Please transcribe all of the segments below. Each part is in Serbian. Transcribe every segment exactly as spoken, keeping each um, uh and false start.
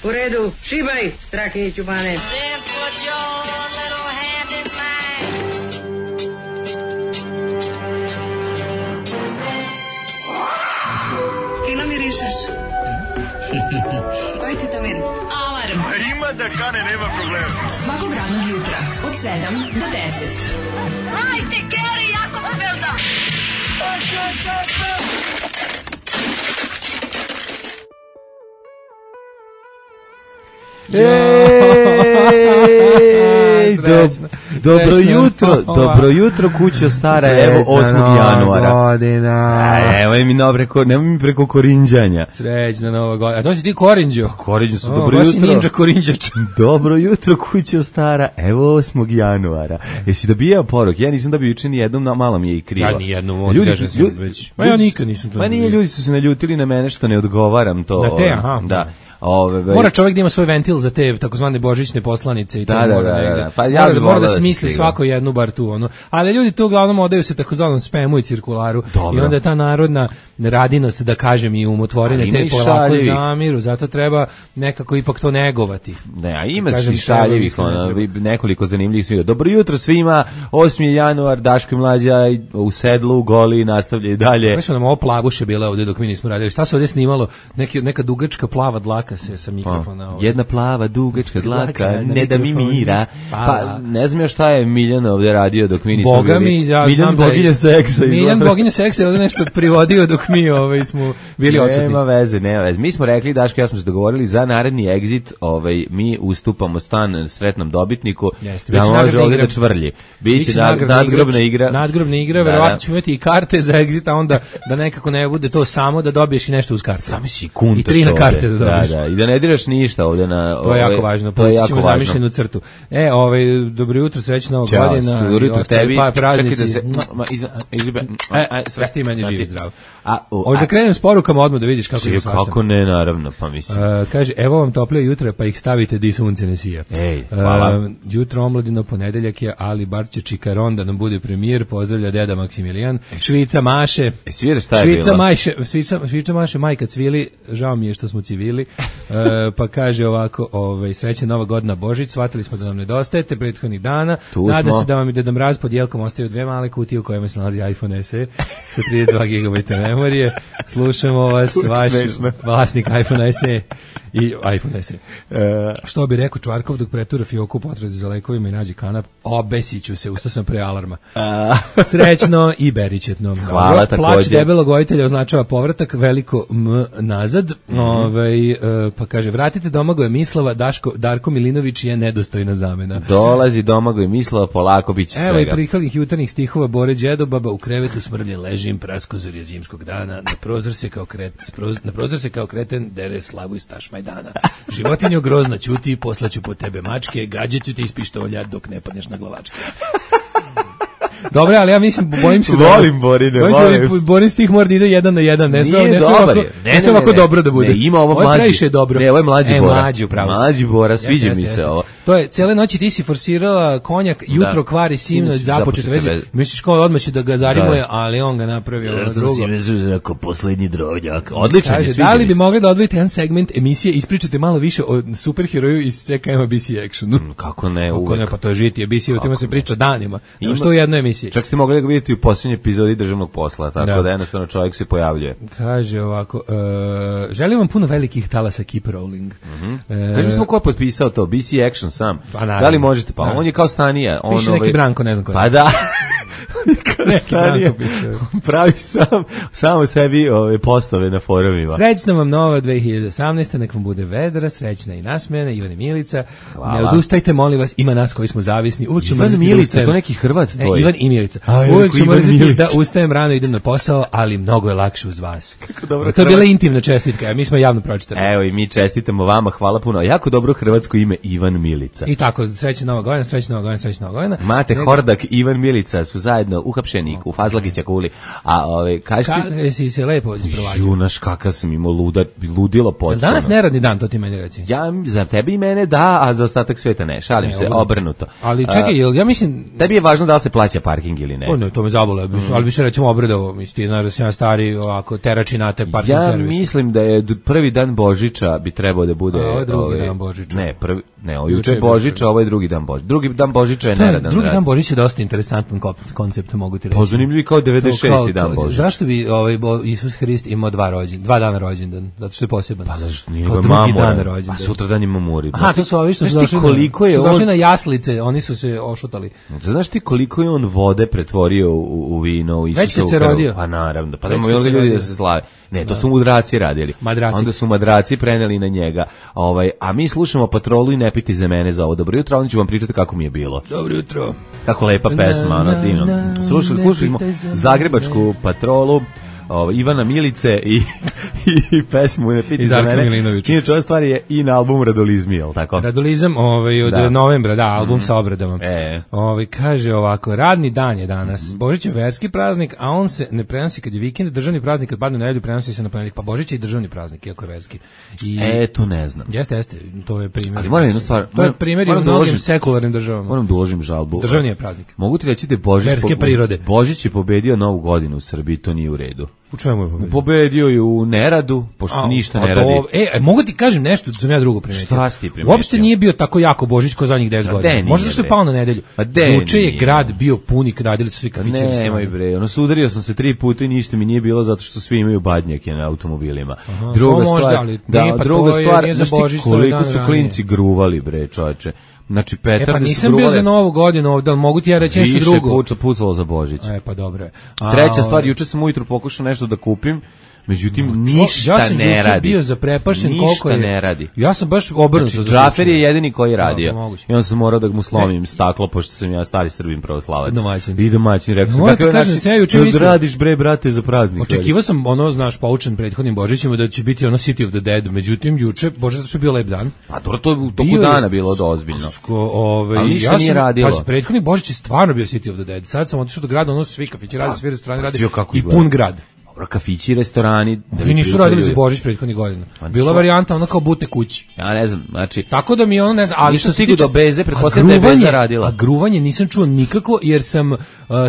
U redu, šibaj, Strahinjiću bane. Fino mirišeš. Koji ti to miris? Alarm. A ima da kane, nema problema. Svakog radnog jutra, od sedam do deset. Hajde, Geri, jako se velda. Ej, do, dobro jutro, dobro jutro kućo stara, evo osmog januara. Godina. Evo mi no preko, nemoj mi preko korinđanja. Srećna nova godina. A to si ti korinđo? Korinđo su, O, dobro baš jutro. si ninja korinđač. Dobro jutro kućo stara, evo osmog januara. Jesi dobijao poruk? Ja nisam dobio juče ni jednom, na malo mi je i krivo. Ja ni jednom, on kaže sam već. Ma ja nikad nisam to. Pa nije, dobio. ljudi su se naljutili na mene što ne odgovaram to. Na te, aha. Da. Ove, Mora čovjek da ima svoj ventil za te takozvane božićne poslanice i to da, da, mora da, negde. da. Pa ja mora, bih mora voleo da da smisli se svako jednu bar tu ono. Ali ljudi to uglavnom odaju se takozvanom spemu i cirkularu. Dobro. I onda je ta narodna radinost, da kažem, i umotvorine Ali ima te i polako šaljivih. zamiru, zato treba nekako ipak to negovati. Ne, a ima Kažem, svi šaljivih, treba, ono, mislim, vi- nekoliko zanimljivih svira. Dobro jutro svima, osmi januar, Daško i Mlađa u sedlu, goli, nastavljaju dalje. Kako su nam ovo plavuše bile ovde dok mi nismo radili? Šta se ovde snimalo? Neki, neka dugačka plava dlaka se sa mikrofona. Ovaj. Jedna plava, dugačka dlaka, Dlaka, na ne da mi mikrofon mira. spava. Pa ne znam još šta je Miljan ovde radio dok mi nismo Boga bili. mi, ja Miljan znam da je- boginja seksa. Miljan izgleda. boginja seksa je ovde nešto privodio dok mi ovaj, smo bili odsutni. Nema veze, nema veze. Mi smo rekli, Daško, ja smo se dogovorili za naredni exit, ovaj, mi ustupamo stan sretnom dobitniku, Jeste, da biće može nagradna ovde igra. da čvrlji. Biće Biće nad, nagradna nadgrobna igra. Nadgrobna igra, Da, verovatno da. ćemo imati i karte za exit, a onda da nekako ne bude to samo da dobiješ i nešto uz kartu. Sami si kuntaš I tri na ovde. karte da dobiješ. Da, da, i da ne diraš ništa ovde na... To je ovaj, jako važno, to je povući jako ćemo važno. zamišljenu crtu. E, ovaj, dobro jutro, srećna nova Ćao, godina. dobro i jutro ostali tebi. Pa, praznici. Čekaj da se... Ma, iza, izlibe, E, aj, sve ti meni živi zdravo. A, u, Hoće da krenem s porukama odmah da vidiš kako Svi, je svašta. kako ne, naravno, pa mislim. Uh, kaže, evo vam toplije jutra, pa ih stavite di sunce ne sija. Ej, hvala. Uh, jutro omladino, ponedeljak je, ali bar će Čikaron da nam bude premijer, pozdravlja deda Maksimilijan. Švica Maše. E, sviraš šta je Švica bilo? Maše, Švica, Švica Maše, majka cvili, žao mi je što smo civili. Uh, pa kaže ovako, ovaj, srećna nova godina Božić, shvatili smo da nam nedostajete prethodnih dana. Tu Nada smo. se da vam i Deda Mraz pod jelkom ostaju dve male kutije u kojima se nalazi iPhone S E sa trideset dva gigabajta memorije. Slušamo vas, Uvijek vaš smešno. vlasnik iPhone S E i iPhone S E. E, Što bi rekao Čvarkov dok pretura fioku potrazi za lekovima i nađe kanap, obesiću se, ustao sam pre alarma. a, Srećno i beričetno. Hvala, Plać takođe. debelog vojitelja označava povratak, veliko M nazad. Mhm. Ovaj, e, pa kaže, vratite Domagoja Mislava, Daško, Darko Milinović je nedostojna zamena. dolazi Domagoj Mislava, polako bit će Evo i svega. prikalnih jutarnjih stihova Bore Đedobaba, u krevetu smrlje ležim, praskozor je zimskog dana, na prozor se kao kret, sproz- na prozor se kao kreten dere slavu i staš Majdana. Životinjo grozna ćuti, poslaću po tebe mačke, gađaću te iz pištolja dok ne padneš na glavačke. Dobre, ali ja mislim, bojim se da... Volim Borine, bojim se da volim. bi Borin stih mora da ide jedan na jedan, ne sme, Nije ne sme dobar ovako, je. ne, Ne, sme ne, ovako ne. dobro da bude. Ne, ima ovo je mlađi. previše dobro. Ne, ovo je mlađi e, Bora. Mlađi, upravo si. Mlađi Bora, Jeste, sviđa jeste, mi se jeste. ovo. To je, cijele noći ti si forsirala konjak, jutro kvari sinoć, Sinoć započete započete veze. veze. Misliš kao odmah će da ga zarimuje, Da. ali on ga napravio ono drugo. Ako poslednji drovnjak. Odličan je, Kaže, sviđa da li mi bi se. mogli da odvojite jedan segment emisije, ispričate malo više o superheroju iz C K M B C Actionu? Kako ne, Kako uvek. ne, pa to je žitije, B C, o tima se priča danima. Ima Ima- što u jednoj emisiji. Čak ste mogli da ga vidjeti u posljednjoj epizodi državnog posla, tako Da. da, jednostavno čovjek se pojavljuje. Kaže ovako, e, želim vam puno velikih talasa keep rolling. E, Kaži mi samo ko je potpisao to, B C Action sam. Pa naravno. Da li možete? Pa Da. on je kao Stanija. On, Piše neki Branko, ne znam ko je. Pa da. Neki Stanija. Branko piše. Pravi sam, samo sebi ove postove na forumima. Srećna vam nova dve hiljade osamnaesta, nek vam bude vedra, srećna i nasmejana, Ivan i Milica. Hvala. Ne odustajte, molim vas, ima nas koji smo zavisni. Uvijek ćemo Ivan mrziti da Milica, ustajem. to neki Hrvat Ne, tvoj. Ivan i Milica. A, ja Uvijek rekao ćemo Ivan mrziti Milica. da ustajem rano i idem na posao, ali mnogo je lakše uz vas. dobro To je bila Hrvat. intimna čestitka, a mi smo javno pročitali. Evo i mi čestitamo vama, hvala puno. Jako dobro hrvatsko ime Ivan Milica. I tako, srećna nova godina, srećna nova godina, srećna nova godina. Mate Nego- Hordak i Ivan Milica su zajedno uhapšeni Kruševniku, u Fazlagića kuli. A ove kaži Ka, jesi se lepo isprovadio? Junaš kakav sam imao luda, ludilo potpuno. Danas neradni dan, to ti meni reci. Ja, za tebe i mene da, a za ostatak sveta ne, šalim Ne, se, obrnuto. obrnuto. Ali čekaj, jel, ja mislim... Tebi je važno da li se plaća parking ili ne. O ne, to me zabole, mm. ali bi se recimo obradovao, mislim, ti znaš da sam ja stari, ovako, teračinate parking Ja servis. mislim da je d- prvi dan Božića bi trebao da bude... A, ovo je drugi ovaj, dan Božića. Ne, prvi, ne, ovo Juče juče je je bio Božića, prvi. ovo je drugi dan Božića. Drugi dan Božića je To je, neradan drugi rad. dan Božića je dosta interesantan ko- koncept, mogu ti reći. Pa zanimljiv kao devedeset šesti To kao- dan kao- Božića. Zašto bi ovaj Bo, Isus Hrist imao dva rođen, dva dana rođendan? Zato što je poseban. Pa zašto nije Kao ga drugi mamura? dan rođendan. A sutra dan ima muri. Aha, to su ovi što su Znaš ti došli, koliko na, je što su došli on- na jaslice, oni su se ošutali. Znaš ti koliko je on vode pretvorio u, u vino, u Već kad Isusovu se krv? rodio. Pa naravno, pa da Već mu kad se ljudi rodio. da se slave. Ne, to su mudraci radili. Madraci. Onda su madraci preneli na njega. Ovaj, a mi slušamo Patrolu i ne piti za mene za ovo. Dobro jutro, onda ću vam pričati kako mi je bilo. Dobro jutro. Kako lepa pesma, Na, ono na, divno. na, Slušali, ne slušajmo pitaj za mene. Zagrebačku Patrolu, ovaj, Ivana Milice i, i pesmu Ne piti I za Darka mene. Milinovića. Inače, ova stvar je i na albumu Radolizmi, jel tako? Radolizam ovaj, od Da. novembra, da, album sa obradama. E. Ovaj, kaže ovako, radni dan je danas, Božić je verski praznik, a on se ne prenosi kad je vikend, državni praznik kad padne na nedelju prenosi se na ponedjeljak, pa Božić je i državni praznik, iako je verski. I, E, to ne znam. Jeste, jeste, to je primjer. Ali moram jednu stvar, To je moram- primjer i u moram da mnogim uložim- sekularnim državama. Moram da uložim žalbu. Državni je praznik. Mogu ti reći da je Božić, Verske prirode. Božić je pobedio Novu godinu u Srbiji, to nije u redu. U čemu je pobedio? Pobedio je u neradu, pošto A, ništa a ne radi. do- E, e, mogu ti kažem nešto, da sam ja drugo primetio. Šta si ti primetio? Uopšte nije bio tako jako Božić ko zadnjih deset A godina. de nije, Možda što je bre. pao na nedelju. A de Juče je nije. grad bio puni, radili su svi kafići. Ne, restorani. nemoj bre, ono sudario sam se tri puta i ništa mi nije bilo zato što svi imaju badnjake na automobilima. to Druga možda, stvar, ali da, nije, pa druga to je- stvar, nije za znaš ti Božić, to je koliko dan su ranije. klinci gruvali bre, čoveče. Znači E petarde pa su nisam bio gruvale, za Novu godinu ovdje, ali mogu ti ja reći nešto više drugo. puča pucalo za Božić. E pa dobro je. A, Treća stvar, ovaj, juče sam ujutro pokušao nešto da kupim, međutim čo- ništa ja sam ne juče radi. bio zaprepašten ništa koliko je. ne radi. Ja sam baš obrnuto Znači, zaključio. Džafer je jedini koji je radio. Da, moguće. I on sam morao da mu slomim staklo, pošto sam ja stari Srbin pravoslavac. Domaćin. I domaćin, rekao sam. Moram ti kakav je kažem, način sam ja juče da mislio- radiš bre, brate, za praznik. Očekivao sam ono, znaš, poučen prethodnim Božićima da će biti ono City of the Dead, međutim juče, Bože, zato što je bio lep dan. Pa dobro, to je u toku Bio je- dana bilo da ozbiljno. Sko, ovaj, Ali ništa ja nije sam, radilo. Pazi, prethodni Božić je stvarno bio City of the Dead. Sad sam otišao do grada, ono su svi kafići rade, svi restorani rade vidio kako i izgleda. pun grad. Dobro, kafići, restorani. da bi I nisu prilike radili za ljudi. Božić prethodnih godina. Pa Bila što? varijanta ono kao butne kući. Ja ne znam, znači, Tako da mi ono ne znam, ali Nisam što se stigao tiče- do Beze, a pretpostavljam da je gruvanje- Beza radila. A gruvanje nisam čuo nikako jer sam uh,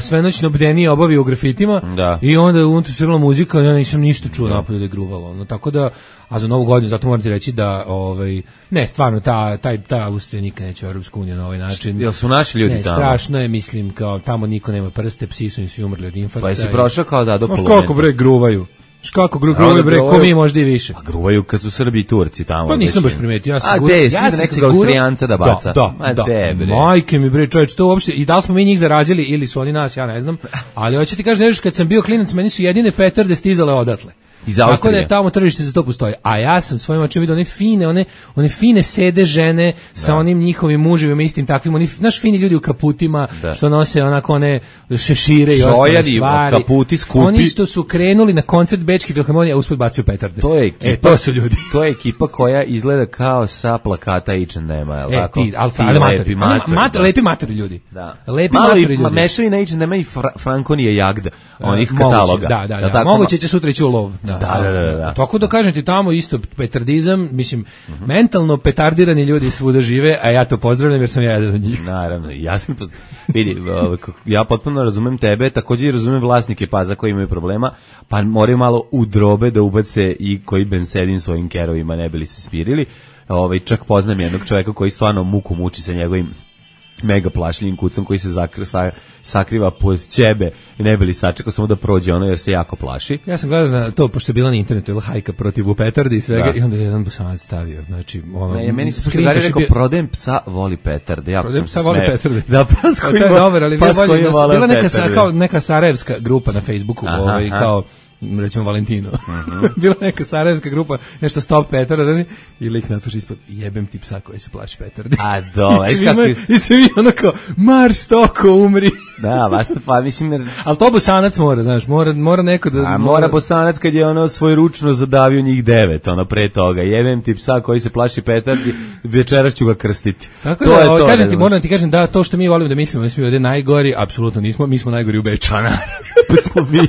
svenoćno bdenije obavio u grafitima Da. i onda je unutra svirala muzika, ja nisam ništa čuo napolju da je gruvalo. No, tako da, a za Novu godinu, zato moram ti reći da, ovaj, ne, stvarno, ta, taj, ta Austrija nikad neće u Europsku uniju na ovaj način. jel su naši ljudi Ne, tamo? strašno je, mislim, kao tamo niko nema prste, psi su im svi umrli od infarkta. Pa jesi i- prošao kao da do Znaš Polumenta? kako bre gruvaju? Znaš kako gru- gruvaju bre, ko gruvaju. mi možda i više. Pa gruvaju kad su Srbi i Turci tamo. Pa nisam već. baš primetio, ja sam A sigurno- de, ja svi sam da nekog sigurno- Austrijanca da baca. Da, Ma da, de, da. bre. Majke mi bre, čovječ, to uopšte, i da li smo mi njih zarazili ili su oni nas, ja ne znam, ali hoće ti kažem nešto, kad sam bio klinac, meni su jedine petarde stizale odatle. Iz Tako da Austrije. je tamo tržište za to postoji. A ja sam svojim očima vidio one fine, one, one fine sede žene sa onim njihovim muževima istim takvim, oni, znaš, fini ljudi u kaputima, Da. što nose onako one šešire i ostale Šojadi, stvari. kaputi skupi. Oni što su krenuli na koncert Bečke filharmonije, a usput bacio petarde. To je ekipa, E, to su ljudi. To je ekipa koja izgleda kao sa plakata H and M-a, je li E, tako? ti, ali, Ti ali matori, lepi ali matori, mat- da. lepi matori ljudi. Da. Lepi Malo matori i ljudi. ma- mešavina H and M-a i fra, Frankonije Jagda, onih Moguće, kataloga. Da, da, Jel da. tako? Moguće će sutra ići u lov. Da, Da, da, da, da. Tako da kažem ti tamo isto petardizam, mislim, mentalno petardirani ljudi svuda žive, a ja to pozdravljam jer sam ja jedan od njih. Naravno, ja sam to, vidi, ovaj, kako- ja potpuno razumem tebe, također i razumem vlasnike paza koji imaju problema, pa moraju malo u drobe da ubace i koji bensedin svojim kerovima ne bili se smirili. Ovaj, čak poznam jednog čovjeka koji stvarno muku muči sa njegovim mega plašljivim kucom koji se zakri, sa, sakriva pod ćebe i ne bili sačekao samo da prođe ono jer se jako plaši. Ja sam gledao na to, pošto je bila na internetu, ili hajka protiv petardi i svega, Da. i onda je jedan bosanac stavio, znači, ono, Ne, meni se screen Gari cache je rekao, bio- prodajem psa, voli petarde. Jako Prodajem sam psa, se voli smejao. petarde. Da, pas Pa koji to je vo- dobar, ali pas bio koji bolje, vole bila neka, sa, petarde. kao, neka sarajevska grupa na Facebooku, Aha, ovaj, aha. kao recimo Valentino. Uh-huh. Bila neka sarajevska grupa, nešto Stop Petarda, znači, i lik napiše ispod, jebem ti psa koji se plaši petardi. A do, I svi, kako... ima, i svi ono kao, marš stoko, umri. Da, baš to, pa mislim... Jer... Ali to Bosanac mora, znaš, mora, mora neko da... A mora Bosanac kad je ono svoj ručno zadavio njih devet, ono pre toga. Jebem ti psa koji se plaši petardi, večeras ću ga krstiti. Tako to da, je ovo, to, kažem ti, moram ti kažem da to što mi volimo da mislimo, mi smo ovdje najgori, apsolutno nismo, mi smo najgori u Beču. Pa smo mi.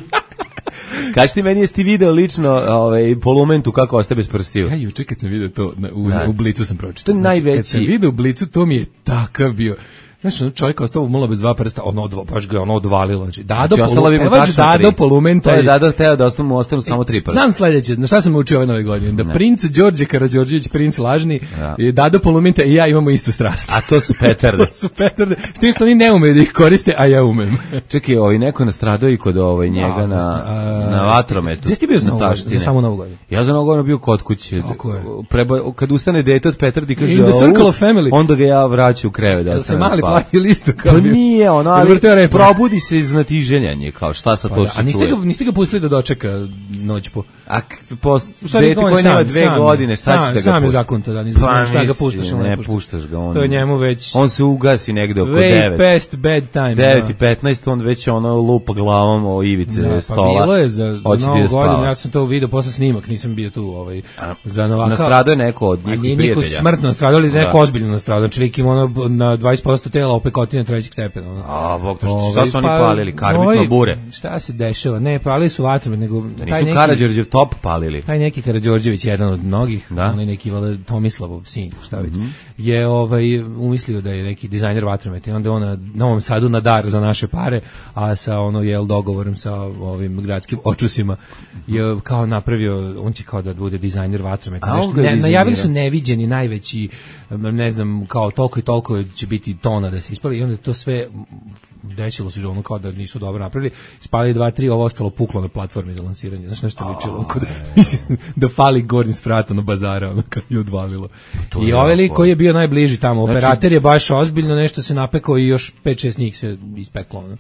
Kaži ti meni, jesi ti video lično ovaj, polumentu kako ostaje bez prstiju? Ja juče kad sam video to, na, u, da. u Blicu sam pročitao. To je znači, najveći... Kad sam video u Blicu, to mi je takav bio... Znaš, ono čovjek ostao malo bez dva prsta, ono odva, baš ga ono odvalilo. Znači, Dado, znači, polu, pevač Dado Polumenta. To je Dado teo da ostanu mu ostanu samo tri prsta. Znam sledeće, na šta sam učio ove nove godine? Da ne. Princ Đorđe Karađorđević, princ lažni, ja. I Dado Polumenta i ja imamo istu strast. A to su petarde. To su petarde. S tim što oni ne umeju da ih koriste, a ja umem. Čekaj, ovaj neko nastradao i kod ovaj njega na, a, na vatrometu. Gde si ti bio za, novu, za samo novu godinu? Ja za novu godinu bio kod kuće. Preba, kad ustane dete od petardi, kaže, in the circle of family. Onda ga ja vraćam u krevet. Da se mali plavi listu. Pa nije ono, ali probudi se iz natiženjanja, kao šta sa pa to da, što a niste ga, niste ga pustili da dočeka noć po... A po dete koje nema dve sam, godine, šta ćeš da ga puštaš? Sam je zakon to da, niste pa, šta ga puštaš. Ne, ne puštaš ga. On, to je njemu već... On se ugasi negde oko way devet. Way past bad time. devet i petnaest, on već ono lupa glavom o ivice da, stola. Pa bilo je za, za novu godinu, ja sam to video posle snimak, nisam bio tu ovaj, za Novaka. Nastradao je neko od njihovih prijatelja. Nije niko smrtno nastradao, ali neko ozbiljno nastradao. Znači, lik ima ono na dvadeset posto tela opekotine trećeg stepena. A, bog, to što, šta su oni palili? Karbitno bure? Šta se dešava? Ne, palili su vatru, nego... Da nisu Karađorđev top palili? Taj neki Karađorđević, jedan od mnogih, da? onaj neki vale, Tomislavov sin, šta već, mm-hmm. je ovaj, umislio da je neki dizajner vatrometa i onda on na Novom Sadu na dar za naše pare, a sa ono, jel, dogovorom sa ovim gradskim očusima je kao napravio, on će kao da bude dizajner vatrometa. Ne, najavili su neviđeni, najveći, ne znam, kao toliko i toliko će biti tona da se ispali i onda to sve desilo se ono kao da nisu dobro napravili, spali dva, tri, ovo ostalo puklo na platformi za lansiranje. Znaš nešto oh, ličilo? Kod, da fali gornji sprat na bazara, ono kad je odvalilo. To I ovaj lik koji je bio najbliži tamo, znači, operater je baš ozbiljno nešto se napekao i još pet šest njih se ispeklo. Ono.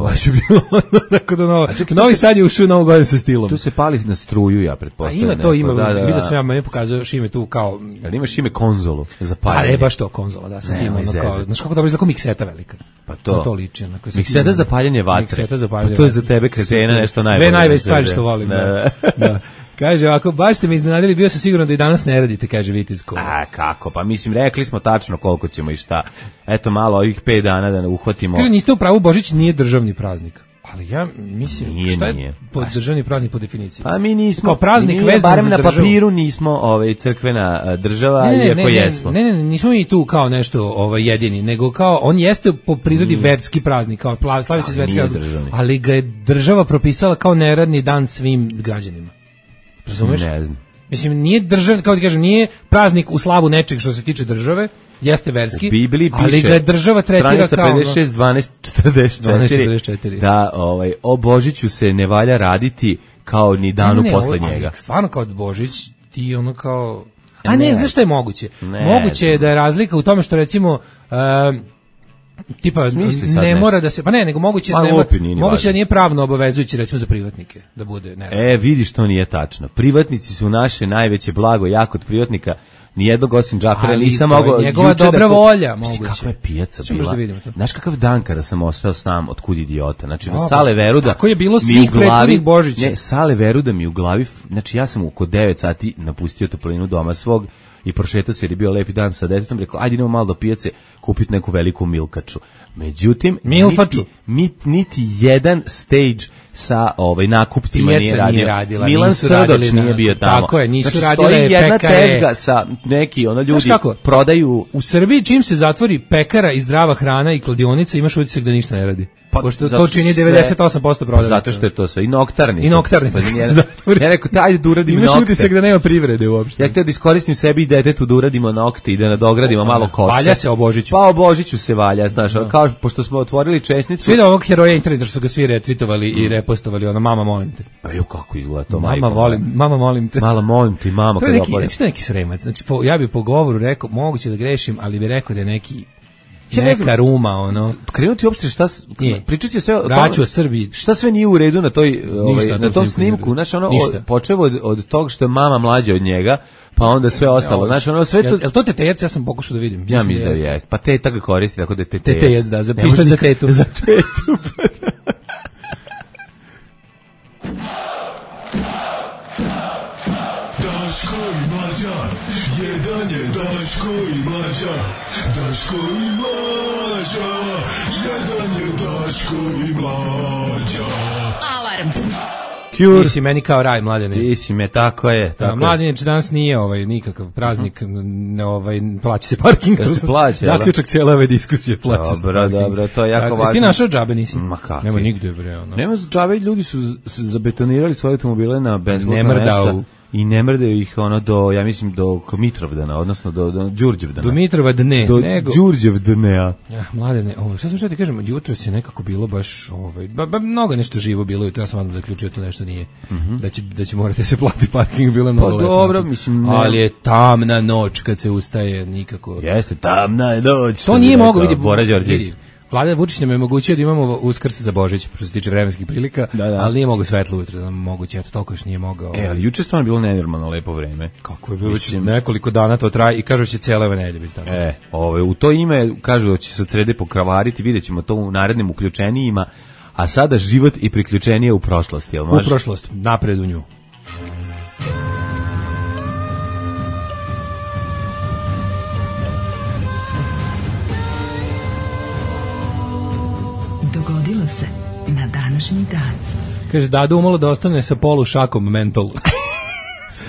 Baš je bilo ono, tako da novo. Novi Sad je ušao novu godinu sa stilom. Tu se pali na struju, ja pretpostavljam. A ima to, ima, da, da, vidio sam ja, meni pokazuje Šime tu kao... Ali imaš Šime konzolu za paljenje. A ne, baš to, konzola, da, sam ne, ima ono kao... Znaš kako dobro izgleda, kao mikseta velika. Pa to. Na to liči. Onako, mikseta za paljenje vatre. Mikseta za paljenje vatre. Pa to je za tebe kretena nešto najbolje. Dve najveće stvari što volim. Da. Da. Kaže, ako baš ste me iznenadili, bio sam siguran da i danas ne radite, kaže Vitezko. A, kako? Pa mislim, rekli smo tačno koliko ćemo i šta. Eto, malo ovih pet dana da ne uhvatimo. Kaže, niste u pravu, Božić nije državni praznik. Ali ja mislim, nije, šta je nije. Po državni praznik po definiciji? Pa mi nismo, kao praznik nije, vezan barem za na državu. papiru nismo ovaj, crkvena država, ne, ne, iako ne, ne, jesmo. Ne, ne, ne, nismo mi tu kao nešto ovaj, jedini, nego kao, on jeste po prirodi mm. verski praznik, kao slavi se verski praznik, ali ga je država propisala kao neradni dan svim građanima. Razumeš? Ne znam. Mislim, nije državni, kao ti kažem, nije praznik u slavu nečeg što se tiče države, jeste verski, u Bibliji piše, ali ga je država tretira kao... pedeset šest, dvanaest, četrdeset četiri, da ovaj, o Božiću se ne valja raditi kao ni danu ne, ne, posle ovo, njega. Stvarno kao Božić, ti ono kao... A ne, ne znaš šta je moguće? Ne, moguće je da je razlika u tome što recimo... Um, tipa ne nešto. Mora da se pa ne nego moguće pa, ne lupi, moguće da nije pravno obavezujuće recimo za privatnike da bude ne. E vidiš to nije tačno. Privatnici su naše najveće blago, ja kod privatnika nijednog osim Džafera nisam mogao njegova dobra da volja moguće. Kakva je pijaca bila. Da znaš kakav dan kada sam ostao sam od kud idiota. Znači no, Sale Veruda. Kako je bilo svih prethodnih Božića. Ne, Sale Veruda mi u glavi, znači ja sam oko devet sati napustio toplinu doma svog i prošetao se jer je bio lepi dan sa detetom, rekao ajde idemo malo do pijace kupiti neku veliku milkaču. Međutim, Milfaču. Niti, niti jedan stage sa ovaj nakupcima Pijaca nije radio. Nije radila, Milan Srdoć nije bio tamo. Tako je, nisu znači, radile stoji jedna pekare. tezga sa neki, ono ljudi prodaju... U Srbiji čim se zatvori pekara i zdrava hrana i kladionica, imaš utisak da ništa ne radi. Pa, pošto to čini devedeset osam posto prodavnica. Zato što je to sve. I noktarnica. I noktarnica. Pa, ja rekao, ajde da uradim imaš nokte. Imaš utisak da nema privrede uopšte. Ja htio da iskoristim sebi i detetu da uradimo nokte i da nadogradimo malo kose. Valja se o Božiću. Pa o Božiću se valja, znaš. No. Kao, pošto smo otvorili česnicu. Svi da ovog heroja interneta što su ga svi retvitovali mm. i repostovali, ono, mama molim te. Pa jo, kako izgleda to, mama majko. Volim, mama molim te. Mala molim te, mama. To je neki, znači, to je neki sremac. Znači, po, ja bi po govoru rekao, moguće da grešim, ali bi rekao da je neki Ja ne znam. neka ruma, ono. Krenuti uopšte šta s- Nije. pričati sve o Vraću tome- o Srbiji. Šta sve nije u redu na toj ovaj, Ništa, na to tom snimku nije u snimku, redu. znači ono Ništa. od, počevo od, od tog što je mama mlađa od njega, pa onda sve ostalo. Znači ono sve to Jel, jel to tetejac, ja sam pokušao da vidim. ja mislim da je. Pa teta ga koristi tako da je tetejac. Tetejac, da, za Ne može pištolj za nikad- tetu. Za tetu. Daško i Mlađa, jedan je Daško i Mlađa, Daško i Mlađa, jedan je Daško i Mlađa. Alarm. Cure. Ti si meni kao raj, Mladene. Ti si me, tako je. Da, Tako je. Mladenječ danas nije ovaj nikakav praznik, ne ovaj plaća se parking. Da se plaća, jel da? Zaključak cijele ove diskusije plaća se Dobro, parking. dobro, to je jako Tako, važno. jesi ti našao džabe, nisi? Ma kakvi? Nema nigde, bre, ono. Nema džabe, ljudi su z- s- zabetonirali svoje automobile na benzina Ne mrdaju. i ne mrdaju ih ono do, ja mislim, do Mitrovdana, odnosno do, do Đurđevdana. Do Mitrova dne, do nego... Đurđevdana. Ja, Mladene, ovo, šta sam što ti kažem, jutro se nekako bilo baš, ovaj, ba, ba, mnogo nešto živo bilo, jutro ja sam odmah zaključio to nešto nije, da će, da će morati se plati parking, bilo je mnogo lepo. dobro, mislim, ne- Ali je tamna noć kad se ustaje, nikako. Jeste, tamna je noć. To nije mogao, vidi, Bora Đorđević. vidi, Vlada Vučić nam je omogućio da imamo Uskrs za Božić, što se tiče vremenskih prilika, Da, da. ali nije mogao svetlo ujutro, da moguće, eto, toliko još nije mogao. E, ali juče stvarno bilo nenormalno lepo vreme. Kako je bilo, već Mislim- nekoliko dana to traje i kažu da će cijela ove nedelje biti tako. E, ove, u to ime kažu da će se od srede pokravariti, vidjet ćemo to u narednim uključenijima, a sada život i priključenije u prošlosti, jel U može? prošlost, napred u nju. Dogodilo se na današnji dan. Kaže, Dado umalo da ostane sa polušakom mentol.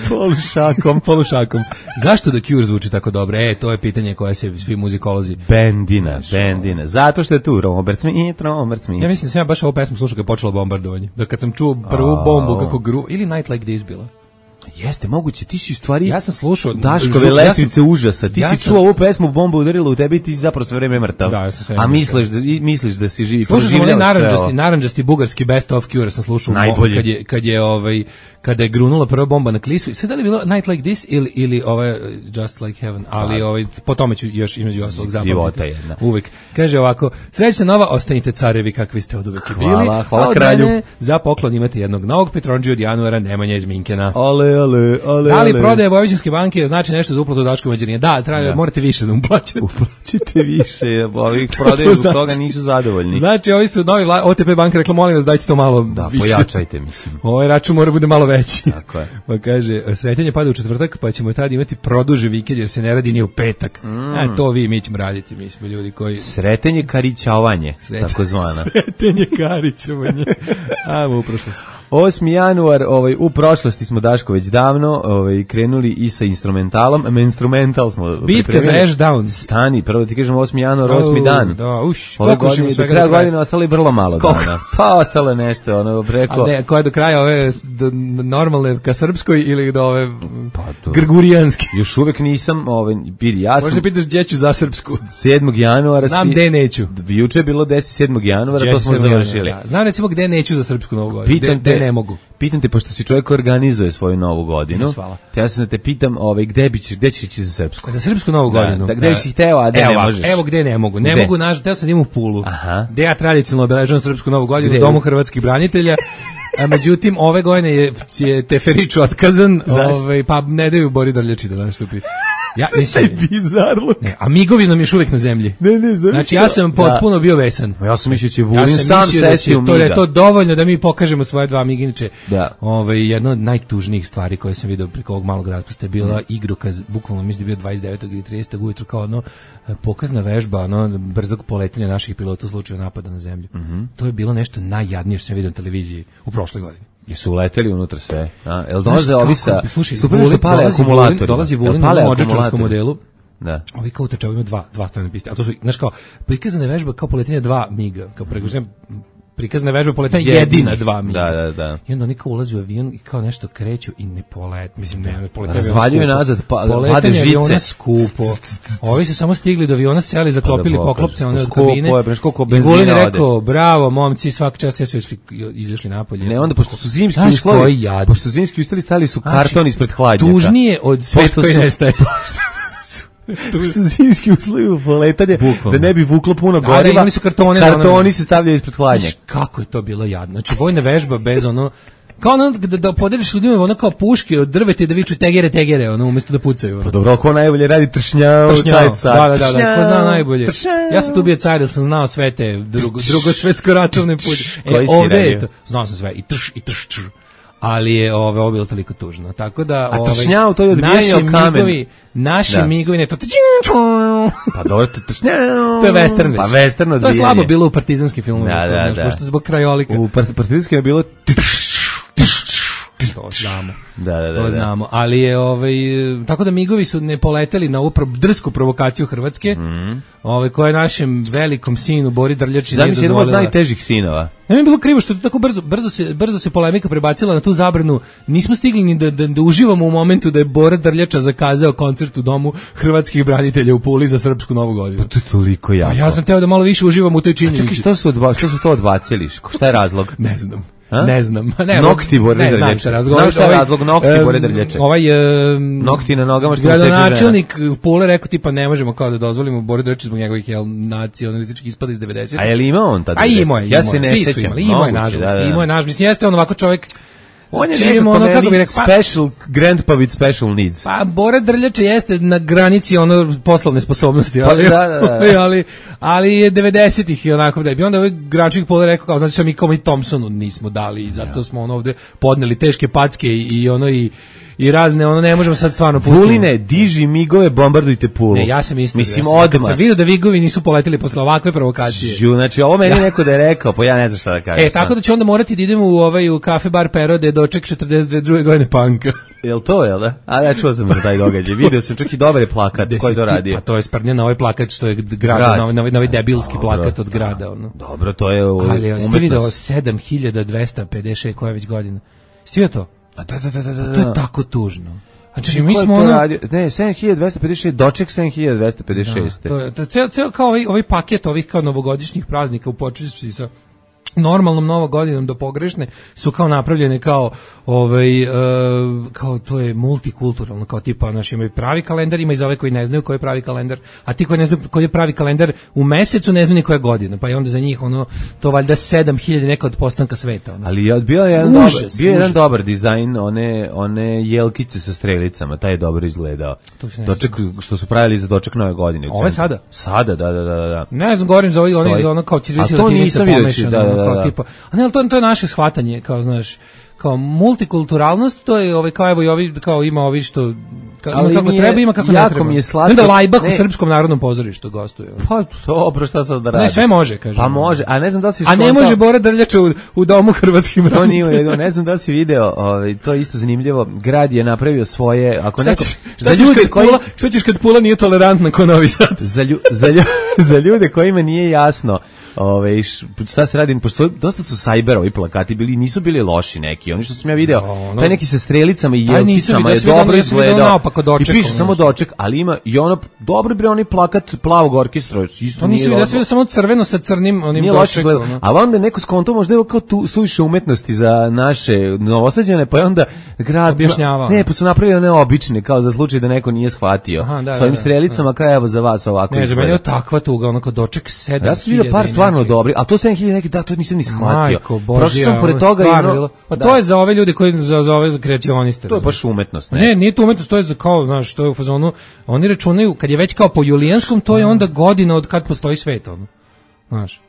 Polušakom. Polušakom. Zašto The Cure zvuči tako dobro? E, to je pitanje koje se svi muzikolozi... Bendina, bendina. Zato što je tu Robert Smith, Robert Smith. Ja mislim da sam ja baš ovu pesmu slušao kad je počelo bombardovanje. Da kad sam čuo prvu bombu kako gru... Ili Night Like This bila. Jeste, moguće, ti si u stvari Ja sam slušao... Daškove žu- lesvice ja sam- užasa. Ti ja si sam- čuo ovu pesmu, bomba udarila u tebi i ti si zapravo sve vreme mrtav. Da, ja sam sve A vreme misliš da, i- misliš da si živi. Slušao sam onaj proživljavaš sve naranđasti, ovo. naranđasti bugarski Best of Cure sam slušao Najbolji. kad je kad je ovaj kada je grunula prva bomba na Klisu. I sve da li je bilo Night Like This ili ili ovaj Just Like Heaven, ali ovaj po tome ću još između ostalog Divota zapamtiti. jedna. Uvek. Kaže ovako: "Srećna nova, ostanite carevi kakvi ste oduvek i bili. Hvala, hvala a od kralju. mene za poklon imate jednog novog Petrondžija od januara, Nemanja iz Minkena." Ale, ale, ale, Da li ale. prodaje Vojvođanske banke znači nešto za uplatu Daškove mađarine? Da, treba, Da. morate više da mu plaćate. Uplaćite više, ovih prodaju zbog toga nisu zadovoljni. Znači, ovi su novi vla- O T P banka rekla, molim vas, dajte to malo Da, više. pojačajte, mislim. Ovaj račun mora bude malo veći. Tako je. Pa kaže, sretanje pada u četvrtak, pa ćemo tad imati produži vikend jer se ne radi ni u petak. Mm. A to vi, mi ćemo raditi, mi smo ljudi koji... Sretenje karićavanje, Sret- tako zvana. Sretenje Karićevanje. Ajmo, uprošlo se. osmi januar, ovaj, u prošlosti smo, Daško, već davno ovaj, krenuli i sa instrumentalom. Menstrumental smo Bitka pripremili. za Ashdown. Stani, prvo ti kažem osmi januar, osmi dan. Da, uš, Ove koliko godine, mi do svega kraja do kraja. godine ostalo je vrlo malo Koliko? dana. Pa ostalo je nešto, ono, preko... A ne, koja je do kraja ove s- do, normalne ka srpskoj ili do ove Pa, to- grgurijanske? Još uvek nisam, ovaj, vidi, ja sam Možda pitaš gdje ću za srpsku. sedmog januara... Znam si- gde neću. Juče je bilo deset sedmog januara, Gdje to ću smo se završili. da. Znam recimo gde neću za srpsku novu godinu. Gde, Pitam gde te, ne mogu. Pitam te, pošto si čovjek koji organizuje svoju novu godinu, Jes, hvala. te ja sam da te pitam, ovaj, gde, bi ćeš, gde ćeš ići za srpsku? Za srpsku novu Da, godinu. da, gde si hteo, a gde evo, ne ovako, možeš? Evo gde ne mogu. Ne Gde? mogu, naš, teo sam da idem u Pulu. Aha. Gde ja tradicionalno obeležavam srpsku novu godinu Gde? u Domu hrvatskih branitelja. A međutim, ove godine je, je Teferić otkazan, Zašto? ovaj, pa ne daju Bori Drljači da nastupi. Ja, mislim, Bizarluk. ne, a migovi nam još uvijek na zemlji. Ne, ne, znaš Znači, što? ja sam potpuno bio vesan. Da. Ja sam mislio da će Ja Vulin sam sam mislio da će sesti u to, da je Miga. to dovoljno da mi pokažemo svoje dva miginiče. Da. Ovaj, jedna od najtužnijih stvari koje sam video preko ovog malog raspusta je bila mm. igrokaz, bukvalno mislim da je bio dvadeset devetog ili tridesetog ujutru kao ono e, pokazna vežba, ono brzog poletenja naših pilota u slučaju napada na zemlju. Mm -hmm. To je bilo nešto najjadnije što sam video na televiziji u prošloj godini. Jesu uleteli unutra sve? A, jel dolaze Znaš ovi kako? sa... Slušaj, su prvo što Vulin- pale dolazi akumulatori. Vulin- Dolazi Jel Vulin pale na modžačarskom akumulatori? modelu. Da. Ovi kao trčavaju imaju dva, dva strane piste. A to su, znaš kao, prikazana vežba kao poletenje dva miga. Kao pregužem, prikazana vežba poletenja jedina dva miga. Da, da, da. I onda oni kao ulaze u avion i kao nešto kreću i ne polet, mislim ne, ne poletanje Razvaljuju aviona nazad, skupo. pa- vade Poletanje žice. aviona skupo. Ovi su samo stigli do aviona, seli, zaklopili Pa da poklopce one od skupo kabine. je, znaš koliko I benzina Vulin je ode. rekao, bravo momci, svaka čast, ja su išli, izašli napolje. Ne, onda pošto su zimski Znaš uslovi, koji jad? pošto su zimski uslovi, stali su Znači, karton ispred hladnjaka. Tužnije od svet Pošto koji su- nestaje. su zimski uslovi u poletanje, da ne bi vuklo puno Da, goriva. da, imali su kartone, Kartoni ono- se stavljaju ispred hladnjaka. Znaš, kako je to bilo jadno. Znači, vojna vežba bez ono... Kao ono da, da podeliš ljudima ono kao puške od drveta i da viču tegere, tegere, ono, umjesto da pucaju. Ono. Pa dobro, ko najbolje radi tršnjao, Tršnjao, taj da, car. da, da, da, Tršnjao, ko zna najbolje. tršnjao. Ja sam tu bio car, jer sam znao sve te drugo, drugo svetsko ratovne put. E, Koji si ovde je radio? to, znao sam sve, i trš, i trš, trš. Ali je ove, ovo bilo toliko tužno. Tako da, A ovaj, tršnjao, to je odbijanje naši o kamen. migovi, naši Da. migovi, ne, to... Pa dobro, to tršnjao. To je western već. Pa western To je odbijanje. slabo bilo u partizanskim filmovima. Da, to, da, znaš, da. Pošto zbog krajolika. U part- partizanskim je bilo... To znamo. Da, da, da. To da. znamo, ali je ovaj tako da migovi su ne poleteli na ovu pro- drsku provokaciju Hrvatske. Mm. Ovaj koja je našem velikom sinu Bori Drljači nije Zamisli, jedan od dozvolila. najtežih sinova. Ne mi je bilo krivo što je to tako brzo, brzo se brzo se polemika prebacila na tu zabranu. Nismo stigli ni da, da, da uživamo u momentu da je Bora Drljača zakazao koncert u domu hrvatskih branitelja u Puli za srpsku novu godinu. To je toliko jako. A ja sam teo da malo više uživam u toj činjenici. Čekaj, što su, odba, što su to odbacili? Šta je razlog? Ne znam. A? Ne znam. Ne, Nokti Bore ne, znam Drljače. šta je razlog. Znaš šta je Ovaj, razlog nokti em, Bore Drljače? Ovaj em, Nokti na nogama što mu seče žena. gradonačelnik Pule rekao tipa ne možemo kao da dozvolimo Boru Drljači zbog njegovih jel, nacionalističkih ispada iz devedesetih. A je li imao on tad? A imao je, Ja imao se je, ne svi su sećam. imali, imao je Moguće, nažalost, da, da. imao je nažalost, mislim, jeste on ovako čovjek, On je čim nekako ono, kako meni bi rekao, pa- special grandpa with special needs. pa Bora Drljača jeste na granici ono poslovne sposobnosti, ali, Pa, da, da, da. ali, ali je devedesetih i onako da bi onda ovaj gračnik Pole rekao kao, znači sam mi kao mi Thompsonu nismo dali i zato smo ono ovde podneli teške packe i, i ono i i razne, ono ne možemo sad stvarno pustiti. Vuline, diži migove, bombardujte Pulu. Ne, ja sam isto. Mislim, ja sam, kad odmah. sam vidio da vigovi nisu poletili posle ovakve provokacije. Žu, znači, ovo meni neko da je rekao, pa ja ne znam šta da kažem. E, tako da ću onda morati da idemo u ovaj u kafe bar Perode doček četrdeset druge godine panka. Jel to, jel da? A ja čuo sam za taj događaj. Video sam čak i dobar je plakat. Ko je to radio? Pa to je sprnja na ovaj plakat što je grad, Grad. na ovaj, na ovaj, na ovaj debilski Dobro. plakat od grada. Ono. Dobro, to je u- Ali jeste video umetnost. sedam hiljada dvesta pedeset šest koja je već godina. Jeste vidio to? A da, da, da, da, da. To je tako tužno. Znači, Ko mi je smo to ono... radio? Ne, sedam hiljada dvesta pedeset šest, doček sedam hiljada dvesta pedeset šest. To je, to je ceo, ceo kao ovaj, ovaj paket ovih kao novogodišnjih praznika u početnosti sa normalnom novogodinom do pogrešne su kao napravljene kao ovaj e, kao to je multikulturalno, kao tipa naši imaju pravi kalendar, ima i za ove koji ne znaju koji je pravi kalendar, a ti koji ne znaju koji je pravi kalendar u mesecu ne znaju ni koja je godina, pa je onda za njih ono to valjda sedam hiljada neka od postanka sveta ono. Ali je bio je jedan Užas, dobar, bio je jedan užas. dobar dizajn one one jelkice sa strelicama, taj je dobro izgledao. To se ne Doček što su pravili za doček nove godine. u Ovo je centru. sada? Sada, da, da, da, da. Ne znam, govorim za ovaj, Stoji. oni, za ono kao ćirilica A to latinica nisam vidio, pomešano, da, da, ono da, kao da. tipa, a ne, ali to, to je naše shvatanje, kao, znaš, kao multikulturalnost, to je ovaj, kao evo i ovi, kao ima ovi što, kao, Ali ima kako mi je- treba, ima kako jako ne treba. mi je slatko- Onda Lajbah u ne. Srpskom narodnom pozorištu gostuje. ono. Pa dobro, šta sad da Ne, radiš? sve može, kaže. Pa može, a ne znam da li si A ne skontao- može Bora Drljača u, u domu hrvatskih To branitelja. nije u redu, ne znam da li si video, ovaj, to je isto zanimljivo, grad je napravio svoje, ako Šta neko, ćeš, za šta ćeš ljude kad koji, Pula, šta ćeš kad Pula nije tolerantna ko Novi Sad? za, lju, za, lju, za ljude kojima nije jasno, ovaj, š- šta se radi, pošto dosta su sajber ovi plakati bili, nisu bili loši neki, oni što sam ja video, ono- taj neki sa strelicama i Taj nisam jelkicama vidio, je ja sam vidio- dobro ja sam vidio izgledao, naopako doček, i piše ono samo nešto. doček, ali ima i ono, dobro bre, onaj plakat plavog orkestra, isto To nije nisam vidio, ja dobro. sam vidio samo crveno sa crnim onim Nije loše dočekom. izgledao. ono. Ali onda je neko skonto možda je ovo kao tu suviše umetnosti za naše Novosađane, pa je onda grad Objašnjavao. Ne, pa su napravili one obične kao za slučaj da neko nije shvatio. Aha, da, sa ovim da, da. strelicama kao evo za vas ovako. Ne, za mene je izgleda. takva tuga, onako doček sedam. Ja sam vidio par stvarno dobri, a to sedam hiljada neki, da, to nisam ni shvatio. Majko Prošao Božja, sam pored ono toga i stvarno ono, bilo- Pa da, to je za ove ljude koji za, za ove kreacioniste. to je razumeš? baš umetnost, ne? Ne, nije to umetnost, to je za kao, znaš, to je u fazonu, oni računaju, kad je već kao po julijanskom, to je onda godina od kad postoji svet, ono. Znaš.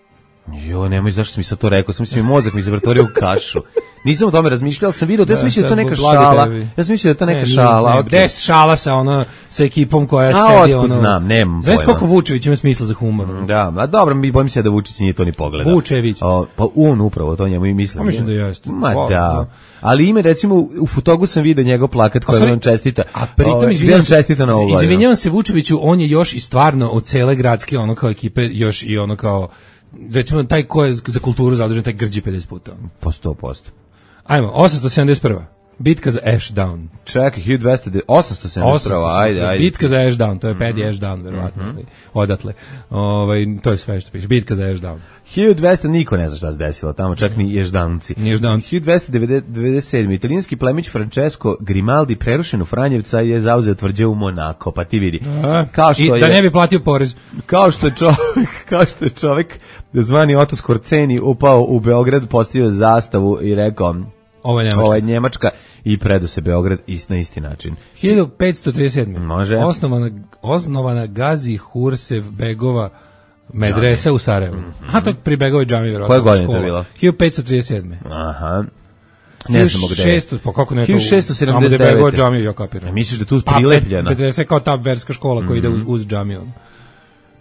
Jo, nemoj, zašto sam mi sad to rekao? Sam mislio, mozak mi se vrtorio u kašu. Nisam o tome razmišljao, ali sam vidio, ja sam mislio da je to neka blagi šala. tebi. Ja sam mislio da je to neka Ne, nije, šala. ne, okej. gde je šala sa ono, sa ekipom koja A, sedi, otkud ono. znam, nemam Znaš pojma. koliko Vučević ima smisla za humor? ono? Da, a dobro, mi bojim se da Vučić nije to ni pogledao. Vučević. O, pa on upravo to njemu i mislim. Pa mislim da jeste. Ma Pa, da. da. Ali ime recimo u Futogu sam video njegov plakat koji sorry, on čestita. A pritom Ovaj, gde izvinjavam on se, čestita na ovu godinu. izvinjavam se Vučeviću, on je još i stvarno od cele gradske ono kao ekipe još i ono kao recimo taj ko je za kulturu zadužen taj grđi pedeset puta. ono. Po sto posto. Ajmo, osamsto sedamdeset prva. Bitka za Ashdown. Čekaj, hiljadu dvesta, osamsto sedamdeset prva, ajde, ajde. Bitka za Ashdown, to je Paddy Ashdown, verovatno, mm-hmm. odatle. Ovaj, to je sve što piše, bitka za Ashdown. hiljadu dvesta niko ne zna šta se desilo tamo, čak ni Ježdanci. Ježdanci. hiljadu dvesta devedeset sedme italijanski plemić Francesco Grimaldi prerušen u Franjevca je zauzeo tvrđavu u Monako, pa ti vidi. A, kao što I je, da ne bi platio porez. Kao što je čovjek, kao što je čovjek zvani Oto Skorceni upao u Beograd, postavio zastavu i rekao Ovo je Njemačka. Ovo je Njemačka i predo se Beograd ist na isti način. hiljadu petsto trideset sedme Može. Osnovana, osnovana Gazi Hursev Begova medresa u Sarajevu. Mm-hmm. Aha, to je pri Begovoj džami, vjerojatno. Koje godine to je bilo? hiljadu petsto trideset sedme Aha. Ne znamo gde je. hiljadu šesto, pa kako ne to? hiljadu šesto sedamdeset devete. Tamo gde Begova džami, ja kapiram. Ja misliš da tu prilepljena? Pa, medresa je kao ta verska škola koja ide uz, uz džamiju.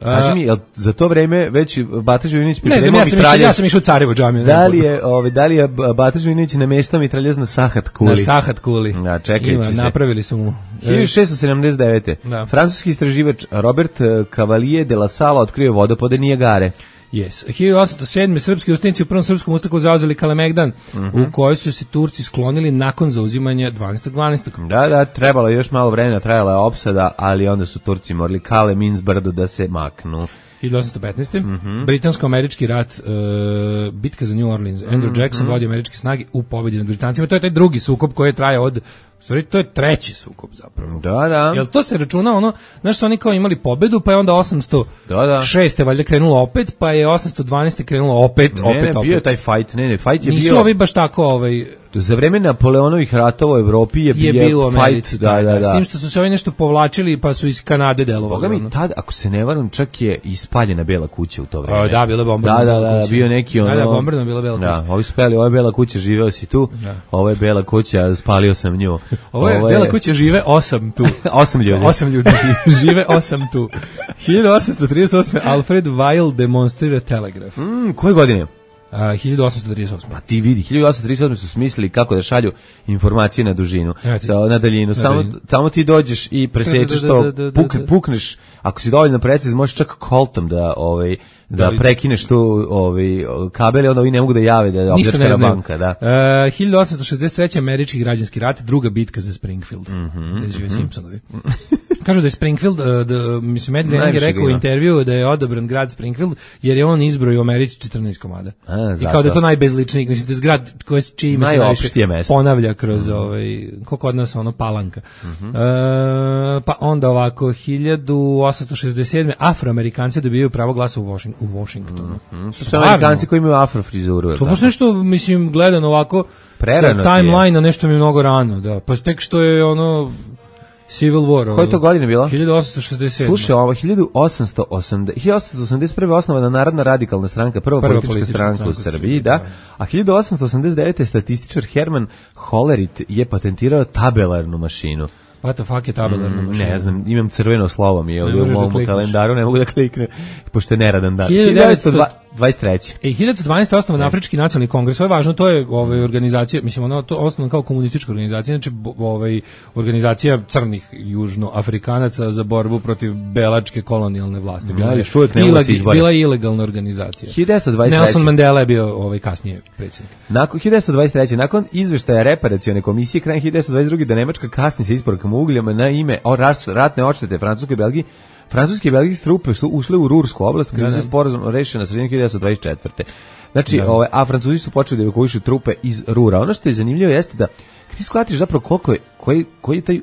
Kaži mi, jel za to vreme već Bata Živinović pripremao mitraljez? Ne znam, ja sam, išao, ja sam išao u Carevu džamiju. Da li je, ove, da li je Bata Živinović nameštao mitraljez na Sahat kuli? Na Sahat kuli. Da, čekajući se. Napravili su mu. hiljadu šesto sedamdeset devete. Da. Francuski istraživač Robert Cavalier de la Sala otkrio vodopode Nijagare. Yes. hiljadu osamsto sedme srpski ustanici u prvom srpskom ustaku zauzeli Kalemegdan, mm-hmm. u kojoj su se Turci sklonili nakon zauzimanja dvanaestog decembra. Da, da, trebalo je još malo vremena, trajala je opsada, ali onda su Turci morali Kale Minz brdo da se maknu. hiljadu osamsto petnaeste. Mm-hmm. Britansko-američki rat, uh, bitka za New Orleans. Andrew mm-hmm. Jackson vodi američke snage u pobedi nad Britancima. To je taj drugi sukob koji traje od... Sorry, to je treći sukob zapravo. Da, da. Jel to se računa ono, znaš su oni kao imali pobedu, pa je onda osamsto šeste valjda krenulo opet, pa je osamsto dvanaeste krenulo opet, ne, opet, ne, opet. bio je taj fight, ne, ne, fight je Nisu bio... Nisu ovi baš tako, ovaj... Za vreme Napoleonovih ratova u Evropi je, je bio u Americi, fight, da, da, da. S tim što su se ovi nešto povlačili, pa su iz Kanade delovali. Boga mi tad, ako se ne varam, čak je ispaljena Bela kuća u to vreme. O, da, bila bombardna da, da, da, bio neki ono... Da, da, bombardna bila Bela kuća. Da, ovi su peli, ovo je Bela kuća, živeo si tu, da. Ovo je Bela kuća, spalio sam nju. Ovo je, ovo je... Bela kuća, žive osam tu. osam ljudi. Osam ljudi, žive osam tu. hiljadu osamsto trideset osme Alfred Weill demonstrira telegraf. Mm, koje godine? Uh, hiljadu osamsto trideset osme. Pa ti vidi, hiljadu osamsto trideset osme su smislili kako da šalju informacije na dužinu, sa, na daljinu. Samo, samo ti dođeš i presečeš to, puk, pukneš, ako si dovoljno preciz, možeš čak koltom da, ovaj, da prekineš tu ovaj, kabele, onda ovi ne mogu da jave da je opljačkana banka. Da. Uh, hiljadu osamsto šezdeset treće američki građanski rat, druga bitka za Springfield. Mm-hmm, da žive mm-hmm. Simpsonovi. Kažu da je Springfield, da, mislim, Ed Lening je rekao u intervju da je odobran grad Springfield, jer je on izbrojio u Americi četrnaest komada. A, i kao da je to najbezličniji, mislim, to je zgrad koji čiji ime se najviše ponavlja kroz mm-hmm. ovaj, koliko od nas ono palanka. Mm-hmm. E, pa onda ovako, hiljadu osamsto šezdeset sedme Afroamerikanci dobijaju pravo glasa u, Washing, u Washingtonu. Mm-hmm. Su Amerikanci koji imaju afrofrizuru. To baš nešto, mislim, gledano ovako, prerano sa timeline-a nešto mi je mnogo rano, da. Pa tek što je ono... Civil War. Koje to godine bilo? hiljadu osamsto šezdeset sedme. Slušaj, ovo hiljadu osamsto osamdeset prve osnovana Narodna radikalna stranka, prva, prva politička, politička stranka, stranka u Srbiji, da. A hiljadu osamsto osamdeset devete statističar Herman Hollerith je patentirao tabelarnu mašinu. What the fuck je tabelarna mašina? Ne znam, imam crveno slovo mi je ovdje u mom da kalendaru, ne mogu da klikne, pošto je neradan dan. hiljadu devetsto dvadeset treće. E, hiljadu devetsto dvanaeste osnovan Afrički nacionalni kongres, ovo je važno, to je ovaj, organizacija, mislim, ono, to osnovan kao komunistička organizacija, znači ovaj, organizacija crnih južnoafrikanaca za borbu protiv belačke kolonijalne vlasti. Bila, ja, još uvijek ne mogu se izboriti. Bila je ilegalna organizacija. hiljadu devetsto dvadeset treće. Nelson Mandela je bio ovaj, kasnije predsjednik. Nakon hiljadu devetsto dvadeset treće. Nakon izveštaja reparacione komisije krajem hiljadu devetsto dvadeset druge da Nemačka kasni sa isporukama ugljama na ime o ratne odštete Francuskoj i Belgiji, francuske i belgijske trupe su ušle u Rursku oblast, gdje se sporazum rešio na sredini hiljadu devetsto dvadeset četvrte. Znači, ove, a Francuzi su počeli da evakuišu trupe iz Rura. Ono što je zanimljivo jeste da kad ti shvatiš zapravo koliko je, koji, koji je taj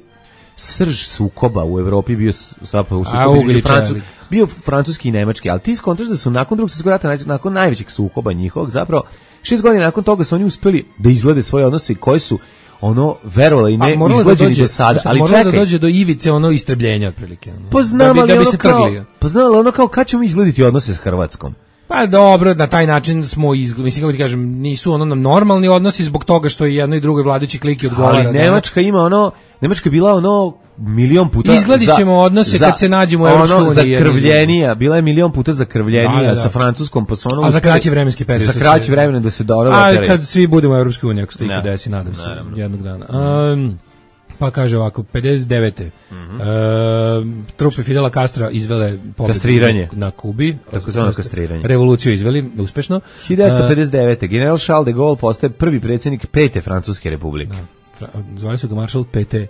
srž sukoba u Evropi bio zapravo sukob između Francu, bio francuski i nemački, ali ti skontraš da su nakon drugog svjetskog rata, nakon najvećeg sukoba njihovog, zapravo šest godina nakon toga su oni uspeli da izglede svoje odnose koji su ono verovali i ne izgleđeni do sada, ali čekaj. Moralo da dođe do ivice ono istrebljenja otprilike. Pa znam, da bi, da bi se trgli. Pa znam, ali ono kao kad ćemo izglediti odnose s Hrvatskom? Pa dobro, na taj način smo izgledali, mislim kako ti kažem, nisu ono nam normalni odnosi zbog toga što je jedno i drugo vladajući kliki odgovara. Ali Nemačka ima ono, Nemačka bila ono milion puta izgledit ćemo odnose za, kad se nađemo u Evropskoj uniji. Ono zakrvljenija, bila je milion puta zakrvljenija da, da, da. sa Francuskom, pa su ono... A za kraći vremenski period. Za kraći vremena da se dobro A kad svi budemo u Evropskoj uniji, ako se to desi, nadam se, jednog dana. Um, pa kaže ovako, pedeset devete Mm-hmm. Uh, trupe Fidela Castra izvele kastriranje na Kubi, tako zvano kastriranje. Revoluciju izveli uspešno. hiljadu devetsto pedeset devete. Uh, general Charles de Gaulle postaje prvi predsjednik Pete Francuske republike. Da. Zvali su ga Maršal P T.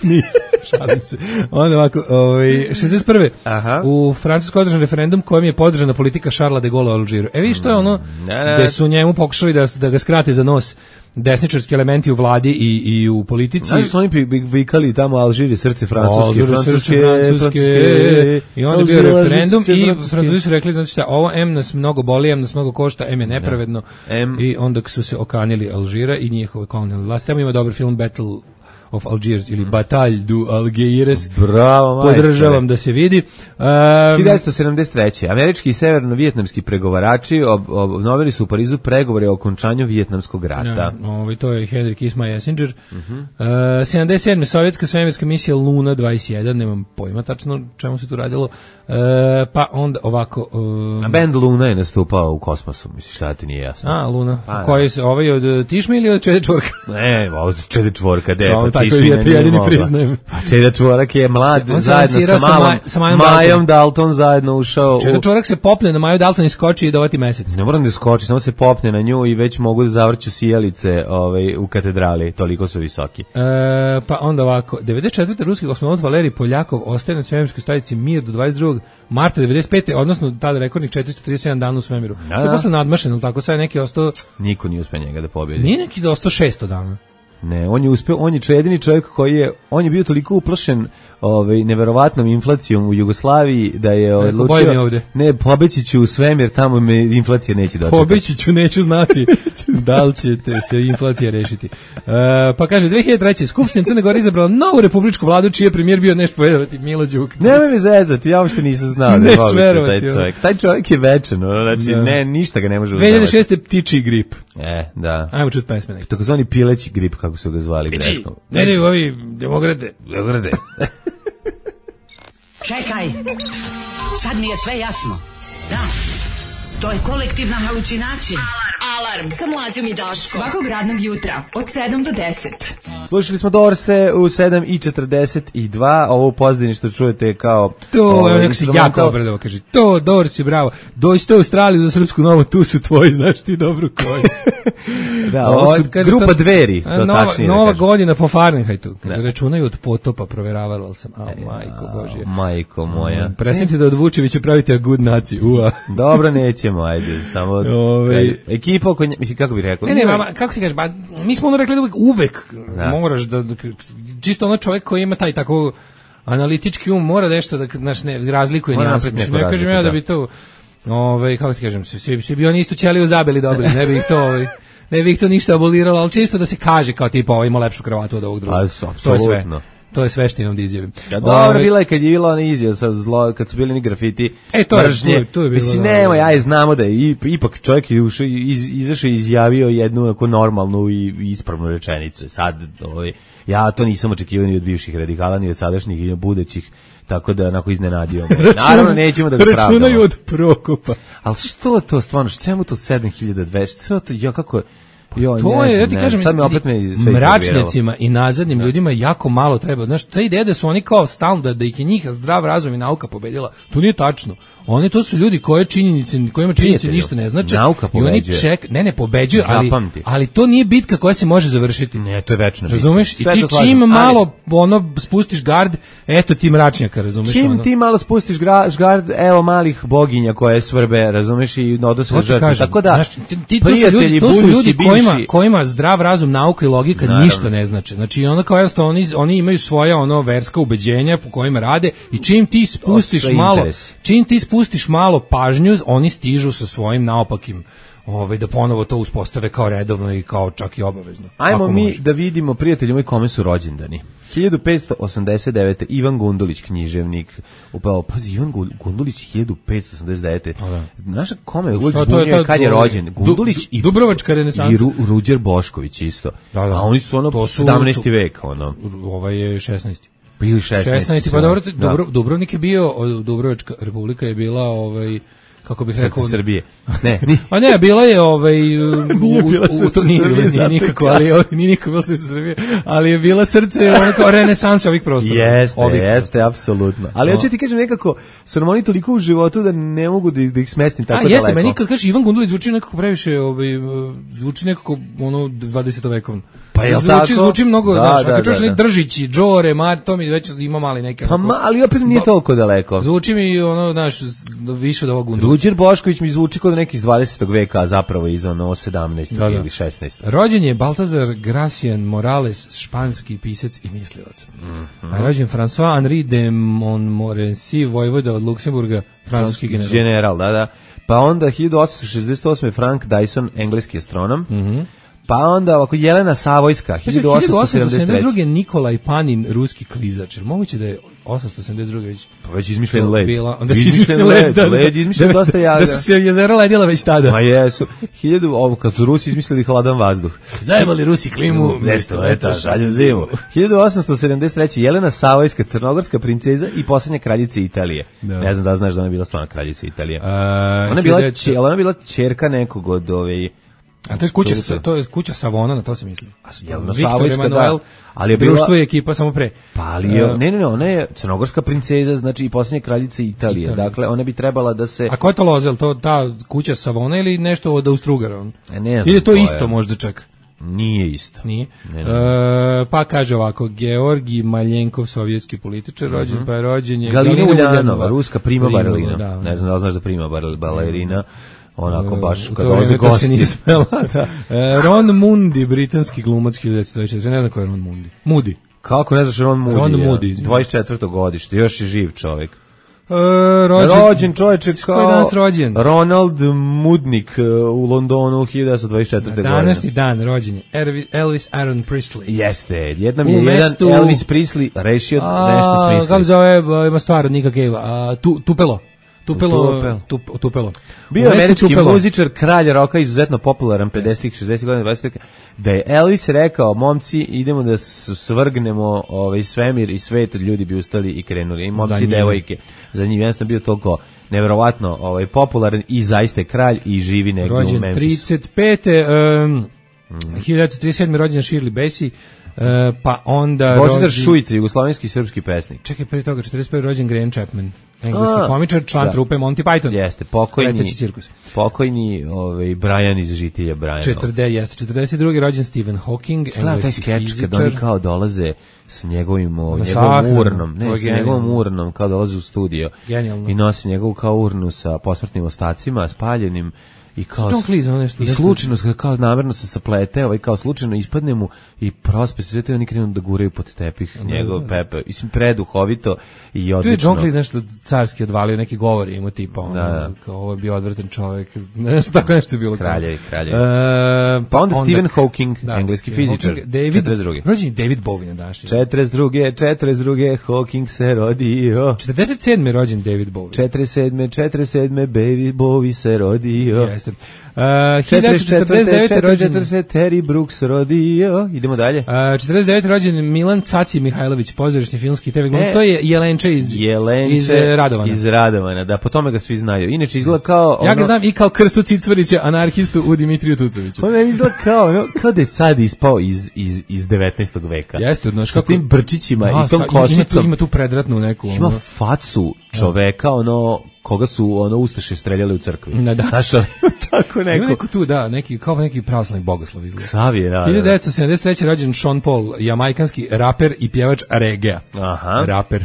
Nisam, šalim se. Onda ovako, ovaj, šezdeset prve. Aha. U Francuskoj održan referendum kojim je podržana politika Šarla de Gaulle u Alžiru. E vidiš, to je ono gde su njemu pokušali da, da ga skrate za nos desničarski elementi u vladi i, i u politici. Znaš su oni vikali tamo Alžiri, srce Francuske, Alžiri, Francuske, Francuske, Francuske, i onda je bio Alžiri, referendum Francuske, i Francuske. Francuzi su rekli, znači šta, ovo M nas mnogo boli, M nas mnogo košta, M je nepravedno. M. I onda su se okanili Alžira i njihove kolonijalne vlasti. Tamo ima dobar film Battle of Algiers ili Bataille du Algeciras. Bravo, majstore. Podržavam da se vidi. Um, hiljadu devetsto sedamdeset treće. Američki i severno-vijetnamski pregovarači ob, obnovili su u Parizu pregovore o okončanju Vijetnamskog rata. Ja, ovaj, to je Henry Kissinger. Uh-huh. Uh, sedamdeset sedme sovjetska svemirska misija Luna dvadeset jedan, nemam pojma tačno čemu se tu radilo. Uh, pa onda ovako... Um, A band Luna je nastupao u kosmosu, misliš, šta ti nije jasno? A, Luna. Pa, koji se, ovaj od Tišme ili od Čede Čvorka? Ne, od Čede Čvorka, de, Samo pa tako Tišmina ja to nije jedini mogla. priznajem. Pa Čede Čvorak je mlad, On se zajedno lansirao sa sa malom, Maj- sa Majom Majom Dalton zajedno ušao Čede u... Čvorak se popne na Maju Dalton i skoči i dovati mesec. Ne moram da skoči, samo se popne na nju i već mogu da zavrću sijalice ovaj, u katedrali, toliko su visoki. E, pa onda ovako, devedeset četvrte ruski kosmonaut Valerij Poljakov ostaje na svemirskoj stanici Mir do dvadeset drugog marta devedeset pete, odnosno tada rekordnih četiristo trideset sedam dana u svemiru. Da, To je da. posle nadmašen, ali tako sad je neki ostao, Niko nije uspio njega da pobjedi. nije neki da ostao šesto dana. Ne, on je uspeo, on je jedini čovjek koji je, on je bio toliko uplašen ovaj, neverovatnom inflacijom u Jugoslaviji da je Rekao, odlučio, bolje mi ovde. ne, pobeći ću u svemir, tamo me inflacija neće dočekati. Pobeći ću, neću znati da li ćete se inflacija rešiti. E, pa kaže, dve hiljade treće. Skupština Crne Gore izabrala novu republičku vladu, čiji je premijer bio nešto verovati Milo Đukanović. Nemoj mi zezati, ja uopšte nisam znao da je Neš moguće verovati, taj ono. čovjek. Taj čovjek je večan, ono, znači, Da. ne, ništa ga ne može dve hiljade uznavati. šeste. ptičji grip. E, da. Ajmo čuti pesme neki. Takozvani pileći grip, kako su ga zvali greškom. Ne, ne, ovi demokrate. Demokrate. Čekaj, sad mi je sve jasno. Da, to je kolektivna halucinacija. Alarm sa mlađom i Daškom. Svakog radnog jutra od sedam do deset. Slušali smo Dorse u sedam i četrdeset dva, ovo u pozadini što čujete kao... To, ovaj, evo neko se instrumental- jako obradao, kaže, to, Dorsi, bravo, dođite u Australiju za Srpsku novu, tu su tvoji, znaš ti dobro koji. Da, ovo su Od- kaže, grupa to- Dveri, a, to nova, tačnije da Nova kažem. godina po Fahrenheitu, Da. računaju od potopa, proveravala sam, a majko Božje. Majko moja. Prestanite da od Vučevića pravite a good naci, ua. Dobro, nećemo, ajde, samo... Ovaj- kad- Ekipa oko nje, mislim, kako bih rekao? Ne, ne, mama, kako ti kažeš, ba, mi smo ono rekli da uvek, uvek Da. moraš da, da, čisto ono čovjek koji ima taj tako analitički um, mora nešto da, znaš, ne, razlikuje Mora nijanse. napraviti Mislim, neku ja kažem razliku, ja da da. bi to, ovaj, kako ti kažem, svi, svi bi oni isto ćeliju zabili dobri, ne bi ih to, ovaj, ne bi ih to ništa aboliralo, ali čisto da se kaže kao tipa, ovaj ima lepšu kravatu od ovog drugog. A, To je sve. apsolutno. To je sve što imam da izjavim. Ja, dobro, bila je kad je bila ona izjava sa zlo, kad su bili ni grafiti. E, to je- mržnje. to je- to je bilo, Mislim, da, nemoj, da. aj znamo da je i- ipak čovjek je ušao, iz, izašao i izjavio jednu onako normalnu i ispravnu rečenicu. Sad, ovaj, ja to nisam očekivao ni od bivših radikala, ni od sadašnjih i od budućih, tako da onako iznenadio. me. Naravno, nećemo da ga pravdamo. Računaju od Prokopa. Ali što to stvarno, čemu to sedam hiljada dvesta? Što to, ja kako... Jo, To ne je, ja znam, ti ne kažem, znam, sad me opet me sve iznerviralo. mračnjacima i nazadnim ljudima jako malo treba. Znaš, ta ideja da su oni kao stalno, da, da ih je njih zdrav razum i nauka pobedila, to nije tačno. Oni to su ljudi koje činjenice, kojima činjenice Prijatelju, ništa ne znači. nauka I oni pobeđuje. ček, ne, ne pobeđuju, ali, Zapamti. ali to nije bitka koja se može završiti. Ne, to je večno. Razumeš? I Sve ti to slažem, čim ali- malo ono spustiš gard, eto ti mračnjaka, razumeš? Čim ono? ti malo spustiš gra, žgard, evo malih boginja koje svrbe, razumeš, i odnose To ti žrtve. kažem, Tako da, znaš, ti, ti, to su prijatelji, ljudi, to su budući, ljudi kojima, bivši- kojima zdrav razum, nauka i logika Naravno. ništa ne znači. Znači, ono kao jednostavno, oni, oni imaju svoja ono verska ubeđenja po kojima rade i čim ti spustiš sve malo, interesi. čim ti spustiš malo pažnju, oni stižu sa svojim naopakim, ovaj, da ponovo to uspostave kao redovno i kao čak i obavezno. Ajmo Ako mi može. da vidimo, prijatelji moji, kome su rođendani. hiljadu petsto osamdeset devete. Ivan Gundulić, književnik. Upravo, pazi, Ivan Gu- Gundulić hiljadu petsto osamdeset devete. Znaš kome je uvijek Šta, to je zbunio ta- kad je to- rođen? Du- Gundulić Du- i Dubrovačka renesansa. I Ru, Ruđer Bošković isto. Da, da. A oni su ono To su- sedamnaesti vek, ono. Ovaj je šesnaesti. Ili šesnaesti. šesnaesti, pa dobro, Da. Dubro, Dubrovnik je bio, o, Dubrovačka republika je bila ovaj kako bih Srce rekao Srbije. Ne, ni. A ne, bila je ovaj u, Nije bila u, u, Srce to nije, Srbije, nije zato nikako, ali kažem. nije nikako bila Srce Srbije, ali je bila srce ono kao renesansa ovih prostora. Jeste, ovih jeste, apsolutno. Ali ja ću ti kažem nekako, su nam oni toliko u životu da ne mogu da ih, da ih smestim tako A daleko. jeste, meni kad kažeš Ivan Gundulić zvuči nekako previše, ovaj, zvuči nekako ono dvadesetovekovno. Pa jel zvuči, tako? Zvuči mnogo, Da, znaš, da, a kad čuješ da, neki da. Držići, Džore, Mar, to mi već ima mali neke. Pa onako- ma, ali opet nije toliko daleko. Zvuči mi ono, znaš, više od ovog Gundulića. Ruđer Bošković mi zvuči kod neki iz dvadesetog veka, a zapravo iz ono sedamnaestog Da, da. ili šesnaestog. Rođen je Baltazar Gracian Morales, španski pisac i mislilac. Mhm. A rođen François Henri de Montmorency, vojvoda od Luksemburga, francuski general. General, da, da. Pa onda hiljadu osamsto šezdeset osme Frank Dyson, engleski astronom. Mhm. Pa onda ovako Jelena Savojska, hiljadu osamsto sedamdeset treće. hiljadu osamsto sedamdeset druge Nikolaj Panin, ruski klizač. Jer moguće da je osamsto sedamdeset druge već Pa već izmišljen led. bila, onda se Izmišljen izmišljen led, led, da, da. led izmišljen Da, dosta javlja. Da su se jezera ledila već tada. Ma jesu. Hiljadu, ovo kad su Rusi izmislili hladan vazduh. Zajebali Rusi klimu, Nešto leta, šalju zimu. hiljadu osamsto sedamdeset treće Jelena Savojska, crnogorska princeza i posljednja kraljica Italije. Da. Ne znam da li znaš da ona je bila stvarna kraljica Italije. A, Ona je bila, hiljadu- će, ona je bila ćerka nekog od ove... A to je kuća, Tulipa. sa- to je kuća Savona, na to se misli. Jelena Viktor Savojska, Emanuel, da. Ali je bila- društvo i ekipa samo pre. Pa ali je, E, ne, ne, ne, ona je crnogorska princeza, znači i posljednja kraljica Italije. Italije. Dakle, ona bi trebala da se... A ko je to lozel? To ta kuća Savona ili nešto od Austrugara? on? E, ne znam Ili je to ko je. isto možda čak? Nije isto. Nije. Ne, ne. E, pa kaže ovako, Georgi Maljenkov, sovjetski političar, rođen, pa je rođen je Galina Galina Uljanova, ruska prima Prima, balerina. da. Ne znam da li znaš da prima bar- balerina. Onako baš U kad to dolaze vreme kad se gosti. nije smela. E, Ron Mundi, britanski glumac hiljadu devetsto dvadeset četvrte. Ne znam ko je Ron Mundi. Moody. Kako ne znaš Ron Moody? Ron ja? Moody, izvinite. dvadeset četvrto godište, još je živ čovjek. E, rođen, Rođen čovječe kao... Koji je danas rođen? Ronald Mudnik uh, u Londonu hiljadu devetsto dvadeset četvrte. godine. Današnji dan rođen je Ervi- Elvis Aaron Presley. Jeste, jednom U je jedan mestu- Elvis Presley rešio nešto A, smisli. kako zove, ba, ima stvar od Nika Cave-a, a, tu, Tupelo. Tupelo, Tupelo. tup, tupelo. Bio U je mestu američki Tupelo. muzičar, kralj roka, izuzetno popularan pedesetih, šezdesetih godina, dvadesetih da je Elvis rekao, momci, idemo da s- svrgnemo ovaj svemir i svet, ljudi bi ustali i krenuli. I Za momci i njim. devojke. Za njih jednostavno bio toliko neverovatno ovaj, popularan i zaista je kralj i živi negdje u Rođen Memphisu. trideset pete. Um, hiljadu devetsto trideset sedme. rođen Shirley Bassey, uh, pa onda Božidar rođen- Šujica, jugoslovenski srpski pesnik. Čekaj, pre toga, četrdeset prve. rođen Graham Chapman, engleski A, komičar, član da. trupe Monty Python. Jeste, pokojni, Leteći cirkus. pokojni ovaj, Brian iz Žitilja Brian. četrdeset, jeste, četrdeset drugi. rođen Stephen Hawking, Gleda taj engleski skeč fizičar. kad oni kao dolaze sa njegovim o, Na njegovom sahranu, urnom, to ne, je sa njegovom genijalno. urnom, kao dolaze u studio Genijalno. i nosi njegovu kao urnu sa posmrtnim ostacima, spaljenim i kao Tom Cruise, ono nešto- i nešto- slučajno se- kao namerno se saplete, ovaj kao slučajno ispadne mu i prospe se sve te oni krenu da guraju pod tepih njegov pepe. Mislim preduhovito i Tu je odlično. John Cleese nešto carski odvalio, neki govor ima tipa, ono, Da, da. kao ovo je bio odvratan čovjek, nešto tako nešto je bilo. Kraljevi, kraljevi. E, Pa onda Stephen Hawking, engleski Stephen fizičar, Hawking, David, četrdeset drugi. rođen je David Bowie na današnji. četrdeset druge, četrdeset druge Hawking se rodio. četrdeset sedme. rođen David Bowie. četrdeset sedme, četrdeset sedme Baby Bowie se rodio. Jeste. Uh, hiljadu devetsto četrdeset devete. rođen četrdeset Terry Brooks rodio. Idemo dalje. Uh, četrdeset devete. rođen Milan Caci Mihajlović, pozorišni filmski te ve glumac. E. To je Jelenče iz, Jelenče iz eh, Radovana. Iz Radovana, da, po tome ga svi znaju. Inače izgleda kao... Ja ga ono- znam i kao Krstu Cicvarića, anarhistu u Dimitriju Tucoviću. On je izgleda kao, ono, kao da je sad ispao iz, iz, iz devetnaestog veka. Jeste, znaš Sa kako- tim brčićima Da, i tom sa- ima tu, košicom. ima tu predratnu neku. Ima ono. facu čoveka, ono, koga su ono ustaše streljali u crkvi. Da, da. Znaš, ono, tako Ima neko. neko tu, da, neki, kao neki pravoslavni bogoslov izgleda. Savije, da, da, hiljadu da. devetsto sedamdeset treće. rođen Sean Paul, jamajkanski raper i pjevač reggae. Aha. Raper.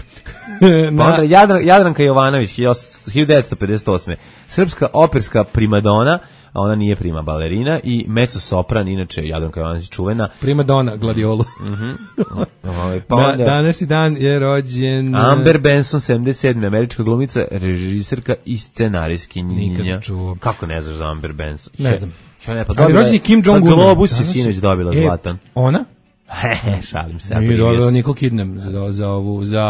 Pa onda Jadran, Jadranka Jovanović, hiljadu devetsto pedeset osme. Srpska operska primadona, a ona nije prima balerina, i mezzo sopran, inače Jadranka Jovanović čuvena. Prima dona, gladiolu. Ovaj, pa Na onda današnji dan je rođen... Amber Benson, sedamdeset sedme. američka glumica, režiserka i scenarijskinja. Nikad čuo. Kako ne znaš za Amber Benson? Ne znam. Ja ne, pa Ali dobila rođen je je- Kim pa Jong-un. Globus je Danas- sinoć dobila E, zlatan. Ona? He, šalim se. Nije dobro Nicole Kidman za, za ovu, za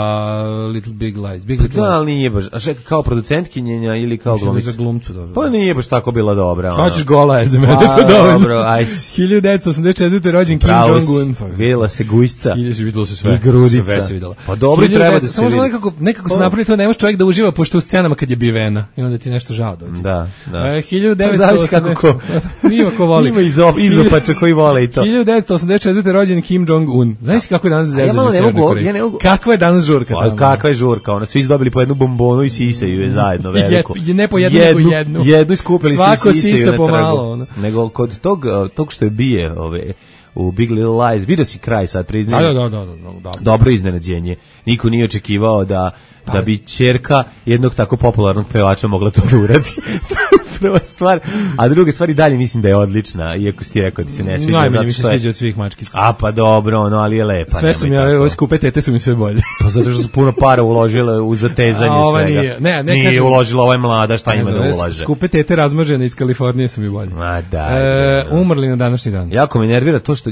Little Big Lies. Big Little Da, ali nije baš, a čekaj, kao producentkinjenja ili kao glumica? Za glumcu dobro. Pa nije baš tako bila dobra. Šta ćeš gola je za mene, to dovoljno. Dobro, ajde. hiljadu devetsto osamdeset četvrte rođen Kim Jong-un. Videla se gujsca. Hiljadu se videlo se sve. I grudica. Sve se videlo. Pa dobro i treba da se samo vidi. Nekako, nekako se napravi to, ne može čovjek da uživa pošto u scenama kad je bivena. I onda ti nešto žao dođe. Da, da. E, hiljadu devetsto osamdeset Zavisi kako ko. Nima ko voli. Ima izop, izopača koji vole i to. hiljadu devetsto osamdeset četvrte rođen Kim Jong-un. Znaš kako je danas zezanje u Severnoj Koreji? Ja ne mogu. Kakva je danas žurka tamo? Kakva je žurka? Ona svi dobili po jednu bombonu i sisaju je zajedno veliko. Je, ne po jednu, jednu, nego jednu. Jednu iskupili svako se i sisaju sisa na pomalo, ono. Nego kod tog, tog što je bije ove, u Big Little Lies, vidio si kraj sad pred njim. Da, da, da, da, da. Dobro iznenađenje. Niko nije očekivao da da bi ćerka jednog tako popularnog pevača mogla to da uradi. Prva stvar, a druga stvar i dalje mislim da je odlična, iako si ti rekao da se ne sviđa. Najmanje mi se sviđa od svih mačkica. A pa dobro, no, ali je lepa. Sve su mi, ove skupe tete su mi sve bolje. Pa zato što su puno para uložile u zatezanje a, svega. Nije, ne, ne nije kažem, uložila, ova je mlada, šta ima da ulaže. Skupe tete razmažene iz Kalifornije su mi bolje. A da. E, umrli na današnji dan. Jako me nervira to što,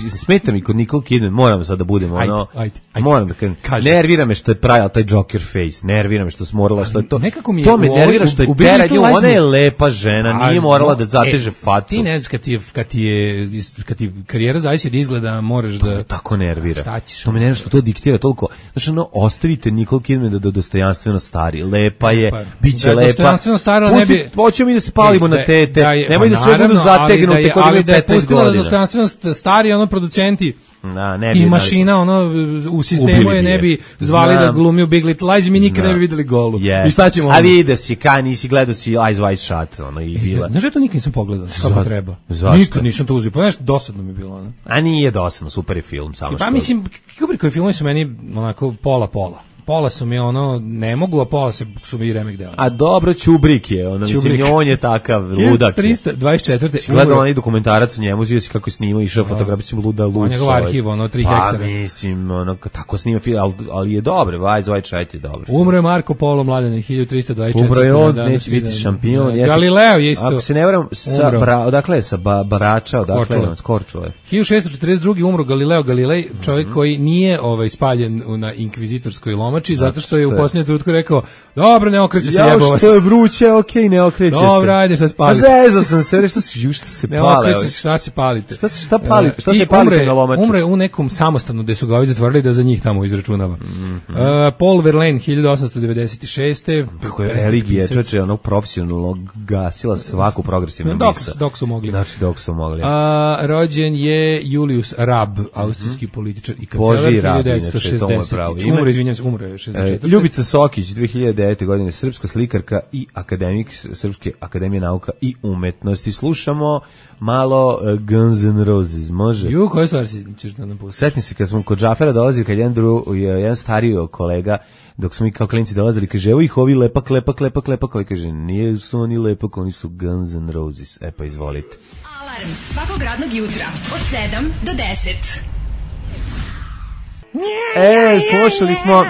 smeta mi kod Nicole Kidman, moram sad da budemo, ajde, ono, ajde, ajde. moram da kažem, nervira me što je pravila taj Joker face, nervira me što je morala, što je to, nekako mi je to me nervira što je teranje, ona je lepa žena, nije morala no, da zateže e, facu. Ti ne znaš kad ti, kad ti je, kad ti karijera zavisi da izgleda, moraš to da... To me tako nervira. Šta ćeš? To me nervira što to diktira toliko. Znači, ono, ostavite Nicole Kidman da, da dostojanstveno stari. Lepa je, pa, bit će da, lepa. Dostojanstveno stara ne bi... Hoćemo mi da se palimo da, na tete. Da je, nemoj da sve budu zategnute kod imaju petnaest godina. Ali da je pustila da dostojanstveno stari, ono, producenti... Da, ne bi, i mašina ono u sistemu je ne bi zvali Znam. da glumi u Big Little Lies, mi nikad ne bi videli golu. Yes. I šta ćemo? A vidio si, kaj nisi gledao si Eyes Wide Shut, ono i bila. Znaš, ja to nikad nisam pogledao, kako treba. Zašto? Nikad nisam to uzeo, pa nešto dosadno mi je bilo. Ono. A nije dosadno, super je film, samo što. Pa mislim, Kubrickovi filmovi su meni onako pola-pola. Pola su mi ono, ne mogu, a pola se, su mi i remek deo. A dobro, Čubrik je, ono, Čubrik. Mislim, on je takav, ludak je. trista dvadeset četvrte Gledao onaj dokumentarac o njemu, vidio si kako je snimao, išao fotografiju, luda luč. On je njegov arhiv, ono, tri hektara. Pa, mislim, ono, tako snima film, ali, ali je dobro, Eyes Wide Shut je dobro. Umro je Marko Polo Mladene, hiljadu trista dvadeset četvrte Umro je on, neće biti šampion. Da. Galileo je isto. Ako se ne varam, sa bra, odakle je, sa ba, Barača, odakle je, s Korčule. hiljadu šessto četrdeset druge umro Galileo Galilei, čovjek mm-hmm. koji nije ovaj, spaljen na inkvizitorskoj lomači, zato što je u posljednjem trenutku rekao, dobro, ne okreće se jebova. Ja, što je vruće, okej, okay, ne okreće se. Dobro, ajde, šta se palite. A zezo sam se, šta se, ju, šta se ne pale. Ne okreće se, šta se palite. Šta se, šta palite, šta se palite umre, na lomaču? Umre u nekom samostanu gde su ga ovi zatvorili da za njih tamo izračunava. Mm-hmm. Uh, Paul Verlaine, hiljadu osamsto devedeset šeste Kako je religija, čoče, onog profesionalno gasila svaku progresivnu misa. Dok su mogli. Znači, dok su mogli. A, rođen je Julius Rab, austrijski političar i kancelar, Boži Rab, hiljadu devetsto šezdeset. Umre, izvinjam se, umre šezdeset četvrte. Ljubica Sokić, dve hiljade devete. godine, srpska slikarka i akademik Srpske akademije nauka i umetnosti. Slušamo malo uh, Guns N' Roses, može? Ju, koje stvari si ćeš da nam pustiti? Setim se kad smo kod Džafera dolazili, kad jedan, dru, jedan stariji kolega, dok smo i kao klinci dolazili, kaže, evo ih ovi lepak, lepak, lepak, lepak, koji kaže, nije su oni lepak, oni su Guns N' Roses. E pa izvolite. Alarm svakog radnog jutra od sedam do deset. E, slušali smo uh,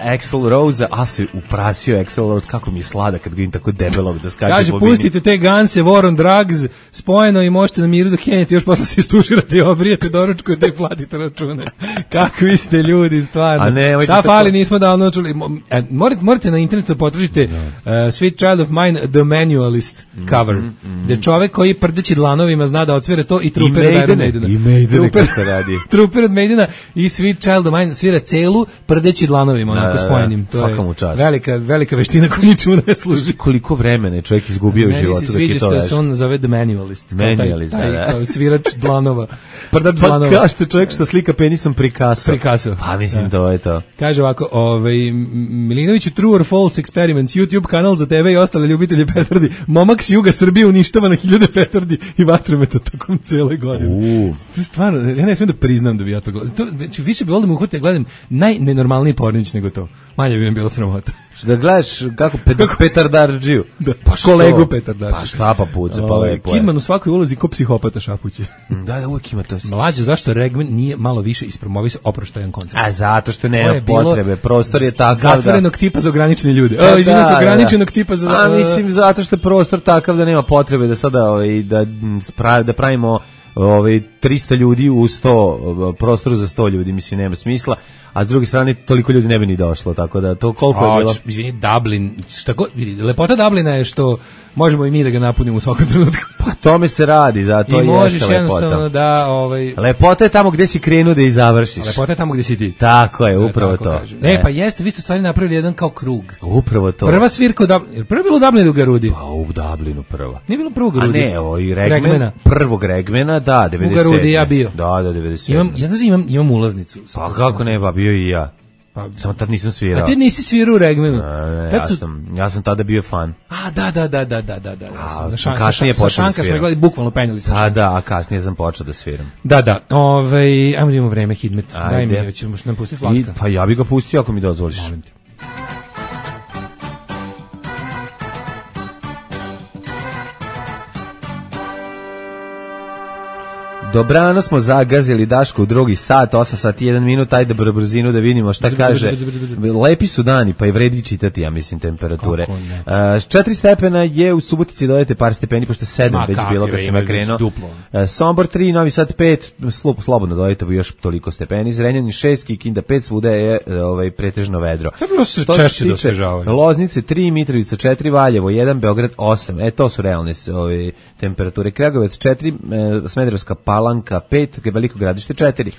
Axl Rose, a se uprasio Axl Rose, kako mi je slada kad vidim tako debelog da skače. Kaže, pustite te Ganse, War on Drugs, spojeno i možete na miru da kenjete, još posle se istuširate i obrijete, doručkujete i platite račune. Kakvi ste ljudi, stvarno. A ne, šta fali, nismo davno čuli. E, morate, morate na internetu potražite uh, Sweet Child of Mine, The Manualist cover, mm, mm, gde čovek koji prdeći dlanovima zna da otvore to i Trooper od Iron Maidena. I Maidena kako radi. Trooper od Maidena i Sweet Child of Mine svira celu prdeći dlanovima, onako da, spojenim. To je velika, velika veština koju ničemu ne služi. Koliko vremena je čovjek izgubio u životu. Meni se sviđa što se on zove The Manualist. Manualist, taj, da, da. Taj svirač dlanova. Prdač pa dlanova. Pa kažete čovjek što slika penisom Picasso. Picasso. Pa mislim, da. To je to. Kaže ovako, ovaj, Milinoviću, True or False Experiments, YouTube kanal za tebe i ostale ljubitelje petardi. Momak s juga Srbije uništava na hiljade petardi i vatrometa tokom cele godine. To je stvarno, ja ne smijem da priznam da bi ja to gledam. To, više bi volio da mu uhvatiti, ja gledam najnenormalniji pornić nego to. Manje bi mi bilo sramota. Da gledaš kako pet, petardardžiju. Da, pa kolegu petardardžiju. Pa šta pa puca, pa lepo je. Kidman u svakoj ulozi ko psihopata šapuće. Da, da, uvijek ima to. Mlađe, zašto Regman nije malo više ispromovisao oproštajan koncert? A zato što nema potrebe, prostor je takav da... Zatvorenog tipa za ograničene ljude. O, izvinjam se, ograničenog tipa za... A mislim, zato što je prostor takav da nema potrebe da sada ovaj, da, da pravimo ovaj trista ljudi u sto prostoru za sto ljudi, mislim nema smisla, a s druge strane toliko ljudi ne bi ni došlo, tako da to koliko je bilo. Izvini, Dublin, šta god, vidi, lepota Dublina je što možemo i mi da ga napunimo u svakom trenutku. Pa tome se radi, zato i jeste lepota. I možeš jednostavno da... Ovaj... Lepota je tamo gde si krenuo da i završiš. Lepota je tamo gde si ti. Tako je, upravo to. Kažem. Ne, ne, pa jeste, vi ste stvari napravili jedan kao krug. Upravo to. Prva svirka u Dublinu, prva je bilo u Dublinu u Garudi. Pa u Dublinu prva. Nije bilo prvog Garudi. A ne, o, i Regmen, Regmena. Prvog Regmena, da, devedeset sedme. U Garudi ja bio. Da, da, devedeset sedme. Imam, ja znači imam, imam ulaznicu. Pa kako ne, ba, bio i ja. Pa, samo tad nisam svirao. A ti nisi svirao u Regmenu? Ne, ja, su... sam, ja sam tada bio fan. A, da, da, da, da, da, da. da. A, šan, kasnije sa, sa Šanka smo gledali, bukvalno penjali sa Pa da, a kasnije sam počeo da sviram. Da, da, ovaj, ajmo da imamo vreme, Hidmet. Daj mi, ćemo što nam pustiti Vlatka. I, pa ja bi ga pustio ako mi dozvoliš. Molim ti. Dobrano smo zagazili Daško u drugi sat, osam sati jedan minut, ajde br brzinu da vidimo šta kaže. Lepi su dani, pa i vredi čitati, ja mislim, temperature. Uh, četiri stepena je u Subotici, dodajte par stepeni, pošto sedam već bilo kad sam ja krenuo. Uh, Sombor tri, Novi Sad pet, slub, slobodno dodajte još toliko stepeni. Zrenjanin šest, Kikinda pet, svuda je ovaj, pretežno vedro. Trebalo se češće dosvežavaju. Loznice tri, Mitrovica četiri, Valjevo jedan, Beograd osam. E, to su realne ove, temperature. Kragujevac četiri, e, Smederevska Palanka pet, Veliko Gradište četiri.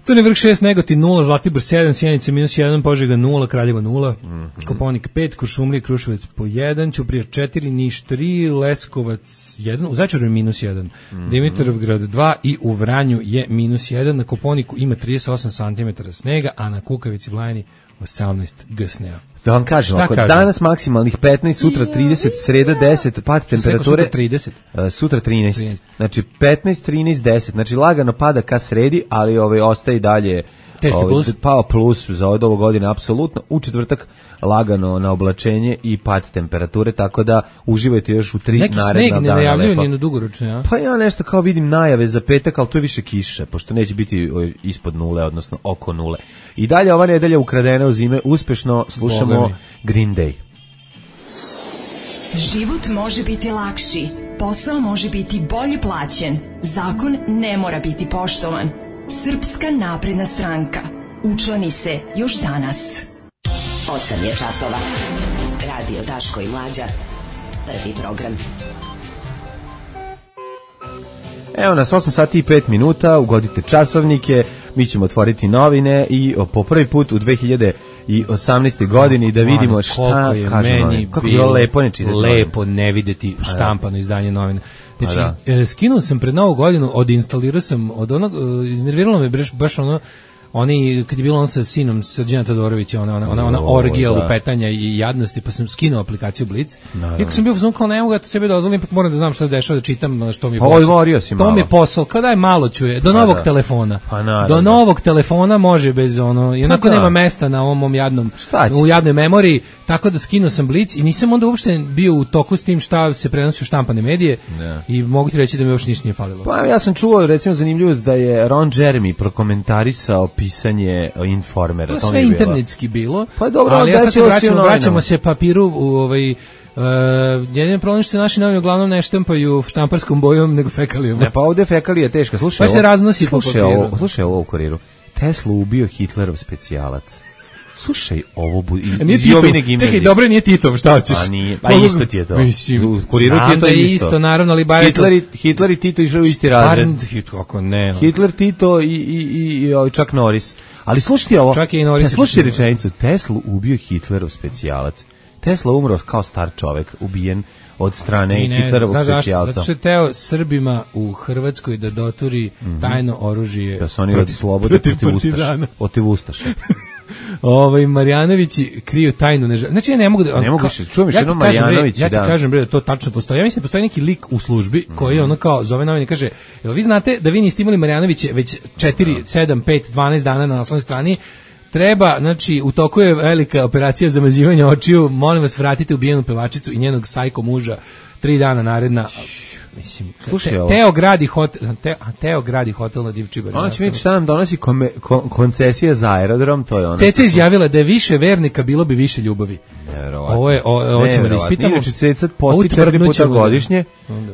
Crni Vrh šest, Negotin nula, Zlatibor sedam, Sjenica minus jedan, Požega nula, Kraljevo nula, mm -hmm. Kopaonik pet, Kuršumlija, Kruševac po jedan, Ćuprija četiri, Niš tri, Leskovac jedan, u Zaječaru je minus jedan, mm -hmm. Dimitrovgrad dva i u Vranju je minus jedan, na Kopaoniku ima trideset osam santimetara snega, a na Kukavici Blajani osamnaest gsnea. Da vam kažem, ako danas maksimalnih petnaest, sutra trideset, sreda deset, pad temperature. Sutra trideset. Uh, sutra trinaest. trinaest. Znači petnaest, trinaest, deset. Znači lagano pada ka sredi, ali ovaj ostaje i dalje ovaj, plus. pao plus za od ovo godine apsolutno. U četvrtak lagano na oblačenje i pad temperature, tako da uživajte još u tri neki naredna dana. Neki sneg ne najavljuju ni na dugoročno, ja? Pa ja nešto kao vidim najave za petak, ali to je više kiše, pošto neće biti ispod nule, odnosno oko nule. I dalje ova nedelja ukradena u zime, uspešno slušamo Green Day. Život može biti lakši, posao može biti bolje plaćen, zakon ne mora biti poštovan. Srpska napredna stranka. Učlani se još danas. osam je časova. Radio Daško i Mlađa. Prvi program. Evo nas osam sati i pet minuta, ugodite časovnike, mi ćemo otvoriti novine i po prvi put u dve hiljade osamnaeste godini da vidimo šta kaže novine. Kako je bilo lepo ne čitati lepo ne videti štampano izdanje novina. Znači, da. Skinuo sam pred novu godinu, odinstalirao sam od onog, iznerviralo me baš ono, oni, kad je bilo on sa sinom Srđana Todorovića, ona, ona, ona, ona orgija lupetanja i jadnosti, pa sam skinuo aplikaciju Blic. Iako sam bio u kao ne mogu da to sebi dozvolim, pa moram da znam šta se dešava, da čitam što mi je posao. To mi je posao, kao daj malo čuje, do novog telefona. Do novog telefona može bez ono, i onako nema mesta na ovom mom jadnom, u jadnoj memoriji, tako da skinuo sam Blic i nisam onda uopšte bio u toku s tim šta se prenosi u štampane medije i mogu ti reći da mi uopšte ništa nije falilo. Pa ja sam čuo, recimo, zanimljivost da je Ron Jeremy prokomentarisao pisanje Informera. To sve internetski bilo, pa dobro, ali ja sad se vraćamo, vraćamo se papiru u ovaj, uh, jedin problem što se naši novine uglavnom ne štampaju štamparskom bojom nego fekalijom. Ne, pa ovdje fekalija teška. Slušaj, pa se raznosi po papiru. Ovo, slušaj ovo u Kuriru. Teslu ubio Hitlerov specijalac. Slušaj, ovo bu... iz Jovine gimnazije. Čekaj, dobro, nije Titov, šta hoćeš? A nije, pa isto ti je to. Mislim, u Kuriru ti je to isto. isto, naravno, ali bar Hitler, i, Hitler i Tito išao u isti razred. Kako ne? Hitler, Tito i, i, i, i Chuck Norris. Ali slušaj ovo, čak i Norris. Slušaj rečenicu, Teslu ubio Hitlerov specijalac. Tesla umro kao star čovek, ubijen od strane Hitlerovog specijalca. Zato što je teo Srbima u Hrvatskoj da doturi tajno oružje da se oni oslobode protiv Ustaša. Protiv Ustaša. Ovaj Marjanovići kriju tajnu neželju. Znači ja ne mogu da ne mogu se čujem još jednom Marjanović, ja ti da. kažem bre da to tačno postoji. Ja mislim da postoji neki lik u službi koji ono kao zove novine i kaže: "Jel vi znate da vi niste imali Marjanovića već četiri, sedam, pet, dvanaest dana na naslovnoj strani?" Treba, znači, u toku je velika operacija zamazivanja očiju, molim vas vratite ubijenu pevačicu i njenog sajko muža tri dana naredna. mislim, Slušaj, te, ovo. Teo gradi hotel, te, a Teo gradi hotel na Divčibari. Ona će vidjeti šta nam donosi kome, kon, koncesija za aerodrom, to je ona. Ceca izjavila da je više vernika, bilo bi više ljubavi. Nevjerovatno. Ovo je, ovo ćemo da ispitamo. Inače, Ceca posti četiri puta godišnje,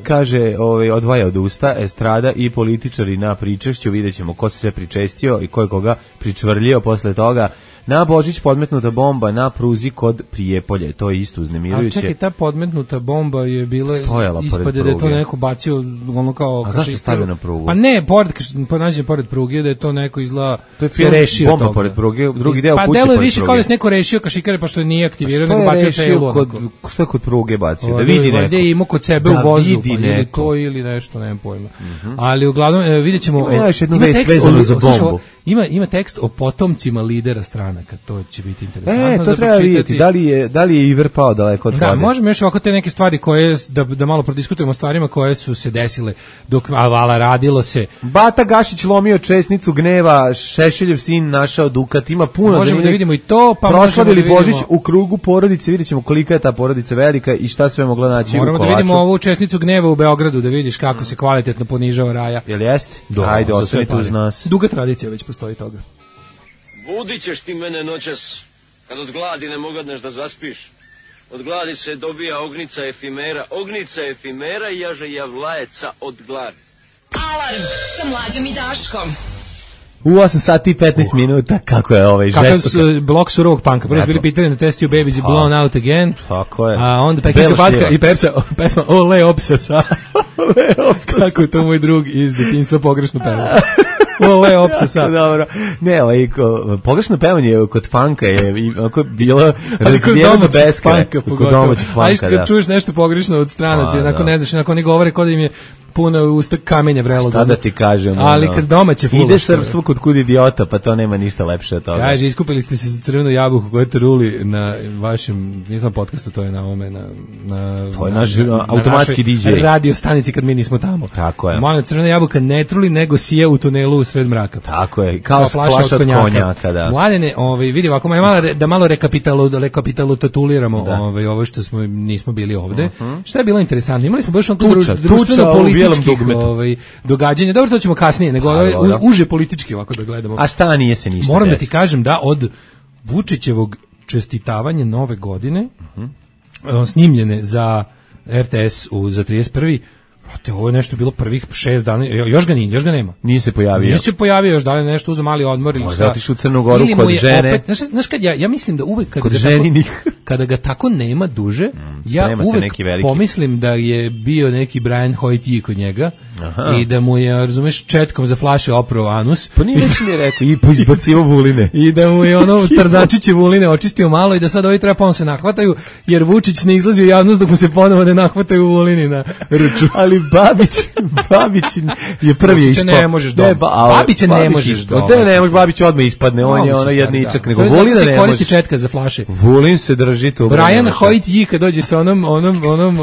kaže, ovaj, odvaja od usta, estrada i političari na pričešću, vidjet ćemo ko se sve pričestio i ko je koga pričvrljio posle toga. Na Božić podmetnuta bomba na pruzi kod Prijepolje, to je isto uznemirujuće. A čekaj, ta podmetnuta bomba je bila, ispade da je to neko bacio, ono kao... A zašto stavio na prugu? Pa ne, pored, ponađe pored pruge, da je to neko izgleda... To je film bomba toga. Pored pruge, drugi deo pa kuće pored pruge. Pa delo je više kao da se neko rešio kašikare, pa što nije aktivirao, nego bacio telu. Kod, što je kod pruge bacio? Da vidi neko. Da je imao kod sebe da u vozu, pa neko. ili to ili nešto, nemam pojma. Mm-hmm. Ali uglavnom, vidjet ćemo... Ima još jednu vest vezanu za bombu. Ima, ima tekst o potomcima lidera stranaka, to će biti interesantno. E, to za treba vidjeti, da li je, da li je Iver pao daleko od Da, vode? možemo još ovako te neke stvari koje, da, da malo prodiskutujemo o stvarima koje su se desile dok Avala radilo se. Bata Gašić lomio česnicu gneva, Šešeljev sin našao Dukat, ima puno. Možemo da vidimo i to, pa proslavili možemo da vidimo... Božić u krugu porodice, vidjet ćemo kolika je ta porodica velika i šta sve mogla naći Moramo u kolaču. da vidimo ovu česnicu gneva u Beogradu, da vidiš kako se kvalitetno ponižava Raja. Jel jeste? Do, ajde, ostanite uz nas. Duga tradicija već postoji toga. Budit ćeš ti mene noćas, kad od gladi ne mogadneš da zaspiš. Od gladi se dobija ognica efimera, ognica efimera i jaže javlajeca od gladi. Alarm sa Mlađom i Daškom. U osam sati i petnaest minuta, kako je ovaj žestoka. Kakav su blok surovog panka. Prvo su bili pitali na Test You Babies i Blown Out Again. Tako je. A onda pekinska patka i pepsa, pesma Ole Opsasa. Ole Opsasa. Kako je to moj drug iz detinjstva pogrešno peva. Ole Opsasa. Dobro. Ne, ovaj, pogrešno pevanje kod panka je onako bilo razvijeno do beskraja. Kod domaćeg panka, a išto kad čuješ nešto pogrešno od stranaca, onako ne znaš, onako ne govore kod im je puno usta kamenja vrelo. Šta da ti kažem? Ali kad domaće fulaš. Ide srpstvo kod kud idiota, pa to nema ništa lepše od toga. Kaže, iskupili ste se za crvenu jabuku koju ste ruli na vašem, nisam podcastu, to je na ome, na, na, to je naš na, automatski D J. Radio stanici kad mi nismo tamo. Tako je. Molim, crvena jabuka ne truli, nego sije u tunelu u sred mraka. Tako je, kao, kao flaša, flaša od konjaka. konjaka da. Mladene, ovaj, vidi ovako, malo, da malo rekapitalu, da rekapitalu tatuliramo da. Ovaj, ovo što smo, nismo bili ovde. Uh-huh. Šta je bilo interesantno? Imali smo baš onako društveno-političkih ovaj, događanja. Dobro, to ćemo kasnije, nego ovaj, u, uže politički ovako da gledamo. A šta nije se ništa Moram desi. da ti kažem da od Vučićevog čestitavanja nove godine, uh-huh. snimljene za R T S u, za trideset prvi Te ovo je nešto bilo prvih šest dana, još ga nije, još ga nema. Nije se pojavio. Nije se pojavio još, da li nešto uzeo mali odmor ili šta. Možda otišao u Crnu Goru kod žene. Opet, znaš, znaš kad ja, ja mislim da uvek kada, kod ga ženinih. tako, kada ga tako nema duže, mm, ja uvek neki pomislim da je bio neki Brian Hoyt kod njega. Aha. I da mu je, razumeš, četkom za flaše oprao anus. Pa nije već mi je rekao, i izbacivo vuline. I da mu je ono Tarzančiće vuline očistio malo i da sad ovi treba ponovno se nahvataju, jer Vučić ne izlazi u javnost dok mu se ponovo ne nahvataju vulini na ruču. Ali Babić, Babić je prvi ispao. ne možeš doma. Ba, Babića ne možeš doma. Da ne možeš, Babić odmah ispadne, on je ono jedničak, nego Vulina ne može. Koristi četka za flaše. Vulin se drži to. Brian Hoyt kad dođe sa onom, onom, onom...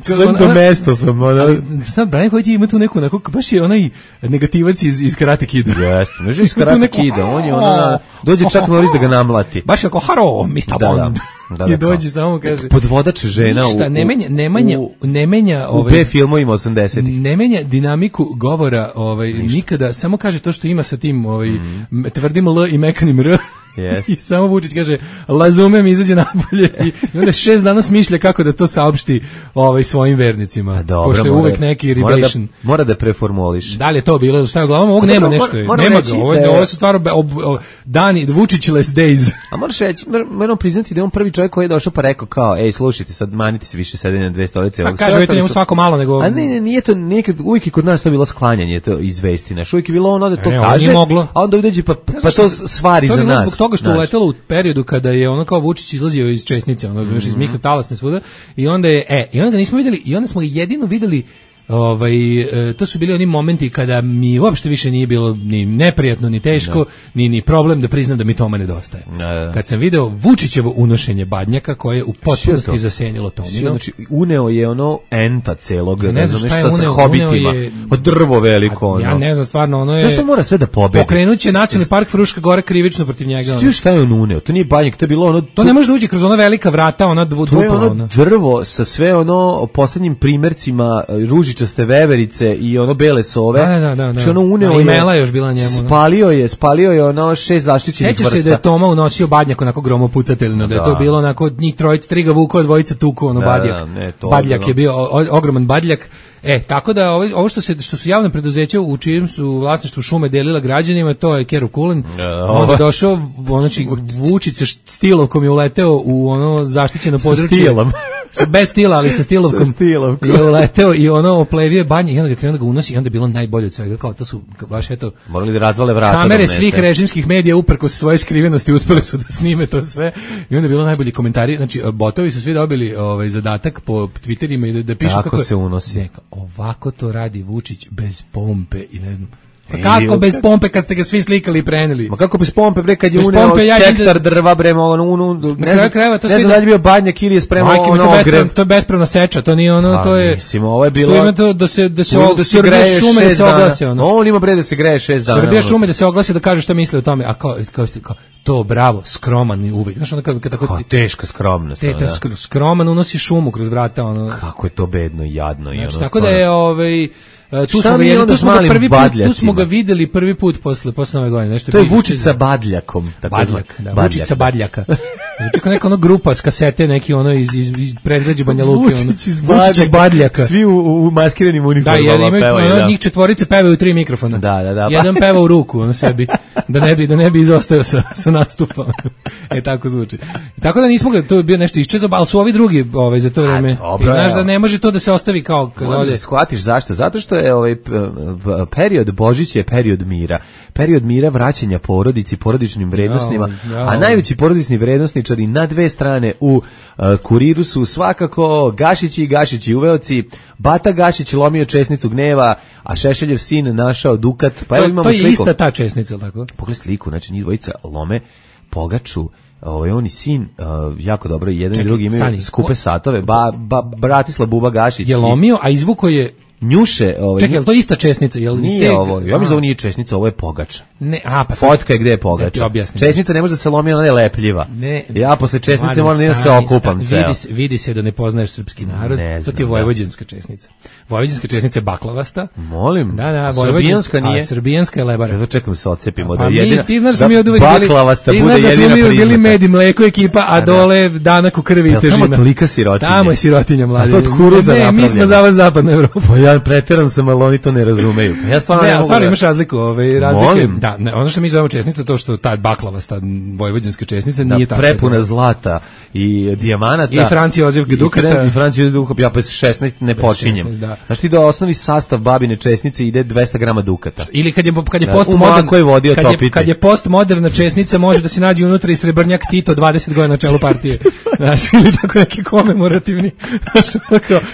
Sve do mesto sam, ono... Sad, Brian Hoyt ima tu neku, neku, baš je onaj negativac iz, iz Karate Kida. Jeste, može iz Karate Kida, on je ono, dođe čak Norris da ga namlati. Baš je kao, haro, mister Bond. Da, da, I dođe samo kaže podvodač žena ništa, u, ne menja, ne menja, u, ne menja ovaj, u B filmovima osamdesetih. Ne menja dinamiku govora, ovaj ništa. Nikada, samo kaže to što ima sa tim ovaj mm. tvrdim L i mekanim R. Yes. I samo Vučić kaže lazumem, izađe napolje i, i onda šest dana smišlja kako da to saopšti ovaj svojim vernicima. Dobro, pošto je mora, uvek neki mora rebation. Da, mora da preformuliš. Da li je to bilo? Šta je uglavnom? Ovog nema nešto. Mora, nema ga. Ovo, da, ovo su stvarno ob, ob, dani, Vučićless days. A moraš reći, moram priznati da je on prvi čovjek koji je došao pa rekao kao, ej, slušajte, sad manite se više sedenje na dve stolice. A kaže, vidite njemu svako malo nego... A ne, ne, nije to, nekad, uvijek je kod nas to bilo sklanjanje, to izvesti naš. Uvijek je bilo ono da to ne, kaže, a onda uđe pa, pa to stvari za nas. Zbog toga što uletelo u periodu kada je ono kao Vučić izlazio iz Česnice, ono, znaš, iz mikrotalasne svuda, i onda je, e, i onda ga nismo videli, i onda smo ga jedino videli Ovaj, e, to su bili oni momenti kada mi uopšte više nije bilo ni neprijatno, ni teško, da. ni, ni problem da priznam da mi tome nedostaje. Da, da. Kad sam video Vučićevo unošenje badnjaka koje je u potpunosti zasenjilo Tomino. Znači, uneo je ono enta celog, ne, ne znam, nešto sa hobitima, je, od drvo veliko. Ono. Ja ne znam, stvarno, ono je... Zašto mora sve da pobedi? Pokrenuće Nacionalni park Fruška Gora krivično protiv njega. Ono. Šta je on uneo? To nije badnjak, to je bilo ono... To ne može da uđe kroz ona velika vrata, ona dvu, to je ono, ono drvo sa sve ono poslednjim primercima ružičaste veverice i ono bele sove. Da, da, da. Znači ono uneo da, je... Mela još bila njemu. Spalio je, spalio je ono šest zaštićenih vrsta. Sećaš se da je Toma unosio badnjak onako gromopucateljno, da je to bilo onako njih trojica, tri ga vuko, dvojica tuku, ono da, badjak. Da, ne, to badjak bilo. Je bio o, ogroman badjak. E, tako da ovo, ovo što se što su javna preduzeća u čijem su vlasništvu šume delila građanima, to je Keru Kulin. Ja, onda je došao, znači Vučić sa stilovkom je uleteo u ono zaštićeno područje. Sa stilom. Bez stila, ali sa stilovkom. Sa stilovkom. Je uleteo i ono oplevio banje i onda ga krenuo da ga unosi i onda je bilo najbolje od svega. Kao to su baš eto... Morali da razvale vrata. Kamere svih režimskih medija uprkos svoje skrivenosti uspeli su da snime to sve i onda je bilo najbolji komentari. Znači, botovi su svi dobili ovaj zadatak po Twitterima i da, da pišu kako, kako se unosi. Neka, ovako to radi Vučić bez pompe i ne znam. Pa kako e, bez pompe kad ste ga svi slikali i preneli? Ma kako bez pompe bre kad je uneo hektar da... drva bre ono unu ne znam, kreva, to ne znam da li bio badnjak ili je spremao ono to, bespravno, to je bespravna seča, to nije ono, a, to je mislim, ovo je bilo ima to da se da se da se greje šume da se oglase ono. On ima bre da se greje šest dana. Srbija šume da se oglasi da kaže šta misle o tome, a kao kao ste kao to bravo, skroman i uvek. Znaš, ono kad, kad tako... teška skromnost. Te, da. Skroman unosi šumu kroz vrata. Ono. Kako je to bedno i jadno. Znači, i ono tako da je... Ovaj, tu smo, ga, jedli, tu, smo ga prvi put, tu smo ga videli prvi put posle, posle nove godine. Nešto to je Vučić sa badljakom. Badljak, da, badljak. Vučić sa badljaka. Znači kao neka ono grupa s kasete, neki ono iz, iz, iz predgrađa Banja Luke. Vučić iz badljaka. badljaka. Svi u, u maskiranim uniformama da, pevaju. Da, imaju, ono, njih četvorice pevaju tri mikrofona. Da, da, da. Jedan peva u ruku, ono sebi, da ne bi, da ne bi izostao sa, sa nastupa. E, tako zvuči. I tako da nismo ga, to je bio nešto iščezao, ali su ovi drugi ovaj, za to vreme. I znaš da ne može to da se ostavi kao... Možeš da shvatiš zašto? Zato što je ovaj period Božića je period mira. Period mira, vraćanja porodici, porodičnim vrednostima, ja, ja. A najveći porodični vrednosničari na dve strane u uh, Kuriru su svakako Gašići i Gašići uveoci. Bata Gašić lomio česnicu gneva, a Šešeljev sin našao dukat. Pa to, evo imamo to je sliku. Ista ta česnica, tako? Pogledaj sliku, znači njih dvojica lome Pogaču. Ovaj on i sin uh, jako dobro, jedan Čekaj, i drugi imaju stani. Skupe satove. Ba, ba, Bratislav Buba Gašić je lomio, a izvuko je njuše, ovaj. Čekaj, je li to ista česnica? Jel nije ste... ovo, ja mislim da ovo nije česnica, ovo je pogača. Ne, a pa fotka je gde je pogača. Česnica ne može da se lomi, ona je lepljiva. Ne, ja posle česnice moram da se okupam ceo. Vidi se, vidi se da ne poznaješ srpski narod. Ne znam, to ti je vojvođanska česnica. Vojvođanska česnica je baklavasta. Molim. Da, da, vojvođanska nije. A srbijanska je lebara. Ja čekam da se odcepimo pa da jedina. Ti znaš da mi od uvek bili baklavasta bude jedina priznata. Ti znaš da smo mi bili med i mleko ekipa, a dole danak u krvi i težina. Tamo tolika sirotinja. Tamo je sirotinja mladi. A to od kuruza napravljeno. Ne, mi smo za vas zapadna Evropa. Pa ja preteram sam, ali oni to ne razumeju. Ja stvarno ne, ne mogu. Stvarno imaš razliku, ovaj razlike. Molim. Da, ne, ono što mi zovemo česnica, to što ta baklavasta vojvođanska česnica da, nije tako. Prepuna zlata i dijamanata. I Franci Jozef Dukata. I Franci Jozef Dukata, ja pa šesnaest ne počinjem. šesnaest, da. Znaš ti da osnovi sastav babine česnice ide dvesta grama Dukata. Ili kad je kad je postmodern koji vodio kad je, kad je postmoderna česnica može da se nađe unutra i srebrnjak Tito dvadeset godina na čelu partije. Znaš, ili tako neki komemorativni.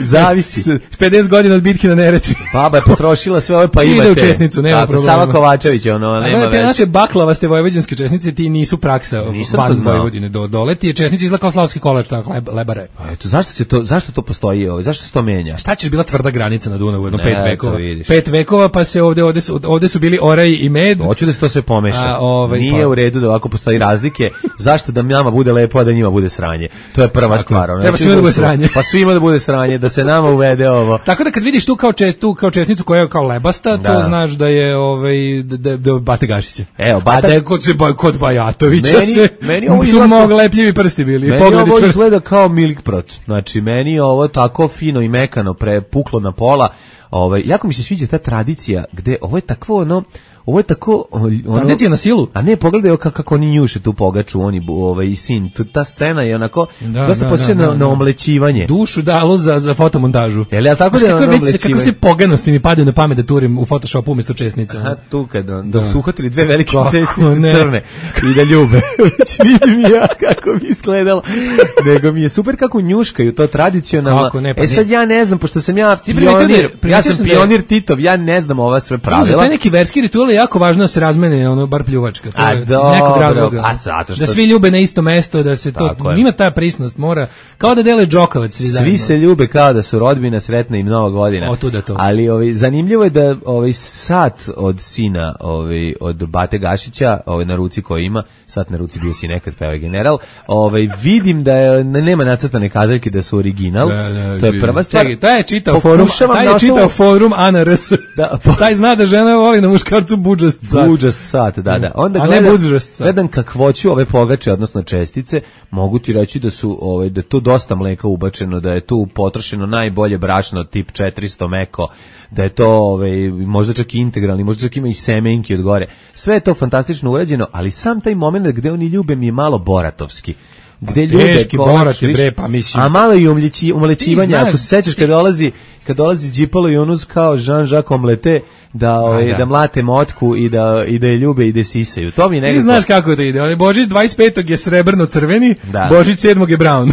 Zavisi. pedeset godina od bitke na Neretvi. Baba je potrošila sve ove pa imate. Ide u česnicu, nema problema. Sava Kovačević, ono, nema veze. Te naše baklavaste vojvođanske česnice ti nisu praksa van Vojvodine do dole. Ti je česnica izgleda kao slavski kolač, tako lebare. Pa eto, zašto se to, zašto to postoji, ovaj, zašto se to menja? Šta ćeš bila tvrda granica na Dunavu, jedno pet vekova. Pet vekova pa se ovde ovde su ovde su bili oraj i med. Hoću da se to sve pomeša. A, ovaj, nije pa. u redu da ovako postoji razlike. Zašto da nama bude lepo, a da njima bude sranje? To je prva tako, stvar. Treba svima da bude sranje. Pa svima da bude sranje, da se nama uvede ovo. Tako da kad vidiš tu kao čest, tu kao česnicu koja je kao lebasta, da. To znaš da je ovaj da da Bate Gašića. Evo, Bata... A da je kod se kod Bajatovića meni, se meni ovo su izgleda... mogli lepljivi prsti bili. Meni ovo izgleda kao Milikprot. Znači, meni je ovo tako fino i mekano prepuklo na pola. Ovaj, jako mi se sviđa ta tradicija gde ovo je takvo ono, ovo je tako ono, tradicija na silu. A ne, pogledaj kako, kako oni njuše tu pogaču, oni ovaj i sin. Tu, ta scena je onako da, dosta da, posjeća da, na, da. na omlećivanje. Dušu dalo za za fotomontažu. Je li ja tako da je ono već, kako se poganosti mi padaju na pamet da turim u Photoshopu umjesto česnice. Aha, tu kad da, da su uhvatili dve velike česnice ne. crne i da ljube. Vidim ja kako mi izgledalo. Nego mi je super kako njuškaju to tradicionalno. Kako, ne, pa e sad ja ne znam, pošto sam ja pionir, ja ja sam pionir Titov, ja ne znam ova sve pravila. Za taj neki verski ritual je jako važno da se razmene ono bar pljuvačka, to je iz nekog razloga. A zato što da svi ljube na isto mesto, da se to ima ta prisnost, mora kao da dele džokavac svi zajedno. Svi se ljube kao da su rodbina, sretna im nova godina. O, tu da to. Ali ovaj zanimljivo je da ovaj sat od sina, ovaj od Bate Gašića, ovaj na ruci koji ima, sat na ruci bio si nekad pevao general, ovaj vidim da je, nema nacrtane kazaljke da su original. Da, da, to je prva stvar. Čekaj, taj je čitao forum, taj je čitao forum A N R S. Da, taj zna da žena voli na muškarcu budžast sat. Budžast sat, da, da. Onda a gledam, ne budžast sat. Gledam kakvoću ove pogače, odnosno čestice, mogu ti reći da su ovaj da je tu dosta mleka ubačeno, da je tu potrošeno najbolje brašno tip četiristo meko, da je to ovaj možda čak i integralni, možda čak ima i semenki od gore. Sve je to fantastično urađeno, ali sam taj momenat gde oni ljube mi je malo boratovski. Gde ljude Borat je bre, pa mislim. A malo i umljeći, umlećivanja, ako se sećaš kad dolazi, kad dolazi Đipalo i Unus kao Jean-Jacques Omlete, da, ovaj, da. da mlate motku i da, i da je ljube i da sisaju. To mi nekako... Ti znaš kako to ide. Božić dvadeset petog je srebrno-crveni, da. Božić sedmog je brown.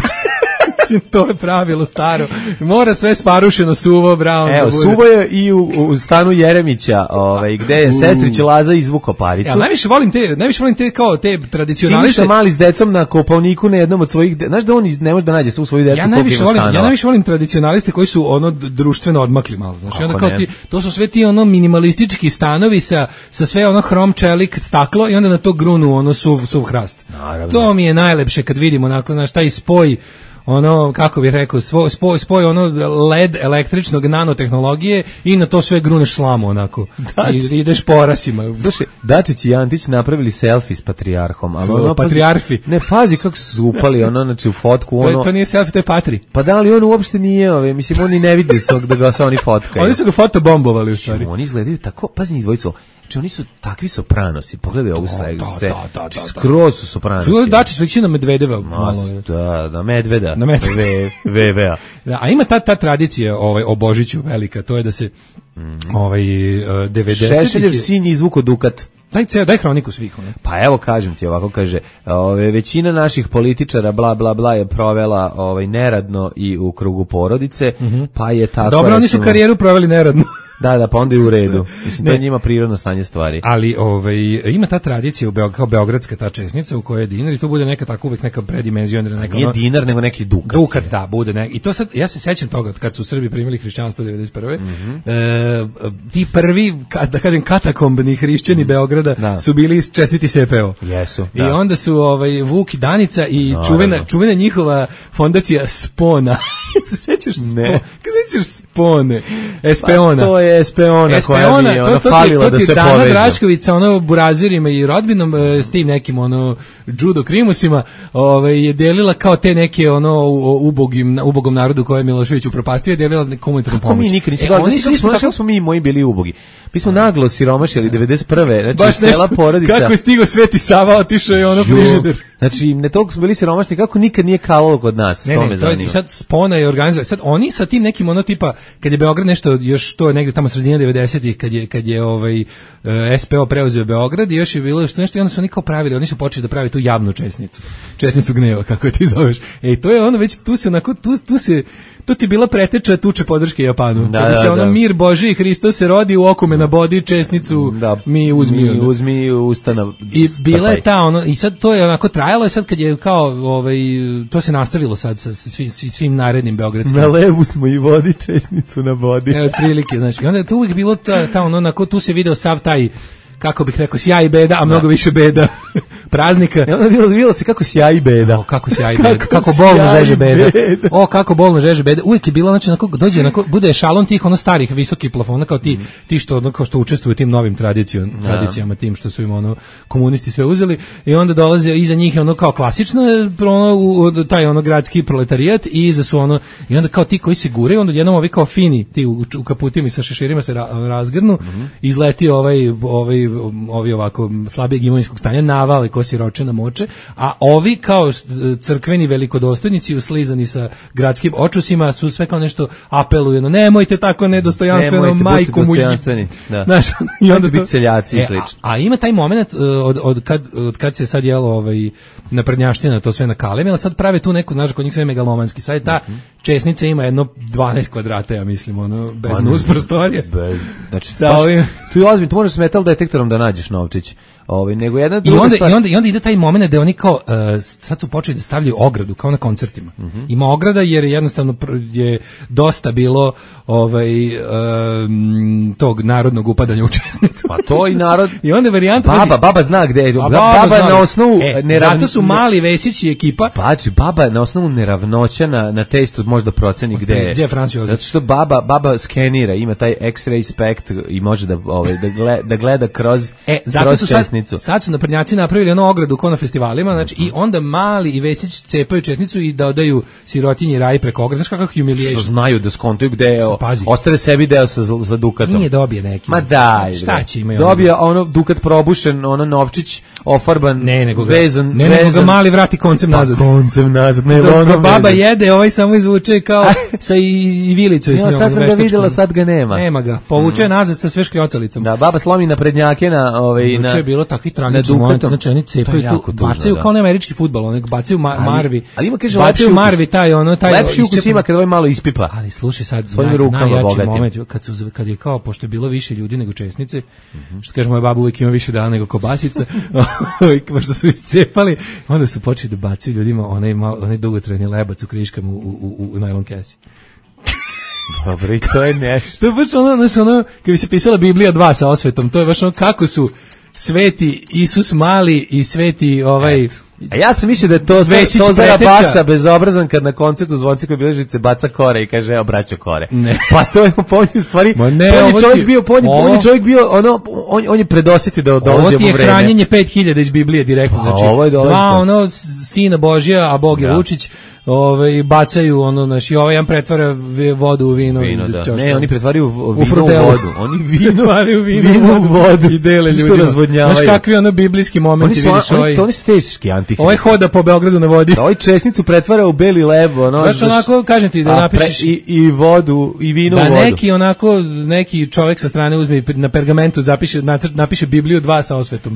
To je pravilo staro. Mora sve sparušeno, suvo, brown. Evo, suvo je i u, u stanu Jeremića, ovaj, gde je sestrić Laza izvukao paricu. Ja, najviše volim te, najviše volim te kao te tradicionaliste. Siniša mali s decom na Kopaoniku na jednom od svojih, de... znaš da on ne može da nađe svu svoju decu. Ja najviše volim, ja najviše volim tradicionaliste koji su ono društveno odmakli malo. Znači, onda kao ti, to su sve ti ono minimalistički stanovi sa, sa sve ono hrom čelik staklo i onda na to grunu ono suv, suv hrast. Naravno. To mi je najlepše kad vidimo nakon znaš taj spoj ono, kako bih rekao, svoj, spoj, spoj ono led električnog nanotehnologije i na to sve gruneš slamu onako. Dači. I ideš porasima. Slušaj, Dačić i Antić napravili selfie s patrijarhom. Ali ono, patrijarfi. Pazi, ne, pazi kako su upali ono, znači u fotku. Ono, to, je, to nije selfie, to je patri. Pa da li on uopšte nije, ove, mislim, oni ne vidi svog da ga se oni fotkaju. Oni su ga fotobombovali u stvari. Oni izgledaju tako, pazi njih dvojicu. Znači oni su takvi sopranosi, pogledaj ovu sliku, skroz su sopranosi. Čuo Dačić liči na Medvedeva. Malo, da, na Medveda, na Medveda. V V A. Da, a ima ta, ta tradicija ovaj, o Božiću velika, to je da se mm. ovaj, devedesetih... Šešeljev sin izvuko Dukat. Daj, ceo, daj hroniku svih. Ne? Pa evo kažem ti, ovako kaže, ove, većina naših političara bla bla bla je provela ovaj, neradno i u krugu porodice, mm-hmm. pa je tako... Dobro, oni su karijeru proveli neradno. Da, da, pa onda i u redu. Mislim, to je njima prirodno stanje stvari. Ali ovaj, ima ta tradicija u Beog, kao beogradska ta česnica u kojoj je dinar i to bude neka tako uvek neka predimenzionirana. Neka, nije ono, dinar, nego neki dukat. Dukat, da, bude neki. I to sad, ja se sećam toga kad su Srbi primili hrišćanstvo devedeset prve. Mm-hmm. E, ti prvi, da kažem, katakombni hrišćani mm-hmm. Beograda da. Su bili čestiti S P O. Jesu. I da. Onda su ovaj, Vuk i Danica i no, čuvena, no. čuvena njihova fondacija Spona. se sećaš Spone? Kad sećaš Spone? Espeona. Pa to je Espeona, Espeona koja mi ona to, falila to, to da se Dana povežu. Draškovica, ono, burazirima i rodbinom, s tim nekim, ono, judo krimusima, ovaj, je delila kao te neke, ono, ubogim, ubogom narodu koje je Milošević upropastio, je delila komunitarnu pomoć. Kako mi nikad nisi, e, oni su isto tako... smo mi i moji bili ubogi. Mi smo naglo siromašili devedeset prve, znači baš cela porodica. Kako je stigo Sveti Sava, otišao je ono frižider. Znači, ne toliko smo bili siromašni, kako nikad nije kalalo kod nas, ne, to ne, me to je, sad Spona je organizovan, sad oni sa tim nekim ono tipa, kad je Beograd nešto, još to je negde tamo sredina devedesetih, kad je, kad je ovaj, S P O preuzeo Beograd i još je bilo što nešto i onda su oni kao pravili, oni su počeli da pravi tu javnu česnicu, česnicu gneva, kako je ti zoveš. Ej, to je ono već, tu se onako, tu, tu se, to ti bila preteča tuče podrške Japanu. Da, kada da, se ono da. Mir Božji i Hristos se rodi u okume na bodi, česnicu da, mi uzmi. Mi uzmi ustana. I bila je ta ono, i sad to je onako trajalo, i sad kad je kao, ovaj, to se nastavilo sad sa svim, svim narednim beogradskim. Na levu smo i vodi česnicu na bodi. Evo, otprilike, znači, i onda je tu uvijek bilo ta, ta ono, onako, tu se video sav taj, kako bih rekao, sjaj i beda, a mnogo da. Više beda praznika. I onda bilo, bilo se kako sjaj i beda. O, kako sjaj i beda, kako, kako bolno žeže beda. beda. O, kako bolno žeže beda. Uvijek je bilo, znači, onako, dođe, onako, bude šalon tih, ono, starih, visokih plafona, kao ti, mm. ti što, ono, kao što učestvuju tim novim tradicijom, da. Tradicijama, tim što su im, ono, komunisti sve uzeli, i onda dolaze iza njih, ono, kao klasično, ono, u, taj, ono, gradski proletarijat, i iza su, ono, i onda kao ti koji se gure, onda jednom ovi kao fini, ti u, u kaputima i sa šeširima se ra, razgrnu, mm. izleti ovaj, ovaj ovi ovako slabijeg imovinskog stanja navale ko siroče na moče, a ovi kao crkveni velikodostojnici uslizani sa gradskim očusima su sve kao nešto apeluju, no nemojte tako nedostojanstveno, nemojte, majku mu. Da. Znaš, i onda biti seljaci i slično. A, a ima taj moment od, od, kad, od kad se sad jelo ovaj, naprednjaština to sve na kalemi, ali sad prave tu neku, znaš, kod njih sve megalomanski. Sad je ta mm-hmm. česnica ima jedno dvanaest kvadrata, ja mislim, ono, bez pa, nus prostorije. Bez, znači, sa baš, ovim... tu je ozbiljno, tu možeš s metal detektorom da nađeš novčić. Ovaj, nego jedna druga I onda, stvar... i onda i onda ide taj momenat da oni kao uh, sad su počeli da stavljaju ogradu kao na koncertima. Mm-hmm. Ima ograda jer jednostavno je dosta bilo ovaj um, tog narodnog upadanja u česnicu. Pa to i narod. I onda varijanta baba baba zna gde je. Baba, baba, baba na osnovu e, nerav... zato su Mali Vesić i ekipa. Pači, baba na osnovu neravnoća na na testu možda proceni gde je. Gde je Francio? Zato što baba baba skenira, ima taj X-ray spekt i može da ovaj da gleda, da gleda kroz e, zato kroz su česnicu. Sad, sad su naprednjaci napravili ono ogradu kao na festivalima, znači i onda Mali i Vesić cepaju česnicu i da odaju sirotinji raj preko ograde. Znaš kakav humiliation. Što znaju da skontuju gde je, ostave sebi deo sa, sa dukatom. Nije dobije neki. Ma daj, šta će imaju? Dobije ono dukat probušen, ono novčić ofarban, ne, nego ga, vezan, ne, nego vezan. Ga Mali vrati koncem nazad. Pa koncem nazad, ne, Dok ono baba vezan. jede, ovaj samo izvuče kao sa i, i vilicom. Ja, sad sam ga vidjela, sad ga nema. Nema ga, povuče mm. nazad sa sve škljocalicom. Da, baba slomi na prednjake na... Ovaj, na je bilo takvi tragični moment, znači oni cepaju tu, bacaju kao na američki fudbal, onek bacaju ma, ali, marvi. Ali ima kaže bacaju marvi taj ono taj lepši ukus ima kad ovaj malo ispipa. Ali slušaj sad svojim rukama bogatim. Moment kad su kad je kao pošto je bilo više ljudi nego česnice, mm-hmm. što kaže moja baba uvijek ima više dana nego kobasica, pošto su iscepali, onda su počeli da bacaju ljudima onaj malo onaj dugotrajni lebac u kriškama u u u, u najlon kesi. Dobro, i to je nešto. To je baš ono, znaš, ono, kad bi se pisala Biblija dva sa osvetom, to je baš ono kako su sveti Isus Mali i sveti ovaj... Et. A ja sam mislio da je to, to Zara Basa bezobrazan kad na koncertu Zvonci Bilježice baca kore i kaže evo braćo kore. Ne. Pa to je po njoj stvari. Ma ne, on je čovjek ti, bio, on, on je čovjek bio, ono, on, on je predosjetio da dolazi u vreme. Ovo ti je hranjenje pet hiljada iz Biblije direktno. Znači, ovo je dva ono sina Božja, a Bog je da. Vučić. Ovaj bacaju ono znači ovaj jedan pretvara vodu u vino, vino da. Da. Ne, oni pretvaraju vino u, u vodu. Oni vino pretvaraju vino, vino u vodu i dele ljudima. Znaš kakvi ono biblijski momenti vidiš ovaj. To oni su teški antihristi. Ovaj hoda po Beogradu na vodi. Ovaj česnicu pretvara u beli leb, ono. Baš onako kažem ti da napišeš i, i vodu i vino da u vodu. Da neki onako neki čovjek sa strane uzme na pergamentu zapiše napiše Bibliju dva sa osvetom.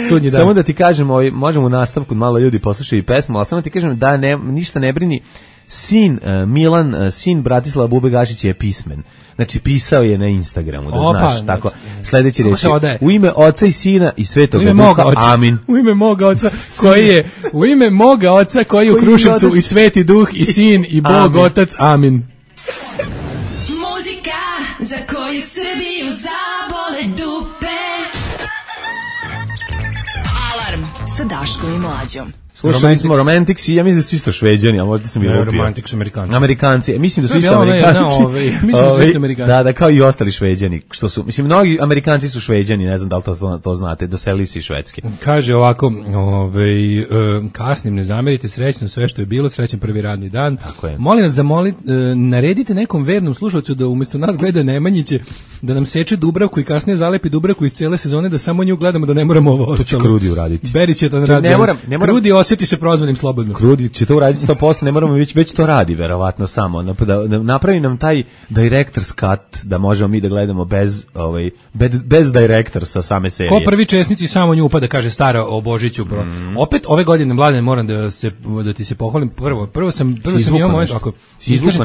Sudnji dan. Samo da ti kažem, ovaj, možemo u nastavku, malo ljudi poslušaju i pesmu, ali samo ti kažem da ne, ništa ne brini, sin uh, Milan, uh, sin Bratislava Bube Gašića je pismen. Znači, pisao je na Instagramu, da Opa, znaš, tako, sledeći reči, odaje? U ime oca i sina i Svetog Duha, amin. U ime moga oca, koji je, u ime moga oca, koji je u Kruševcu i Sveti Duh i sin i Bog amin. Otac, amin. Muzika za koju Srbiju zabole dupe. Alarm sa Daškom i Mlađom. Slušali smo Romantics i ja mislim da su isto Šveđani, a možda sam i lupio. Romantics su Amerikanci. Amerikanci, mislim da su isto Amerikanci. Ne, ove, mislim da su isto Amerikanci. Da, da, kao i ostali Šveđani. Što su, mislim, mnogi Amerikanci su Šveđani, ne znam da li to, to znate, doselili se iz Švedske. Kaže ovako, ovaj, kasnim, ne zamerite, srećno sve što je bilo, srećan prvi radni dan. Tako je. Molim vas, zamoli, naredite nekom vernom slušalcu da umjesto nas gleda Nemanjiće, da nam seče Dubravku i kasnije zalepi Dubravku iz cijele sezone, da samo nju gledamo, da ne moramo ovo ostalo. To će Krudi uraditi. Beri će to raditi. Ne moram, ne moram. Krudi osjeti se prozvanim slobodno. Krudi će to uraditi sto posto, ne moramo, već, već to radi, verovatno samo. Da, da napravi nam taj director's cut, da možemo mi da gledamo bez, ovaj, bez, bez directorsa same serije. Ko prvi česnici samo nju upada, kaže stara o Božiću. Mm. Opet ove godine, Mladen, moram da, se, da ti se pohvalim. Prvo, prvo sam, prvo sam imao moment, ako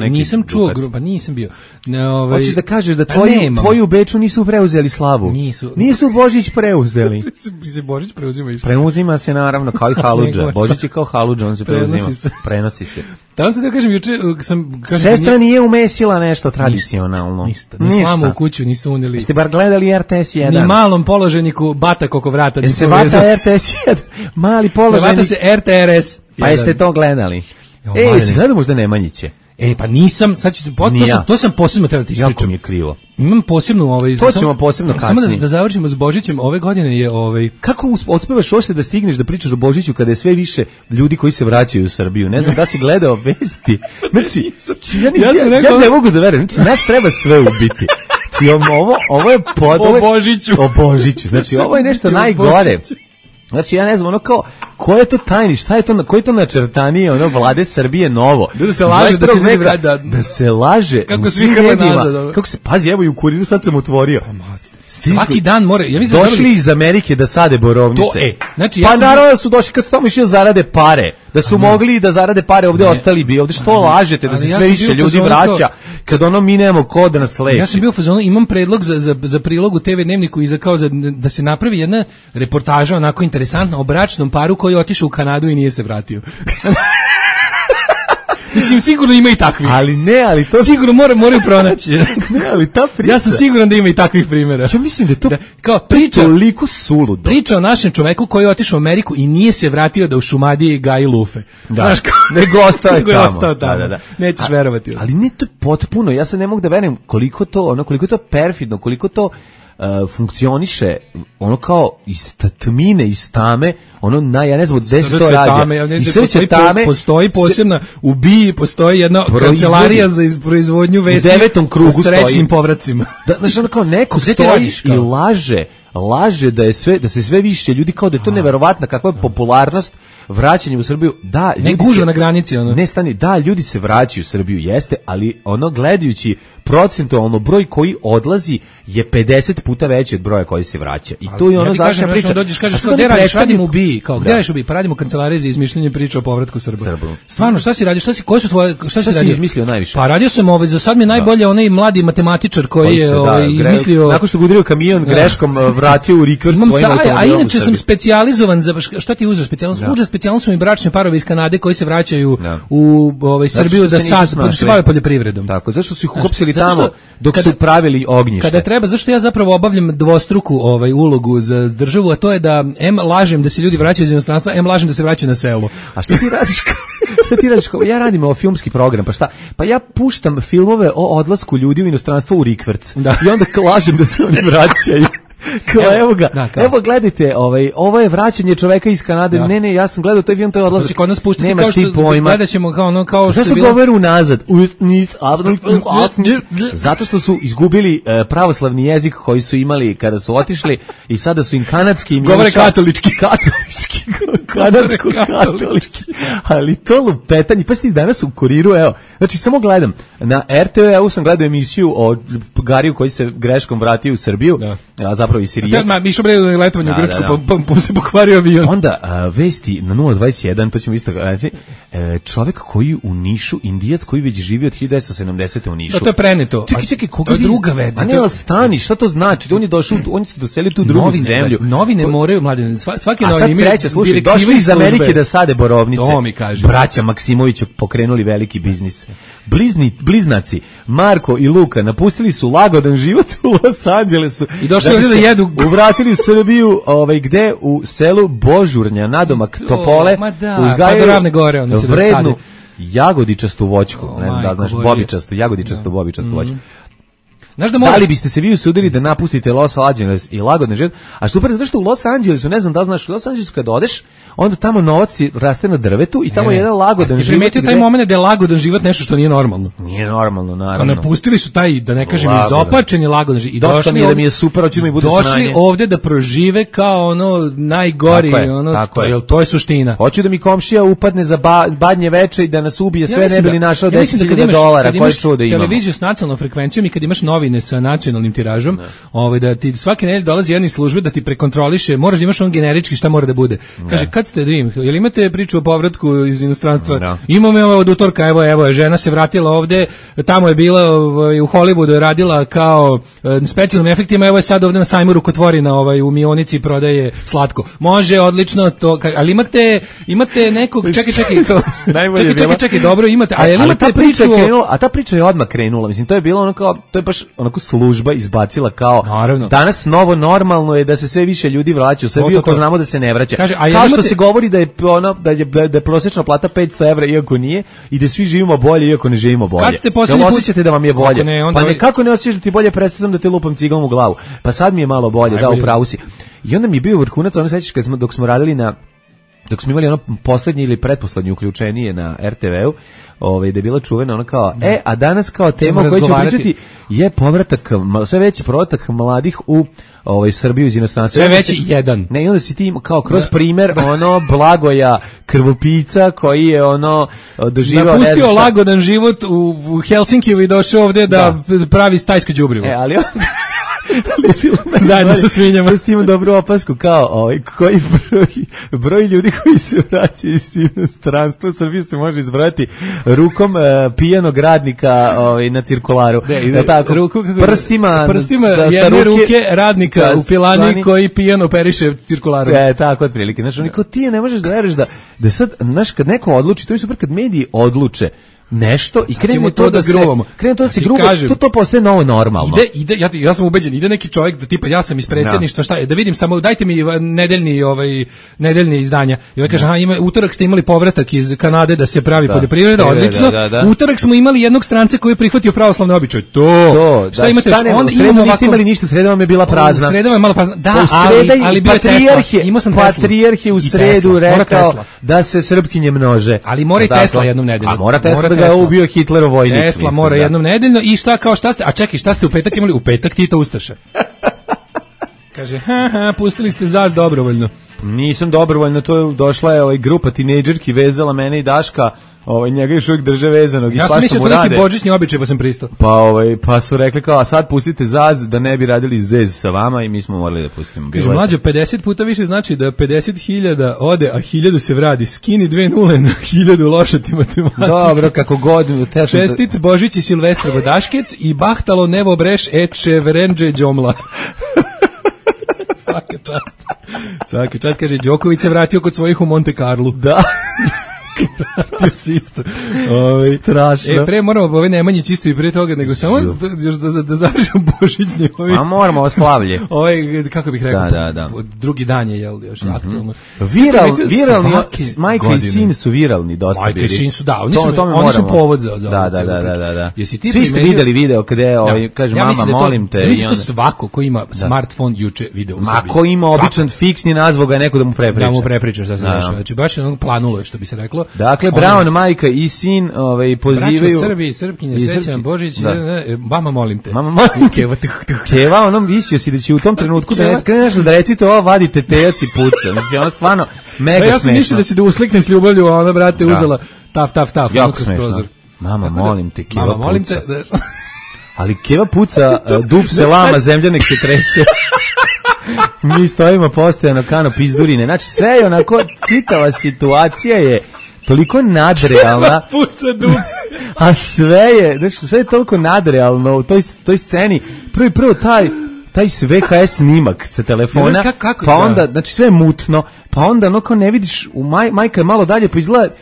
nisam čuo, grupa, nisam bio. Ne, ovaj, hoćeš da kažeš da tvoji, tvoji u Beču nisu preuzeli slavu? Nisu. Nisu Božić preuzeli. se Božić preuzima išta. Preuzima se naravno kao i Haludža. Božić je kao Haludža, on se preuzima. Prenosi se. Prenosi se. Tamo se da kažem, juče sam... Kažem, sestra nije umesila nešto tradicionalno. Ništa. Ni ništa. Slamu u kuću nisu uneli. Jeste bar gledali R T S jedan? Ni malom položeniku batak oko vrata. Jeste bata R T S jedan? Mali položenik. Bata se R T R S. Pa jeste to gledali? Ej, si gledao možda Nemanjiće? E, pa nisam, sad ću, to, to, sam, to sam posebno treba ti ispričam. Jako mi je krivo. Imam posebnu ovaj... To ćemo posebno kasnije. Samo da, da završimo s Božićem, ove godine je ovaj... Kako uspevaš uopšte da stigneš da pričaš o Božiću kada je sve više ljudi koji se vraćaju u Srbiju? Ne znam da si gledao vesti. Znači, ja, nis, ja, ja, ja ne mogu da verujem, znači nas treba sve ubiti. Znači, ovo, ovo je pod... O Božiću. O Božiću. Znači, ovo je nešto najgore. Znači, ja ne znam, ono kao, ko je to tajni, šta je to, koji je to načrtanije, ono, vlade Srbije novo? Da se laže, da se ljudi vrati, da, da se laže. Kako svi hrve nazad. Kako se, pazi, evo i u Kuriru sad sam otvorio. Svaki dan more, ja mislim došli dobili... iz Amerike da sade borovnice. To, e, znači, pa ja sam... naravno da su došli kad su tamo išli da zarade pare. Da su mogli da zarade pare, ovde ne. ostali bi. Ovde što lažete da se ja sve više ljudi vraća kad ono mi nemamo ko da nas leči. Ja sam bio u fazonu, imam predlog za, za, za prilog u te ve Dnevniku i za kao za, da se napravi jedna reportaža onako interesantna o bračnom paru koji je otišao u Kanadu i nije se vratio. Mislim, sigurno ima i takvih. Ali ne, ali to... Sigurno mora, moraju pronaći. Ne, ali ta priča... Ja sam siguran da ima i takvih primjera. Ja mislim da je to da, kao priča, toliko suludo. Priča o našem čoveku koji je otišao u Ameriku i nije se vratio da u Šumadiji gaji lufe. Da, znaš, kao, nego ostao je tamo. Ostao tamo. Da, da, da. Nećeš A, verovati. Ali ne, to je potpuno, ja se ne mogu da verujem koliko to, ono, koliko to perfidno, koliko to... Uh, funkcioniše ono kao iz tmine, iz tame, ono na, ja ne znam gde se to rađa. I srce tame, postoji posebna, u BIA postoji jedna kancelarija za proizvodnju vesti u devetom krugu u srećnim povracima. Da, znači ono kao neko stoji i laže, laže da je sve, da se sve više ljudi kao da je to neverovatna kakva je popularnost vraćanje u Srbiju. Da, ne gužva na granici ono. Ne stani, da, ljudi se vraćaju u Srbiju, jeste, ali ono gledajući procentualno broj koji odlazi je pedeset puta veći od broja koji se vraća. I to je ono ja zašto priča. Dođeš kažeš kao gde radiš, radim u BIA, kao gde radiš u BIA, pa radimo u kancelariji za izmišljanje priča o povratku Srba. Stvarno, šta si radio? Šta si, koje su tvoje, šta si radio? Izmislio najviše? Pa radio sam ovaj, za sad mi je najbolje onaj mladi matematičar koji je ovaj izmislio. Nakon što udario kamion greškom vratio u rikverc svojim automobilom. A inače sam specijalizovan za šta ti uzeo specijalnost? Uzeo specijalnost su mi bračni parovi iz Kanade koji se vraćaju u ovaj Srbiju da sad se bave poljoprivredom. Tako, zašto su ih uhapsili tamo dok su pravili ognjište? Kada treba, zašto ja zapravo obavljam dvostruku ovaj ulogu za državu, a to je da em lažem da se ljudi vraćaju iz inostranstva, em lažem da se vraćaju na selo. A šta ti radiš? Šta ti radiš? Ja radim o filmski program, pa šta? Pa ja puštam filmove o odlasku ljudi u inostranstvo u rikverc. Da. I onda lažem da se oni vraćaju. Kao, evo, evo ga, da, evo gledajte, ovaj, ovo je vraćanje čoveka iz Kanade, da. ne, ne, ja sam gledao taj film, to je odlazak, kod nas puštati nemaš kao ti pojma. Gledat ćemo kao ono, kao što je bilo... govoru nazad? Zato što su izgubili uh, pravoslavni jezik koji su imali kada su otišli i sada su im kanadski... Govore katolički. Katolički, kanadsko-katolički. Ali to lupetanje, pa si danas u Kuriru, evo, znači samo gledam, na er te ve sam gledao emisiju o Gariju koji se greškom vratio u Srbiju, da. A zapravo i Sirijac. Ma, išao bre letovanje u Grčku, da, da. Pa, pa, pa se pokvario avion. Onda a, vesti na nula dvadeset jedan, to ćemo isto reći, e, čovjek koji u Nišu, Indijac koji već živi od hiljadu devetsto sedamdesete u Nišu. Da, to je preneto. Čekaj, čekaj, koga vi... druga vedna. A ne, ali stani, šta to znači? On je došao, on se doselio tu drugu novine, zemlju. Novine moraju, mladine, svaki novine... A sad treća, slušaj, došli iz Amerike da sade borovnice. To mi kaže. Braća Maksimović pokrenuli veliki biznis. Blizni, bliznaci, Marko i Luka, napustili su lagodan život u Los Angelesu. I došli ovdje da jedu. Uvratili u Srbiju, ovaj, gde u selu Božurnja, nadomak Topole, uzgajaju gore, vrednu jagodičastu voćku. Oh, ne znam da znaš, bobičastu, jagodičastu, no. bobičastu mm-hmm. voćku. Znaš da, da li biste se vi usudili da napustite Los Angeles i lagodne život? A super, zato što u Los Angelesu, ne znam da li znaš, u Los Angelesu kad odeš, onda tamo novac raste na drvetu i tamo ne, je jedan lagodan život. Ti primetio taj moment da je lagodan život nešto što nije normalno? Nije normalno, naravno. Kao napustili su taj, da ne kažem, izopačeni lagodan život. I došli mi je da mi je super, hoću da mi bude došli snanje. Došli ovde da prožive kao ono najgori, tako je, ono, tako to, je. Jel, to je suština. Hoću da mi komšija upadne za ba, badnje veče i da nas ubije, sve ja ne bi li našao ja deset hiljada dolara, koje čuo da imamo. Televiziju s nacionalnom frekvencijom i kad imaš novine sa nacionalnim tiražom, ovaj da ti svake nedelje dolazi jedna iz službe da ti prekontroliše, moraš da imaš on generički šta mora da bude. Kaže kad ste da im, jel imate priču o povratku iz inostranstva? No. Imamo je od utorka, evo evo žena se vratila ovde, tamo je bila ovaj, u Hollywoodu je radila kao e, specijalnim efektima, evo je sad ovde na sajmu rukotvorina ovaj u Mionici prodaje slatko. Može odlično to, ali imate imate nekog čekaj čekaj to. čekaj, čekaj čekaj dobro imate, a jel imate priču o... krenula, a ta priča je odmah krenula. Mislim to je bilo ono kao to je baš onako služba izbacila kao naravno. Danas novo normalno je da se sve više ljudi vraća u Srbiju, ako znamo da se ne vraća. Kaže, kao imate... što se govori da je ono da je da je prosječna plata petsto evra iako nije i da svi živimo bolje iako ne živimo bolje. Kad ste poslednji put osjećate da vam je bolje? Ne, pa ne, kako ne osjećaš da ti bolje, prestao sam da te lupam ciglom u glavu. Pa sad mi je malo bolje, da, upravo si. I onda mi je bio vrhunac, ono sećaš kad smo dok smo radili na dok smo imali ono poslednje ili pretposlednje uključenije na er te veu, ovaj, da je bila čuvena ona kao, da. e, a danas kao tema o kojoj ćemo pričati je povratak, sve veći povratak mladih u ovaj, Srbiju iz inostranstva. Sve veći si, jedan. Ne, i onda si ti kao kroz primer ono Blagoja krvopica koji je ono doživao... Napustio lagodan život u, u Helsinkiju i došao ovde da, da pravi stajsko đubrivo. E, ali on... zajedno sa svinjama. S tim dobru opasku kao ovaj, koji broj, broj ljudi koji se vraćaju iz inostranstva u Srbiju se može izbrojati rukom uh, pijanog radnika ovaj, na cirkularu. De, ide, tako, ruku, prstima, prstima da, jedne ruke, ruke radnika da, u pilani stani, koji pijano operiše cirkularu. E, tako otprilike. Znači, niko ti ne možeš da veruješ da, da sad, znaš, kad neko odluči, to je super kad mediji odluče nešto i krene to, to da se krene to da se grubo, to to postaje novo normalno. Ide ide ja ja sam ubeđen, ide neki čovjek da tipa ja sam iz predsjedništva, šta je, da vidim samo dajte mi nedeljni ovaj nedeljne izdanja. I ovaj kaže aha, ima utorak ste imali povratak iz Kanade da se pravi da. poljoprivreda, odlično. Da, da, da. Utorak smo imali jednog stranca koji je prihvatio pravoslavne običaje. To. to šta da, imate? Šta ne, onda imamo niste imali ništa, sreda vam je bila prazna. Sreda vam je malo prazna. Da, ali ali bio patrijarh, imao sam patrijarh u sredu rekao da se Srpkinje množe. Ali mora i Tesla jednom nedeljno. A mora Tesla da ga ubio Hitlerov vojnik. Tesla mislim, mora da. jednom nedeljno i šta kao šta ste, a čekaj, šta ste u petak imali? U petak Tito Ustaše. Kaže, ha, ha, pustili ste Zaz dobrovoljno. Nisam dobrovoljno, to je došla je ovaj grupa tinejdžerki, vezala mene i Daška, ovaj njega još uvijek drže vezanog i ja sam mislio to neki božićni običaj pa sam pristao. Pa ovaj pa su rekli kao a sad pustite Zaz da ne bi radili zez sa vama i mi smo morali da pustimo. Kaže mlađo pedeset puta više znači da pedeset hiljada ode a hiljadu se vradi. Skini dve nule na hiljadu loša ti matematika. Dobro, kako god. Čestit Božić i Silvestra Vodaškec i bahtalo nevo breš eče verenđe đomla. Svaka čast. Svaka čast, kaže Đoković se vratio kod svojih u Monte Carlo. Da. Vratio si isto. Ove, strašno. E, pre moramo ove Nemanjić isto i pre toga, nego samo da, još da, da, da završimo božićni. Ovi, a moramo oslavlje. Ovaj, kako bih rekao, da, da, da. drugi dan je, jel, još mm-hmm. aktualno. Viral, viralni, majka i sin su viralni dosta majka bili. Majka i sin su, da, oni su, to, oni su povod za, za da, da, da, da, da. Jesi ti svi ste videli video kada ovaj, kaže ja mama, da molim te. Ja mislim da to svako ko ima da. smartphone juče video u sebi. Ma ko ima običan fiksni nazvog, ga neko da mu prepriča. Da mu prepričaš šta se dešava. Znači, baš je planulo, što bi se reklo. Dakle, Brown, majka i sin ovaj, pozivaju... Braćo Srbi i Srpkinje, srećan Božić, da. mama molim te. Mama molim te. Keva, Keva onom visio si da će u tom trenutku da ne krene nešto da recite ovo, vadite tejac i puca. Mislim, ono stvarno mega smešno. Ja sam mislio da će da usliknem s ljubavlju, a ona, brate, da. uzela taf, taf, taf. Jako smešno. Mama, molim te, Keva mama, molim puca. Te, da... Ali Keva puca, dub se lama, zemlja nek se trese. Mi stojimo postojano kano pizdurine. Znači, sve je onako, citava situacija je toliko nadrealna. Puca dups. A sve je, znači, sve je toliko nadrealno u toj, toj sceni. Prvo i prvo taj, taj ve ha es snimak sa telefona, kako, kako, pa onda, da. znači sve je mutno, pa onda ono kao ne vidiš, u maj, majka je malo dalje, pa izgleda,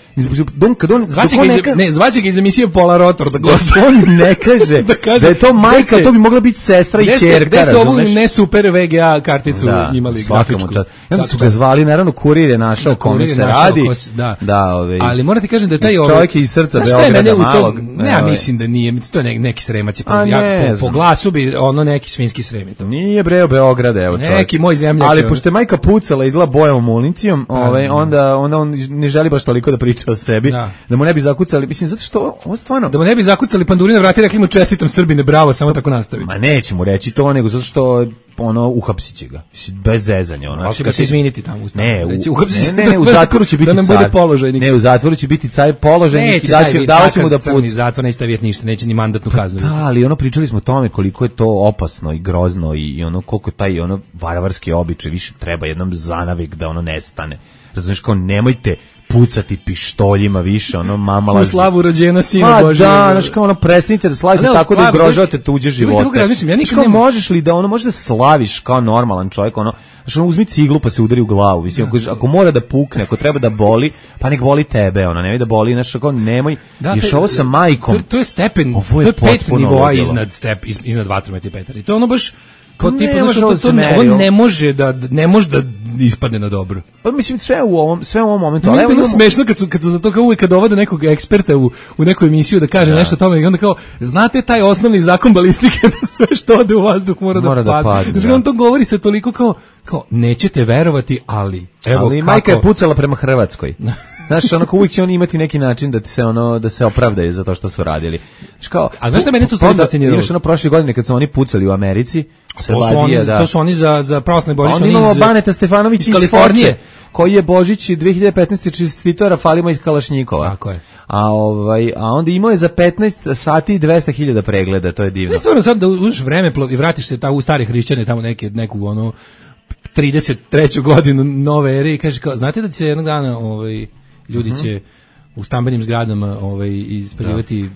don, kad on, zvaće ga, neka, iz, ne, zvaće ga iz emisije Pola Rotor, da goste. On ne kaže, da, kaže, da je to majka, ste, to bi mogla biti sestra i ćerka, gde ste ovu ne super ve ge a karticu da, imali grafičku. I onda su ga zvali, naravno, kurir je našao kome se radi. Da, da ove, ali morate kažem da je taj ovaj, čovjek iz srca Beograda malog. Ne, ja mislim da nije, to je neki Sremac, po glasu bi ono neki svinski Srem. Nije breo Beograda, evo čovjek. Neki moj zemljak. Ali pošto je majka pucala izgleda bojavom municijom, ovaj, onda, onda on ne želi baš toliko da priča o sebi, da, da mu ne bi zakucali, mislim, zato što ovo stvarno... Da mu ne bi zakucali panduri na vrati, rekli mu čestitam Srbine, bravo, samo tako nastavi. Ma neće mu reći to, nego zato što ono, uhapsit će ga, bez zezanja. Ono, ali će ga se izviniti tamo. Ne, u, ne, ne, ne, u zatvoru će biti da nam car. Bude položajnik. Ne, u zatvoru će biti car položajnik i davat će mu da puca. Neće zatvor, neće staviti ništa, neće ni mandatnu kaznu. Da, ali ono, pričali smo o tome koliko je to opasno i grozno i, i ono, koliko taj ono varvarski običaj više treba jednom zanavik da ono nestane. Razumiješ, kao nemojte pucati pištoljima više, ono mama lazi. U slavu rođena sina Božja. Da, znači kao ono prestanite da slavite tako da ugrožavate tuđe živote. Mislim, ja nikad ne možeš li da ono možeš da slaviš kao normalan čovjek, ono, znači ono uzmi ciglu pa se udari u glavu. Mislim, ako, ako mora da pukne, ako treba da boli, pa nek boli tebe, ono, nemoj da boli, znači kao nemoj. Da, još ovo sa majkom. To, to je stepen, to je pet nivoa iznad step iznad vatrometni Petar. I to ono baš Kao tipa, Ne znaš, može to, ovo to se ne, meri, ovo ovo. ne može da ne može da ispadne na dobro. Pa mislim sve u ovom sve u ovom momentu, Meni ali je evo bilo imamo- smešno kad su, kad su za to kao uvijek kad dovode nekog eksperta u, u neku emisiju da kaže nešto o tome i onda kao, znate taj osnovni zakon balistike da sve što ode u vazduh mora, Mora da da padne. padne, Znači, da. on to govori se toliko kao, kao nećete verovati, ali evo ali kako. majka je pucala prema Hrvatskoj. Znaš, onako uvijek će oni imati neki način da ti se ono da se opravdaju za to što su radili. Znaš kao, A znaš šta mene tu pa stvarno onda fasciniralo? Još ono prošle godine kad su oni pucali u Americi, To su, oni, to su oni za, za pravoslavni Božić. onda oni imamo iz- Baneta Stefanović iz iz Kalifornije. Foče, koji je Božić dve hiljade petnaeste čestitao Rafalima iz Kalašnjikova. Tako je. A, ovaj, a onda imao je za petnaest sati i dvesta hiljada pregleda, to je divno. Ne, stvarno sad da uzmeš vreme i vratiš se ta, u stare hrišćane, tamo neke, neku ono trideset treću godinu nove ere i kažeš kao, znate da će se jednog dana ovaj, ljudi će u stambenim zgradama ovaj, ispaljivati,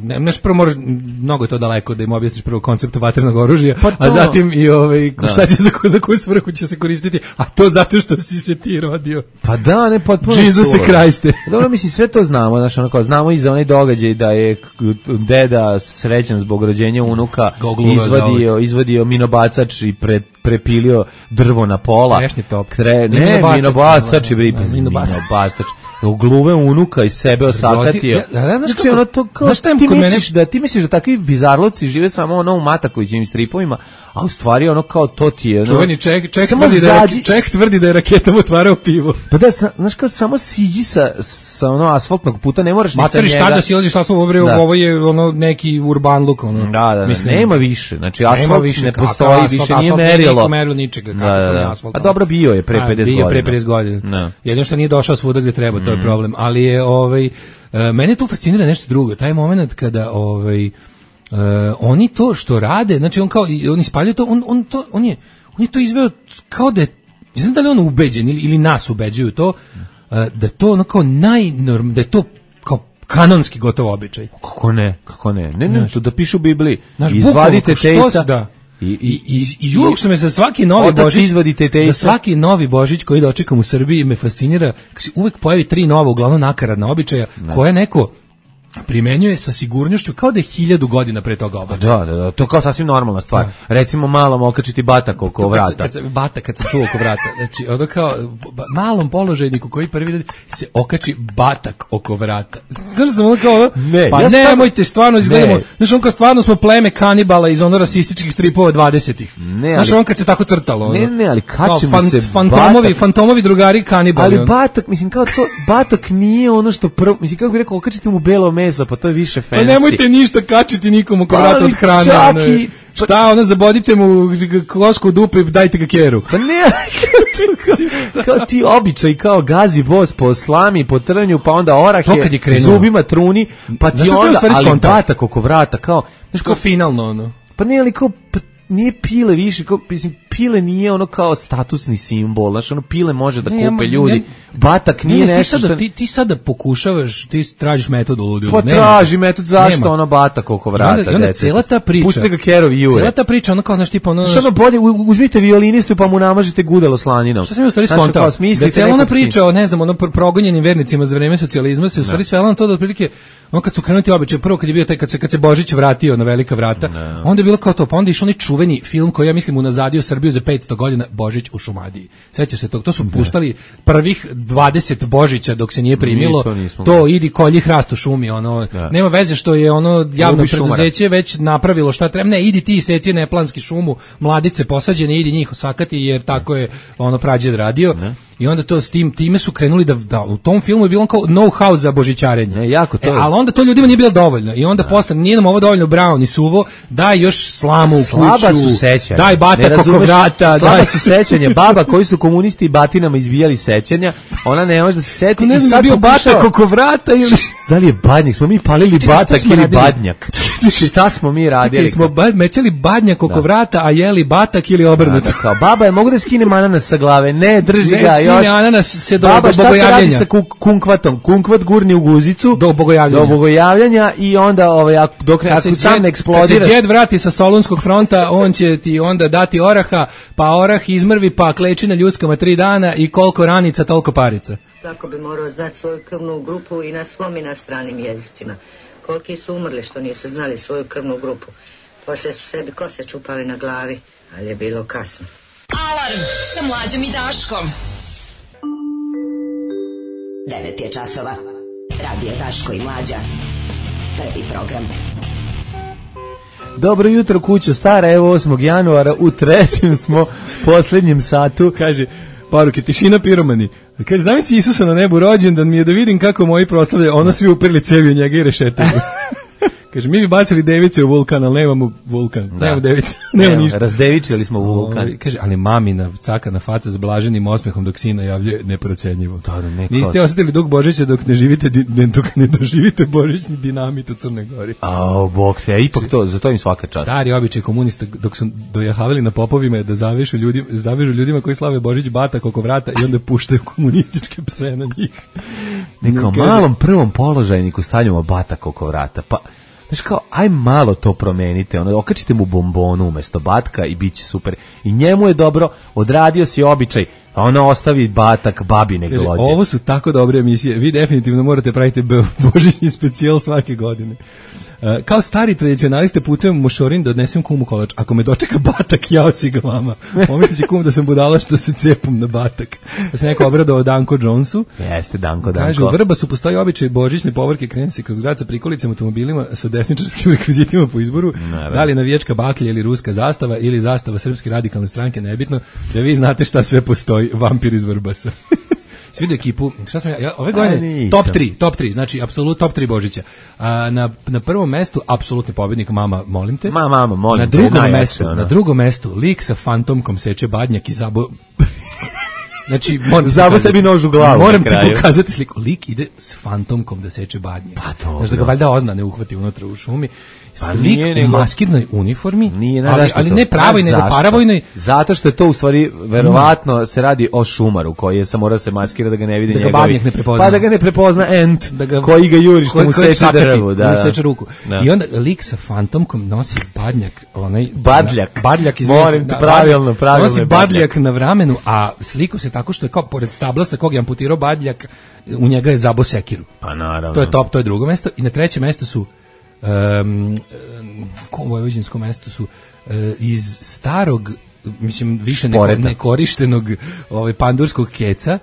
ne, neš prvo moraš, mnogo je to daleko da im objasniš prvo koncept vatrenog oružja, Pa to- a zatim i ovaj, Da. šta će za, koju- za koju svrhu će se koristiti, a to zato što si se ti rodio. Pa da, ne, potpuno Jesus suludo. Christe. Dobro, mislim, sve to znamo, znaš, ono kao, znamo i za onaj događaj da je k- deda srećan zbog rođenja unuka Gogluva izvadio, izvadio minobacač i pre, prepilio drvo na pola. Trešnji top. Tre, ne, Minobacač, minobacač je da, bripa, da, minobacač. minobacač. U gluve unuka iz sebe osakatio. Ja, ja, znaš Znači, kako- ono to kao, znaš šta je ti kod mene- misliš da ti misliš da takvi bizarlovci žive samo ono u Matakovićevim stripovima, a u stvari ono kao to ti je ono, Čuveni ček, ček, samo tvrdi da je, zađi- ček tvrdi da je raketom otvarao pivo. Pa da, sa, znaš kao, samo siđi sa, sa ono asfaltnog puta, ne moraš ni sa Materi njega. šta da silaziš šta smo obreo, Da. ovo je ono neki urban look, ono. Da, da, da, Mislim, nema više, znači nema asfalt više, ne kakav postoji, asfalt, više asfalt nije nije merilo. niko merilo ničega, Da, kakav da, to nije da. asfalt, A dobro bio je pre A, pedeset bio godina. pre pedeset godina. Da. Jedino što nije došao svuda gde treba, to je problem. Ali je, ovaj, e, mene tu fascinira nešto drugo. Taj moment kada, ovaj, e, oni to što rade, znači on kao, i- on ispalju to, on, on to, on je, on je to izveo kao da je, ne znam da li on ubeđen ili, ili nas ubeđuju to, e, da je to ono kao najnorm, da je to kao kanonski gotovo običaj. Kako ne, kako ne, ne, ne, to da piše u Bibliji. Znaš, Izvadite bukvalno, što tejca. se da. I, I, i, i uvijek što me za svaki novi Otac Božić, izvadite tejca. za svaki novi Božić koji dočekam u Srbiji me fascinira, kad se uvijek pojavi tri nova, uglavnom nakaradna običaja, koje neko primenjuje sa sigurnošću kao da je hiljadu godina pre toga obavio. Da, da, da, to je kao sasvim normalna stvar. Recimo malom okačiti batak oko To kad se- vrata. Kad se, bata, kad sam čuo oko vrata. Znači, ono kao, ba- malom položajniku koji prvi vidi se okači batak oko vrata. Znaš sam ono kao, ono, Ne, pa ja stvarno- nemojte, stvarno izgledamo, Ne. znaš on kao stvarno smo pleme kanibala iz ono rasističkih stripova dvadesetih. Ne, Znaš ali- on kad se tako crtalo. Ono, Ne, ne, ali kao kačimo se fantomovi, batak. fantomovi drugari kanibali. Ali ono. batak, mislim, kao to, batak nije ono što prvo, mislim, kako bi rekao, okačite mu belo meso, pa to je više fancy. Pa nemojte ništa kačiti nikom oko Pa, vrata ali od hrane. svaki- ono, šta, ono, zabodite mu kosku u dupe i dajte ga keru. Pa ne, kao, kao ti običaj, kao gazi bos po slami, po trnju, pa onda orah To kad je je krenulo. zubima truni, pa ti Znaš šta sam u onda, stvari ali skontao? batak oko vrata, kao, znaš, Kao kao, finalno, ono. pa ne, ali kao, pa nije pile više, kao, mislim, pile nije ono kao statusni simbol, znaš, ono pile može da Ne, ja kupe ma- ljudi, ne- batak nije Ne, ne, ti nešto sada, što... ti, ti sada pokušavaš, ti tražiš metod u ludilu. Pa Nema. traži metod zašto Nema. ono batak oko I vrata. onda, i onda dece. cela ta priča. Pustite ga kerovi jure. Cela ta priča, ono kao, znaš, tipa, ono, Što ono bolje, u- uzmite violinistu pa mu namažete gudalo slaninom. Šta sam ja u stvari Znaš, skontao? kao, Da smislite je cijela ona nekog si- priča o, ne znam, ono pr- progonjenim vernicima za vreme socijalizma se u stvari svela na to da otprilike, ono kad su krenuti običaje, prvo kad je bio taj, kad se, kad se Božić vratio na velika vrata, onda je bilo kao to, pa onda je išao onaj čuveni film koji ja mislim unazadio Srbiju za petsto godina, Božić u Šumadiji. Sećaš se tog? To su puštali prvih dvadeset Božića dok se nije primilo, Mi to nismo to gledali. idi kolji hrast u šumi, ono, Da. nema veze što je ono javno Ubi šumara. preduzeće već napravilo šta treba, ne, idi ti seci neplanski šumu, mladice posađene, idi njih osakati jer tako je ono prađed radio. I onda to s tim time su krenuli da, da u tom filmu je bilo kao know-how za božićarenje. Ne, jako to E, je. ali onda to ljudima nije bilo dovoljno. I onda posle nije nam ovo dovoljno brown i suvo, daj još slamu u kuću. Slaba su sećanja. Daj Ne batak oko razumeš? vrata, Slaba daj su sećanja. Baba koji su komunisti i batinama izbijali sećanja, ona ne može da se seti. ne i znam da sad je bio pokušava- batak oko vrata ili Da li je badnjak? Smo mi palili Čekaj, šta batak smo ili radili? badnjak? Šta smo mi radili? Čekaj, smo ba, mećali badnjak oko vrata, a jeli batak ili obrnuto. Da, kao, baba je mogu da skinem ananas sa glave, ne, drži Ne, ga sine, još. ananas se do- Baba, do šta se radi bogojavljenja. sa kuk- kunkvatom? Kunkvat gurni u guzicu Do bogojavljenja. do bogojavljenja i onda ovaj, ako, dok ne, Kad ako se sam džed- ne eksplodiraš. Kad se džed vrati sa Solunskog fronta, on će ti onda dati oraha, pa orah izmrvi, pa kleči na ljuskama tri dana i koliko ranica, toliko parica. Tako bi morao znati svoju krvnu grupu i na svom i na stranim jezicima. Koliki su umrli što nisu znali svoju krvnu grupu. Poslije su sebi kose čupali na glavi. Ali je bilo kasno. Alarm sa Mlađom i Daškom. devet je časova. Radio Daško i Mlađa. Prvi program. Dobro jutro kućo stara, evo osmog januara, u trećem smo posljednjem satu. Kaže, poruke, tišina piromani. Kaže, znam si Isusa na nebu rođendan mi je da vidim kako moji proslavljaju, ono svi uprili cevi u njega i rešetaju. Kaže, mi bi bacili device u vulkan, ali nemamo vulkan, da. Nemamo device, nemamo Evo, ništa. Razdevičili smo u vulkan. O, kaže, ali mamina cakana faca s blaženim osmehom dok sina javlje neprocenjivo. Niste osetili dug Božića dok ne živite, dok ne doživite božićni dinamit u Crnoj Gori. A, bog te, ipak to, za to im svaka čast. Stari običaj komunista dok su dojahavali na popovima je da zavežu ljudima, zavežu ljudima koji slave Božić batak oko vrata i onda puštaju komunističke pse na njih. Neka malom prvom položajniku stavljamo batak oko vrata, pa znaš kao, aj malo to promenite, ono, okačite mu bombonu umesto batka i bit će super. I njemu je dobro, odradio si običaj, a ono ostavi batak babi nek glođe. Ovo su tako dobre emisije, vi definitivno morate praviti božićni specijal svake godine. Uh, kao stari tradicionaliste putujem u Mošorin da odnesem kumu kolač. Ako me dočeka batak, jao si ga mama. Pomislit će kum da sam budala što se cepom na batak. Da se neko obradao Danko Jonesu. Jeste, Danko, Danko. Kaže, u Vrbasu postoji običaj božićne povorke, krene se kroz grad sa prikolicama automobilima sa desničarskim rekvizitima po izboru. Naravno. Da li je navijačka baklja ili ruska zastava ili zastava Srpske radikalne stranke, nebitno. Da vi znate šta sve postoji, vampir iz Vrbasa. Svidio ekipu, šta sam ja, ja ove godine, top tri, top tri, znači apsolutno top tri Božića. A, na, na prvom mestu, apsolutni pobjednik, mama, molim te. Ma, mama, molim na drugom te. Najjače, mestu, ono. Na drugom mestu, lik sa fantomkom seče badnjak i zabo... Znači, moram zabo sebi nož u glavu. Moram ti pokazati sliku. Lik ide s fantomkom da seče badnjak. Pa to. Znači da ga valjda ozna ne uhvati unutra u šumi. Pa lik u nego, maskirnoj uniformi, nije, ne, ali, ali ne pravoj, nego paravojnoj. Zato što je to u stvari, verovatno se radi o šumaru koji je sam mora se maskira da ga ne vidi da njegovi. Ne prepozna. Pa da ga ne prepozna ent da ga, koji ga juri što mu seče drvo. Da, da. Seče ruku. Da. I onda lik sa fantomkom nosi badnjak. Onaj, badljak. Badljak, moram ti pravilno, pravilno. Nosi badljak na vramenu, a sliku se tako što je kao pored stabla sa kog je amputirao badljak, u njega je zabo sekiru. Pa naravno. To je top, to je drugo mesto. I na trećem mestu su Um, u vojvođanskom mestu su uh, iz starog, mislim više neko, nekorištenog ovaj, pandurskog keca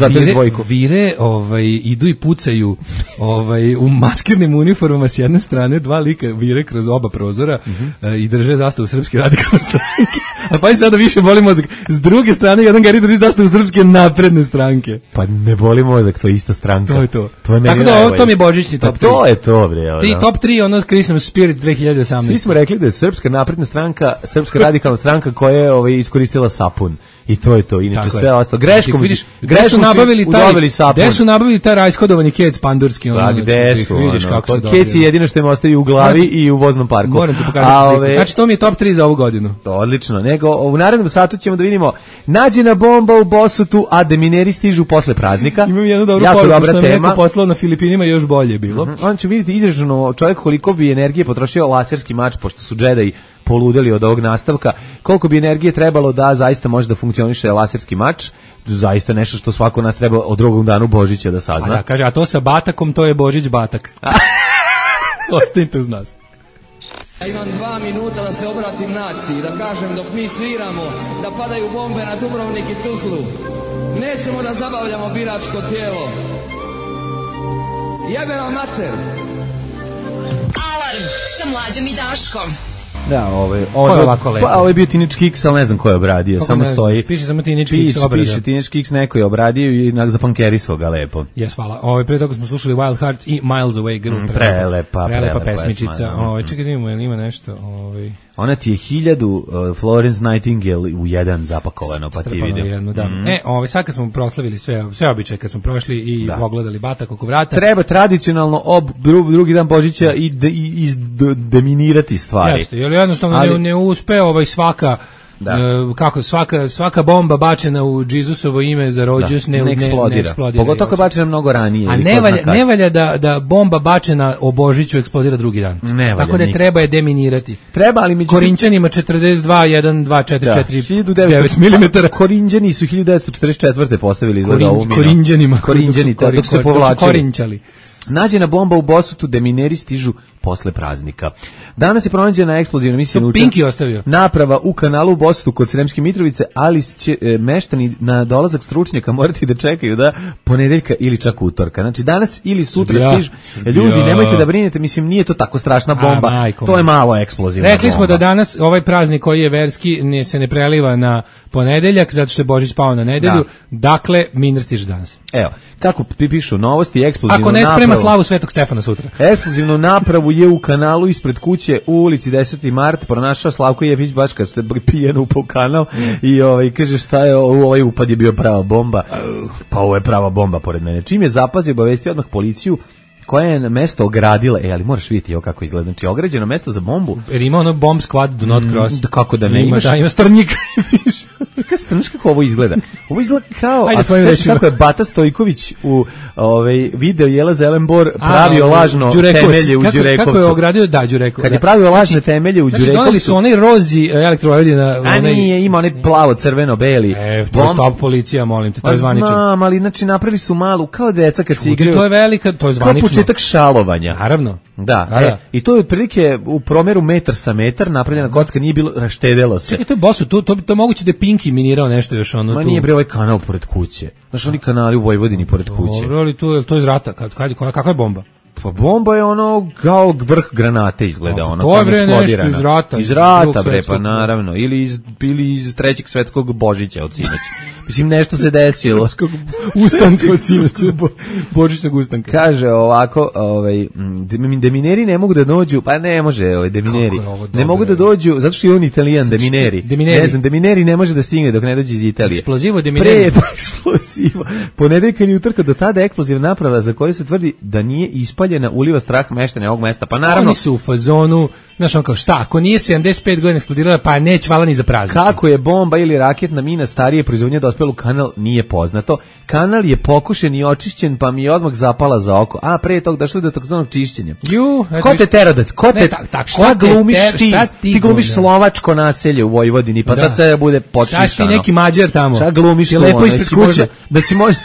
vire, vire ovaj, idu i pucaju ovaj, u maskirnim uniformama s jedne strane, dva lika vire kroz oba prozora mm-hmm. uh, i drže zastavu Srpske radikalne stranke. A pa i sada više boli mozak. S druge strane, jedan gari drži zastavu Srpske napredne stranke. Pa ne boli mozak, to je ista stranka. To je to. To je tako da, to mi je božićni top pa to je to, bre. Ti top tri, ono Christmas Spirit dve hiljade osamnaeste. Svi smo rekli da je Srpska napredna stranka, Srpska radikalna stranka koja je ovaj, iskoristila sapun. I to je to, inače sve ostalo. Greškom, vidiš, gde su nabavili taj, gde su nabavili taj rajskodovani kec pandurski, ono. Pa gde su, vidiš ono, kako to kec je jedino što im ostavi u glavi znači, i u voznom parku. Moram ti pokazati sliku. Znači to mi je top tri za ovu godinu. To odlično. Nego u narednom satu ćemo da vidimo nađena bomba u Bosutu, a demineri stižu posle praznika. Imam jednu dobru poruku što mi neko poslao na Filipinima, još bolje bilo. Mm-hmm. On će vidjeti izraženo čovjek koliko bi energije potrošio laserski mač, pošto su džedaji poludeli od ovog nastavka, koliko bi energije trebalo da zaista može da funkcioniše laserski mač, zaista nešto što svako nas treba od drugog danu Božića da sazna. A da, kaže, a to sa batakom, to je Božić batak. Ostanite uz nas. Ja imam dva minuta da se obratim naciji, da kažem dok mi sviramo, da padaju bombe na Dubrovnik i Tuzlu. Nećemo da zabavljamo biračko tijelo. Jebe vam mater. Alarm sa Mlađom i Daškom. Da, ovaj, ovaj, pa, ovaj je bio Teenage Kicks, ali ne znam ko je obradio, samo stoji. Piše samo Teenage Kicks obrada. Piše Teenage Kicks, neko je obradio i zapankerisao ga lepo. Jes, hvala. Ovaj, pre toga smo slušali Wild Hearts i Miles Away Girl. Mm, prelepa, prelepa pesmičica. Ovaj, čekaj da imamo, ima nešto. Ovaj. Ona ti je hiljadu uh, Florence Nightingale u jedan zapakovano, pa ti vidim. Jednu, da. Mm. E, ovaj, sad kad smo proslavili sve, sve običaje, kad smo prošli i da. Pogledali batak oko vrata. Treba tradicionalno ob dru, drugi dan Božića i, de, i, i de, deminirati stvari. Jeste, jer jednostavno ali, ne, ne uspe ovaj svaka da. Uh, kako svaka svaka bomba bačena u Džisusovo ime za rođus ne, ne eksplodira. Ne eksplodira. Pogotovo kad bačena mnogo ranije. A ne valja, ne valja da, da bomba bačena o Božiću eksplodira drugi dan. Ne tako da je treba je deminirati. Treba, ali međutim Korinćanima četrdeset dva jedan dva četiri četiri devet milimetara. Korinđani su hiljadu devetsto četrdeset četvrte postavili Korin, za ovu minu. Korinđanima. Korinđani, dok se povlačili. Korinčali. Nađena bomba u Bosutu, demineri stižu posle praznika. Danas je pronađena eksplozivna misija To Pinki ostavio. naprava u kanalu u Bosutu kod Sremske Mitrovice, ali će e, meštani na dolazak stručnjaka morati da čekaju da ponedeljka ili čak utorka. Znači danas ili sutra Srbija, stižu. Srbija. Ljudi, nemojte da brinete, mislim nije to tako strašna bomba. A, to je malo eksplozivna Rekli bomba. smo da danas ovaj praznik koji je verski ne, se ne preliva na ponedeljak zato što je Božić pao na nedelju. Da. Dakle, minir stiže danas. Evo, kako pišu novosti, eksplozivnu Ako ne sprema napravu- slavu Svetog Stefana sutra. Eksplozivnu napravu je u kanalu ispred kuće u ulici deseti mart pronašao Slavko Jefić baš kad ste pijen upao u kanal i ovaj, kaže šta je ovo, ovaj upad je bio prava bomba. Pa ovo je prava bomba pored mene. Čim je zapazio, obavestio odmah policiju koja je na mesto ogradila, e, ali moraš vidjeti ovo kako izgleda. Znači, ograđeno mesto za bombu. Jer ima ono bomb squad do not cross. Mm, kako da ne ima, imaš? da, ima strnjika. Znaš kako ovo izgleda? Ovo izgleda kao, Ajde, a svojim sveći rečima. kako je Bata Stojković u ovaj, video Jela Zelenbor pravio A, lažno Đurekovac. temelje u kako, Đurekovcu. Kako je ogradio, da, Đurekovac. Kad je da. pravio lažne temelje u Znači, Đurekovcu. doneli su onaj rozi elektrovojvodina. A onaj- nije, ima onaj plavo, crveno, beli. E, to je stop policija, molim te, to Pa je zvanično. znam, ali znači napravili su malu, kao deca kad se Čudi, igraju. to je velika, to je zvanično. Kao početak šalovanja. Naravno. Da, Da, e, da. i to je otprilike u promeru metar sa metar, napravljena kocka, nije bilo, raštedelo se. Čekaj, to je bosu, to, to, to je moguće da je Pinki minirao nešto još ono Ma tu. nije bre ovaj kanal pored kuće. Znaš, oni kanali u Vojvodini pored kuće. Dobro, ali to je, to je iz rata, kad, kad, koja- kakva je bomba? Pa bomba je ono kao vrh granate izgleda, A, ono to je, kao bre, nešto eksplodirana. iz rata, Iz iz rata Drugog bre, pa svetskog. naravno, ili iz ili iz trećeg svetskog Božića od sinoć. Mislim nešto se desilo. Ustanka od sinoća, bo- božićnog ustanka. Kaže ovako, ovaj m, dem- demineri ne mogu da dođu, pa ne može, ovaj demineri. Kako je ovo Ne dobro, mogu da evo. dođu zato što je on Italijan, demineri. demineri. Ne znam, demineri ne može da stigne dok ne dođe iz Italije. Eksplozivo demineri. Pre eksplozivo. Ponedeljka i utorka do tada eksplozivna naprava za koju se tvrdi da nije ispaljena uliva strah meštana ovog mesta. Pa naravno Oni su u fazonu, znaš on kao šta, ako nije sedamdeset pet godina eksplodirala, pa neće vala ni za praznik. kako je bomba ili raketna mina starije proizvodnje dospela u kanal nije poznato. Kanal je pokušen i očišćen, pa mi je odmah zapala za oko. A pre tog došlo do takozvanog čišćenja. Ju, eto Ko te viš- tera da, ko Ne, te, tak- tak, šta šta te glumiš ter- ti? šta ti Ti glumiš glumiš? slovačko naselje u Vojvodini, pa Da. sad sve bude Šta počišano. si ti neki Mađar tamo? Šta glumiš Je tu, lepo ono, ispred jesi kuće. možda- Da si možda,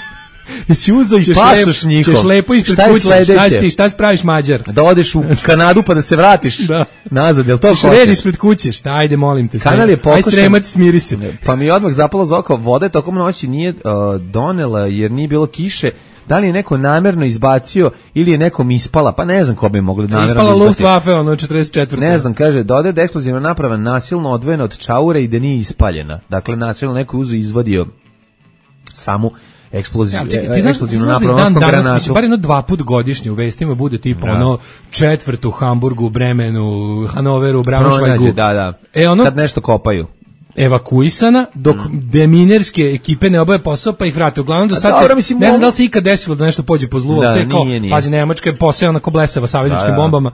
jesi uzeo i Ćeš pasoš lep- njihov. Ćeš lepo ispred Šta je kuće, šta si ti, sledeće? šta si praviš Mađar? Da odeš u Kanadu pa da se vratiš Da. nazad, jel to Ćeš hoćeš? red ispred kuće, šta, ajde molim te. Kanal je Aj pokušan. Sremac, smiri se. Pa mi je odmah zapalo za oko, voda je tokom noći nije uh, donela jer nije bilo kiše. Da li je neko namerno izbacio ili je nekom ispala, pa ne znam ko bi mogli namerno Ispala da izbaci. Luftwaffe, ono, četrdeset četvrte. Ne znam, kaže, dodaje da je eksplozivna naprava nasilno odvojena od čaure i da nije ispaljena. Dakle, nasilno neko uzu izvadio samu eksploziju, Ja, čekaj, e, ti znaš, eksplozivnu ti znaš da napravu, dan odnosno danas, granatu. mislim, bar jedno dva put godišnje u vestima bude tipa Da. ono četvrtu u Hamburgu, Bremenu, Hanoveru, Braunschweigu. Pronađe, da, da. E, ono, Kad nešto kopaju. evakuisana, dok deminerske ekipe ne obave posao, pa ih vrate. Uglavnom do A sad dobro, se, mislim, ne znam mogu- da li se ikad desilo da nešto pođe po zlu, Da, ali te kao, nije, nije. pazi, Nemačka je posejana ko blesava savezničkim Da, da. bombama.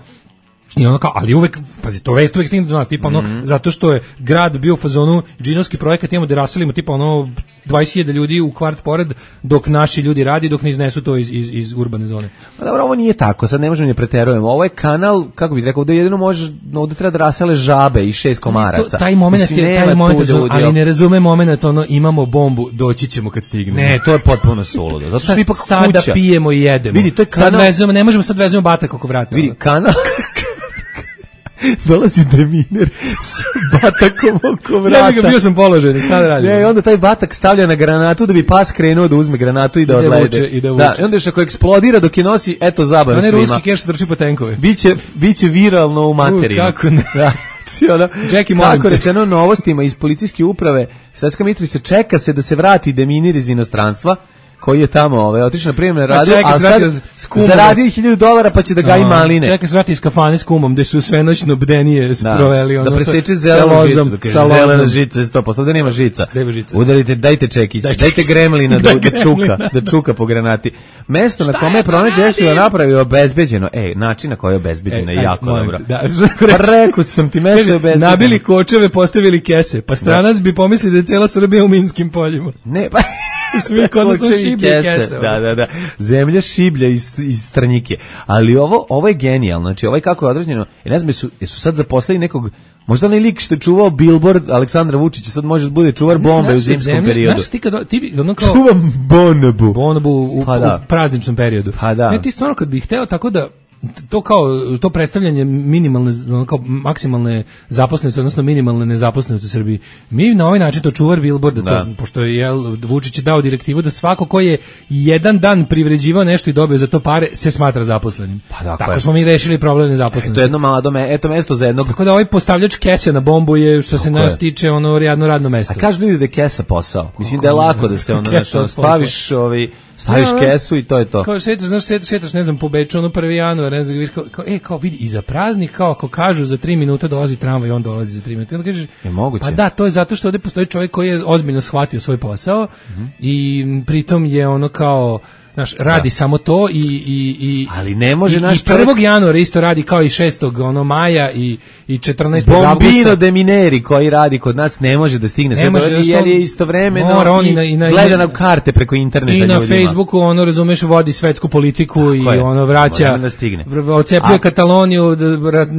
I ono kao, ali uvek, pazi, to vest uvek stigne do nas, tipa ono, Mhm. zato što je grad bio u fazonu, džinovski projekat, imamo da raselimo, tipa ono, dvadeset hiljada ljudi u kvart pored, dok naši ljudi radi, dok ne iznesu to iz, iz, iz urbane zone. Pa dobro, ovo nije tako, sad ne možemo ne preterujemo. Ovo je kanal, kako bih rekao, da jedino može, ovdje treba da rasele žabe i šest komaraca. To, taj moment Mislim, je, nema taj tu moment, je, ljudi, ali ne razume moment, ono, imamo bombu, doći ćemo kad stignemo. Ne, to je potpuno suludo. Zato što Sad, je ipak sada kuća. pijemo i jedemo. Vidi, to je Sad kanal- vezujemo, ne možemo sad vezujemo batak oko vrata. Vidi, ono. kanal... Dolazi deminer sa batakom oko vrata. Ja bih ga bio sam položen, šta da radim? Ne, i onda taj batak stavlja na granatu da bi pas krenuo da uzme granatu i da I da odlede. vuče, i da Da, vuče. i onda još ako eksplodira dok je nosi, eto zabave Onaj svima. ruski keš trči po tenkove. Biće, biće viralno u materinu. U, kako ne. Da. Znači, ono, Jackie, molim kako te. rečeno novostima iz policijske uprave Svetska Mitrovica, čeka se da se vrati deminir iz inostranstva koji je tamo ovaj, otišao na prijemne radu, čeka a se vrati sad s kumom. zaradio hiljadu dolara pa će da gaji A, maline. Čeka se vrati iz kafane s kumom, gde su sve noćno bdenije sproveli. Da, ono, da preseče sa- zelenu sa žicu, lozom, da kaže, sa lozom. zelena žica je sto posto, da nema žica. Nema žica. Udarite, dajte čekić, Daj dajte čekić. gremlina da, Daj da čuka, gremlina. da čuka po granati. Mesto na kome je pronađe eksplozivna naprava je obezbeđeno. E, način na koji je obezbeđeno E, je aj, jako molim dobro. te, da. Pa rekao sam ti, mesto je obezbeđeno. Nabili kočeve, postavili kese, pa stranac bi pomislio da je cijela Srbija u minskim poljima. Ne, pa... Mi kod nas su šiblje kese. Da, da, da. Zemlja šiblja iz, iz stranjike. Ali ovo, ovo je genijalno. Znači, ovo je kako je određeno. I ne znam, jesu, jesu sad zaposlili nekog, možda onaj lik što je čuvao billboard Aleksandra Vučića, sad može da bude čuvar bombe u zimskom zemlje, periodu. Znaš ti kad, ti ono kao... Čuvam bonobu. Bonobu u, pa da. u prazničnom periodu. Pa da. Ne, ti stvarno kad bih hteo tako da to kao to predstavljanje minimalne kao maksimalne zaposlenosti odnosno minimalne nezaposlenosti u Srbiji. Mi na ovaj način to čuvar billboarda da. to, pošto je jel, Vučić je dao direktivu da svako ko je jedan dan privređivao nešto i dobio za to pare se smatra zaposlenim. Pa dakle. Tako smo mi rešili problem nezaposlenosti. To je jedno malo me, eto mesto za jednog. Tako da ovaj postavljač kese na bombu je što se nas tiče ono jedno radno mesto. A kaže ljudi da je kesa posao. Mislim da je lako da se ono nešto staviš ovaj staviš ja, kesu i to je to. Kao šetaš, znaš, šetaš, šetaš, ne znam, po Beču, ono prvi januar, ne znam, kao, kao, e, kao vidi, i za praznik, kao ako kažu za tri minuta dolazi tramvaj, on dolazi za tri minuta. I onda kažeš, je moguće. Pa da, to je zato što ovde postoji čovjek koji je ozbiljno shvatio svoj posao mm-hmm. i pritom je ono kao, znaš, radi da. samo to i i i ali ne može i, naš i prvog januara isto radi kao i šestog ono maja i i četrnaestog avgusta. Bombino de Mineri koji radi kod nas ne može da stigne sve do jer je istovremeno i, i na, gleda na karte preko interneta i na ljudima. Facebooku ono razumeš vodi svetsku politiku tako i je. Ono vraća da stigne. Ocepljuje A, Kataloniju,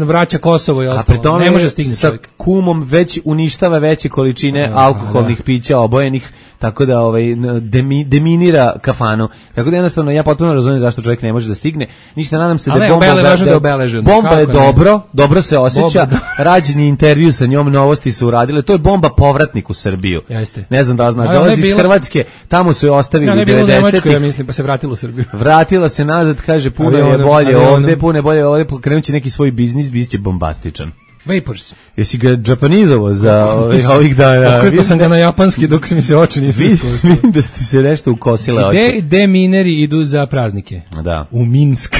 vraća Kosovo i ostalo. Ne može stigne sa čovjek. Kumom već uništava veće količine a, alkoholnih da. pića obojenih, tako da ovaj demi, deminira kafanu. Tako da jednostavno ja potpuno razumem zašto čovjek ne može da stigne. Ništa, nadam se ali da bomba obele, da, da obeležen. Bomba je dobro, ne? dobro se osjeća. Rađeni intervju sa njom, novosti su uradile. To je bomba povratnik u Srbiju. Jeste. Ne znam da li znaš, dolazi iz Hrvatske, tamo su je ostavili ja, u devedesetih. Ja mislim, pa se vratila u Srbiju. Vratila se nazad, kaže puno je bolje ovde, puno je bolje ovde, pokrenuće neki svoj biznis, biće bombastičan. Vapors. Jesi ga japanizovao za ovih, ovih dana? Okretao sam ga na japanski dok mi se oči nisu iskosile. Vidim da ste se nešto ukosile oči. Gde demineri idu za praznike? Da. U Minsk.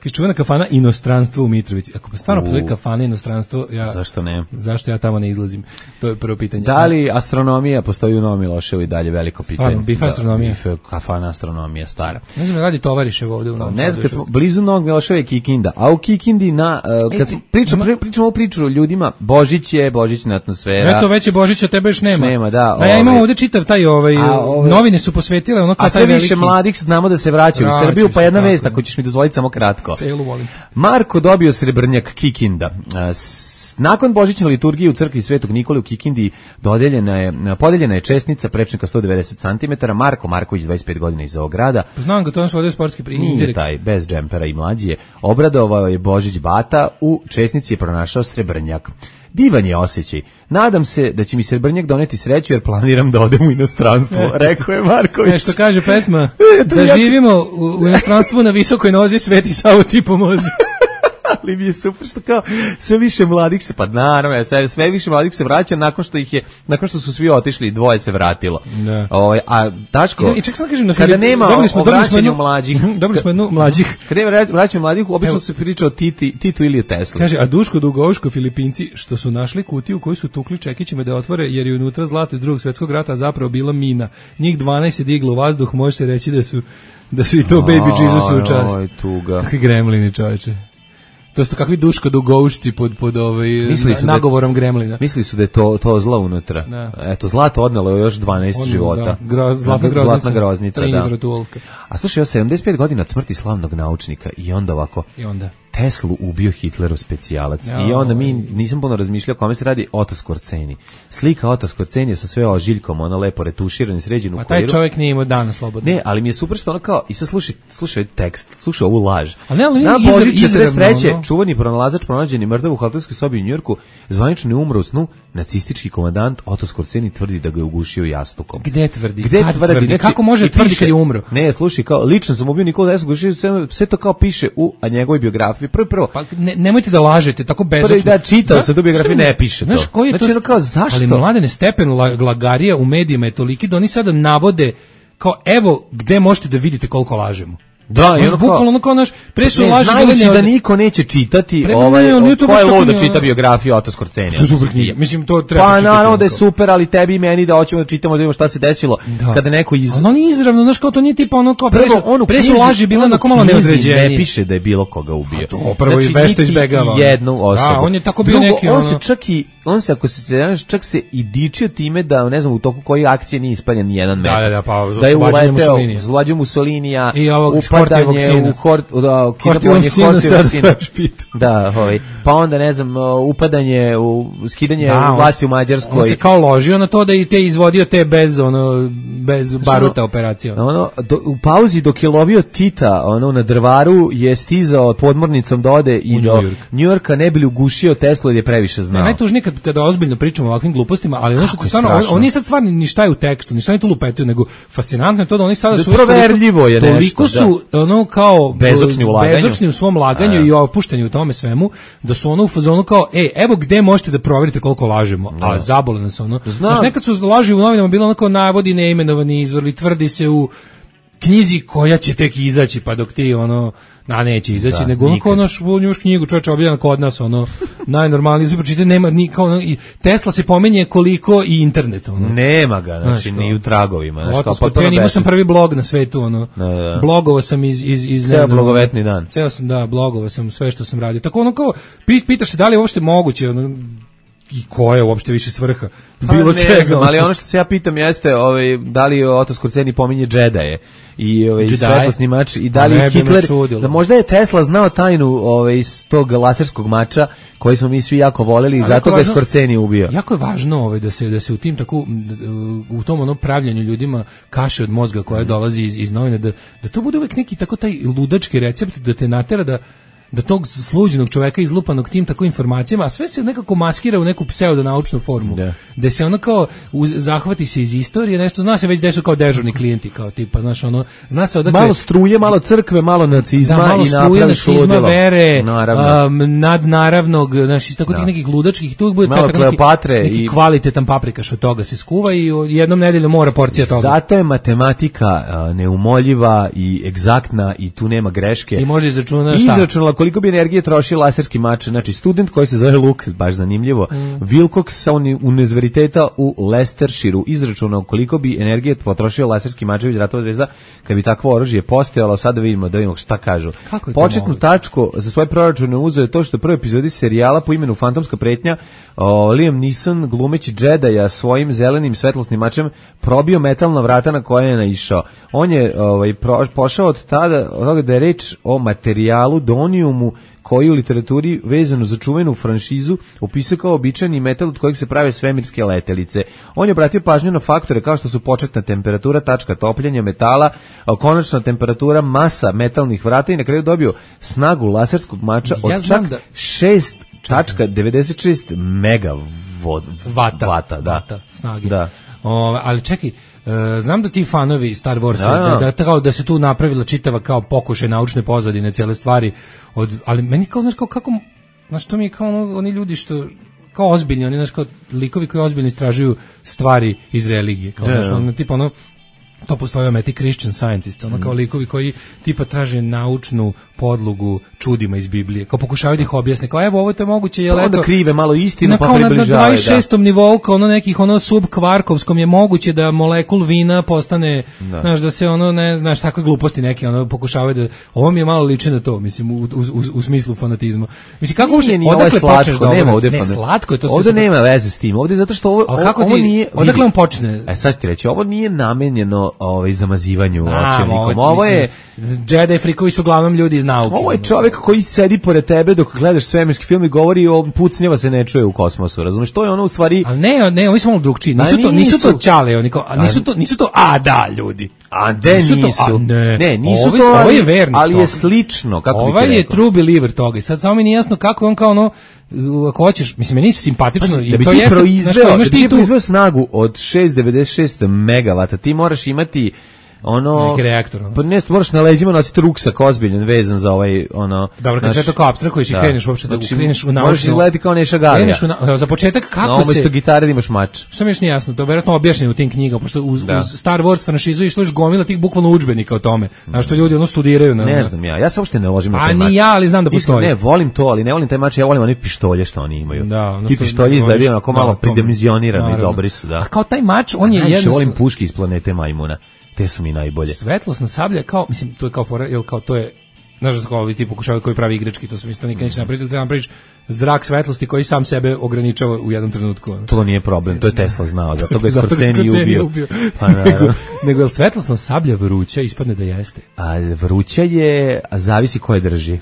Kaže čuvena kafana Inostranstvo u Mitrovici. Ako pa stvarno postoji kafana Inostranstvo, ja zašto ne? Zašto ja tamo ne izlazim? To je prvo pitanje. Da li astronomija postoji u Novom Miloševu i dalje veliko pitanje? Stvarno, bif astronomija. Bif kafana astronomija stara. Ne znam, radi tovarišev ovde u Novom Ne znam, kad smo blizu Novog Miloševa je Kikinda, a u Kikindi na, uh, kad pričamo, pričamo o priču o ljudima, Božić je, božićna atmosfera. Eto, već je Božića, tebe još nema. Nema, da. A ja imam ovde čitav taj, ovaj, ove, novine su posvetile ono kao taj veliki. A sve više mladih znamo da se vraćaju u Srbiju, pa jedna vest, ako ćeš mi dozvoliti samo kratko. Celu volim. Marko dobio srebrnjak Kikinda. Nakon božićne liturgije u crkvi Svetog Nikole u Kikindi dodeljena je, podeljena je česnica prečnika sto devedeset centimetara. Marko Marković, dvadeset pet godina iz ovog grada. Znam ga, to je naš sportski primjer. Nije taj, bez džempera i mlađi je. Obradovao je Božić Bata, u česnici je pronašao srebrnjak. Divan je osjećaj. Nadam se da će mi srebrnjak doneti sreću jer planiram da odem u inostranstvo, rekao je Marković. Ne, što kaže pesma, da živimo u, u inostranstvu na visokoj nozi, Sveti Savo ti pomozi. Ali mi je super što kao sve više mladih se, pa naravno, sve, sve više mladih se vraća nakon što ih je, nakon što su svi otišli, dvoje se vratilo. Ovaj, a Daško, I, i ček sam kažem, na kada nema dobili smo, vraćanja mlađih, dobili smo jednu mlađih. Kada je vraćanje mlađih, obično se priča o Titi, Titu ili Tesli. Kaže, a Duško Dugovško Filipinci što su našli kutiju koju su tukli čekićima da otvore jer je unutra zlato iz Drugog svjetskog rata, a zapravo bila mina. Njih dvanaest je diglo u vazduh, može se reći da su da su i to Baby Jesus u čast. Oj, tuga. Kakvi gremlini, čoveče. To su kakvi Duško Dugovšci pod pod ovaj nagovorom da, gremlina. Mislili su da je to to zla unutra. Da. Eto, zlato odnelo je još dvanaest Odnelo, života. Da. Gro, zlatna, groznica, zlatna groznica, da. Vrtulka. A slušaj, ja sedamdeset pet godina od smrti slavnog naučnika i onda ovako. I onda Teslu ubio Hitlerov specijalac. Ja, I onda mi nisam puno razmišljao kome se radi Oto Skorceni. Slika Oto Skorceni sa sve ožiljkom, ona lepo retuširan i sređen u kuriru. A taj čovjek nije imao dana slobodno. Ne, ali mi je super što ono kao, i sad slušaj, slušaj tekst, slušaj ovu laž. A ne, ali na Božić četrdeset treće No. čuveni pronalazač pronađen je mrtav u hotelskoj sobi u Njujorku, zvanično ne umro u snu, nacistički komandant Oto Skorceni tvrdi da ga je ugušio jastukom. Gde tvrdi? Gde tvrdi? tvrdi? Znači, kako može tvrditi kad je umro? Ne, slušaj, kao, lično sam ubio Nikolu Teslu, sve, sve to kao piše u a njegovoj biografiji. Prvo, prvo. Pa ne, nemojte da lažete, tako bezočno. Da, čitao se, do biografije ne piše znaš, to. Koji je znači, to, kao, zašto? Ali mladene stepen lagarija u medijima je toliki da oni sada navode kao, evo, gde možete da vidite koliko lažemo. Da, i ono bukvalno ono kao naš pre su laži bile da niko neće čitati pre, ovaj ne, ne, ko je lud da čita biografiju Otto Skorcenija. To super knjiga. Mislim to treba pa, čitati. Pa naravno da je super, ali tebi i meni da hoćemo da čitamo da vidimo šta se desilo da. Kada neko iz ono nije izravno, znaš kao to nije tipa ono kao pre su, pre su laži bile na malo neodređenije. Ne piše da je bilo koga ubio. To prvo i vešto izbegava. Jednu osobu. Da, on je tako bio neki on se čak i on se ako se sećaš čak se i dičio time da ne znam u toku koje akcije nije ispaljen ni jedan metak. Da, da, pa da je uleteo zlađu Mussolinija i ovog upadanje u hort da kidanje hortivog da, ovaj. Pa onda ne znam upadanje u skidanje da, vlasti u Mađarskoj. On se kao ložio na to da i te izvodio te bez ono bez baruta operacija. Ono do, u pauzi dok je lovio Tita, ono na Drvaru je stizao podmornicom da ode i do Njujorka ne bi li ugušio Teslu jer je previše znao. Ne, najtužnije kad kada ozbiljno pričamo o ovakvim glupostima, ali ono što stvarno on, oni sad stvarno ni šta je u tekstu, ni šta ni tu lupetaju, nego fascinantno je to da oni sada su proverljivo je nešto. Toliko su da. ono kao bezočni u laganju. Bezočni u svom laganju a, i opuštenju u tome svemu, da su ono u fazonu kao, ej, evo gde možete da proverite koliko lažemo, no. a zabole nas ono. Znaš, nekad su laži u novinama bilo onako navodi neimenovani izvor, ili tvrdi se u knjizi koja će tek izaći, pa dok ti ono na neće izaći, da, nego ono kao naš njuš knjigu čovječe objavljena kod nas, ono najnormalniji izbor, čite, nema ni kao ono, i Tesla se pominje koliko i internet, ono. Nema ga, znači ni u tragovima, znači kao potpuno. Imao sam prvi blog na svetu, ono. Da, da. Blogovao sam iz iz iz ceo blogovetni dan. Ceo sam da blogovao sam sve što sam radio. Tako ono kao pitaš se da li je uopšte moguće, ono, i koja je uopšte više svrha bilo pa, čega. Znam, ali ono što se ja pitam jeste, ovaj da li Otto Skorceni pominje Džedaje i ovaj svetlosni mač i da li je Hitler, da možda je Tesla znao tajnu ovaj iz tog laserskog mača koji smo mi svi jako voleli i zato ga je Skorceni ubio. Jako je važno ovaj da se da se u tim tako u tom ono pravljenju ljudima kaše od mozga koja dolazi iz, iz novina, da da to bude uvek neki tako taj ludački recept da te natera da da tog sluđenog čoveka izlupanog tim tako informacijama, a sve se nekako maskira u neku pseudonaučnu formu. Da. Da se ono kao uz, zahvati se iz istorije, nešto zna se već da su kao dežurni klijenti, kao tipa, znaš, ono, zna se odakle... Malo struje, malo crkve, malo nacizma da, malo i struje, nacizma, vere, um, nadnaravnog, znaš, iz tako da. Tih nekih ludačkih, tu bude malo Kleopatre neki, neki i... kvalitetan paprikaš od toga se skuva i jednom nedeljom mora porcija toga. Zato je matematika uh, neumoljiva i egzaktna i tu nema greške. I može izračunati šta? Izračunala koliko bi energije troši laserski mač. Znači, student koji se zove Luke, baš zanimljivo, mm. Wilcox sa univerziteta u Leicestershireu izračunao koliko bi energije potrošio laserski mačević ratova zvezda kad bi takvo oružje postojalo. Sada vidimo, da vidimo šta kažu. Početnu moguće? Tačku za svoje proračune uzeo je to što u prvoj epizodi serijala po imenu Fantomska pretnja o, Liam Neeson glumeći Džedaja svojim zelenim svetlosnim mačem probio metalna vrata na koje je naišao. On je ovaj, pro, pošao od tada od toga da je reč o materijalu doniumu koji u literaturi vezano za čuvenu franšizu opisao kao običajni metal od kojeg se prave svemirske letelice. On je obratio pažnju na faktore kao što su početna temperatura, tačka topljenja metala, konačna temperatura, masa metalnih vrata i na kraju dobio snagu laserskog mača od ja čak da... šest tačka devedeset šest megavata. Vata, da. Vata, snage. Da. O, ali čekaj, Uh, znam da ti fanovi Star Warsa da, da, da, da se tu napravila čitava kao pokušaj naučne pozadine cele stvari od, ali meni kao znaš kao kako znaš to mi je kao ono, oni ljudi što kao ozbiljni oni znaš kao likovi koji ozbiljno istražuju stvari iz religije kao znaš ono tipa ono to postoje ometi Christian Scientists, ono kao likovi koji tipa traže naučnu podlogu čudima iz Biblije, kao pokušavaju da ih objasne, kao evo ovo je moguće, je onda krive malo istinu pa približavaju. Na dvadeset šestom da. nivou, kao ono nekih ono subkvarkovskom je moguće da molekul vina postane, da. Znaš, da se ono, ne znaš, takve gluposti neke, ono pokušavaju da, ovo mi je malo liči na to, mislim, u, u, u, u smislu fanatizma. Mislim, kako uopšte, odakle počneš da nema ovde, ne, slatko je to sve. Ovde nema veze s tim, ovde zato što ovo, ovo ti, nije, odakle on počne? E sad ti reći, ovo nije namenjeno ovaj zamazivanju očevnikom. Ovo je Jedi frikovi su uglavnom ljudi iz nauke. Ovo je čovjek koji sedi pored tebe dok gledaš svemirski film i govori o pucnjeva se ne čuje u kosmosu. Razumeš, to je ono u stvari. Al ne, ne, oni su malo drugčiji. Nisu to, nisu to ćale, oni kao, nisu to, nisu to a da ljudi. A de nisu. nisu. To, a ne. ne, nisu ovo, to. Ovo je vernik. Ali je slično, kako bih rekao. Ovaj je true believer toga. I sad samo mi nije jasno kako on kao ono ako hoćeš, mislim, meni se simpatično i da to jeste, proizveo, znaš, da bi ti proizveo snagu od šest zarez devedeset šest megavata, ti moraš imati ono neki reaktor. Ono. Pa ne, moraš na leđima nositi ruksak ozbiljan vezan za ovaj ono. Dobro, kad sve to kao apstrahuješ i kreneš uopšte da znači, kreneš u naučnu. Možeš izgledati kao Neša Galija. Na, za početak kako no, se umesto gitare da imaš mač. Šta mi je jasno, to je verovatno objašnjeno u tim knjigama, pošto uz, uz Star Wars franšizu išlo još gomila tih bukvalno udžbenika o tome. Na što ljudi ono studiraju na. Ne znam ja. Ja se uopšte ne ložim na taj mač. A ni ja, ali znam da postoji. Ne, volim to, ali ne volim taj mač, ja volim one pištolje što oni imaju. Da, ti pištolji izgledaju onako malo pridimenzionirani, dobri su, da. A kao taj mač, on je jednostavno. Volim puške iz planete majmuna. Te su mi najbolje. Svetlosna sablja kao, mislim, to je kao fora, jel kao to je, znaš da kao ovi ti pokušavaju koji pravi igrački, to su isto nikad neće napraviti, treba napraviš zrak svetlosti koji sam sebe ograničava u jednom trenutku. To nije problem, to je Tesla znao, zato ga je Skorceni ubio. ubio. Pa, nego, nego je svetlosna sablja vruća, ispadne da jeste? A vruća je, a zavisi ko je drži.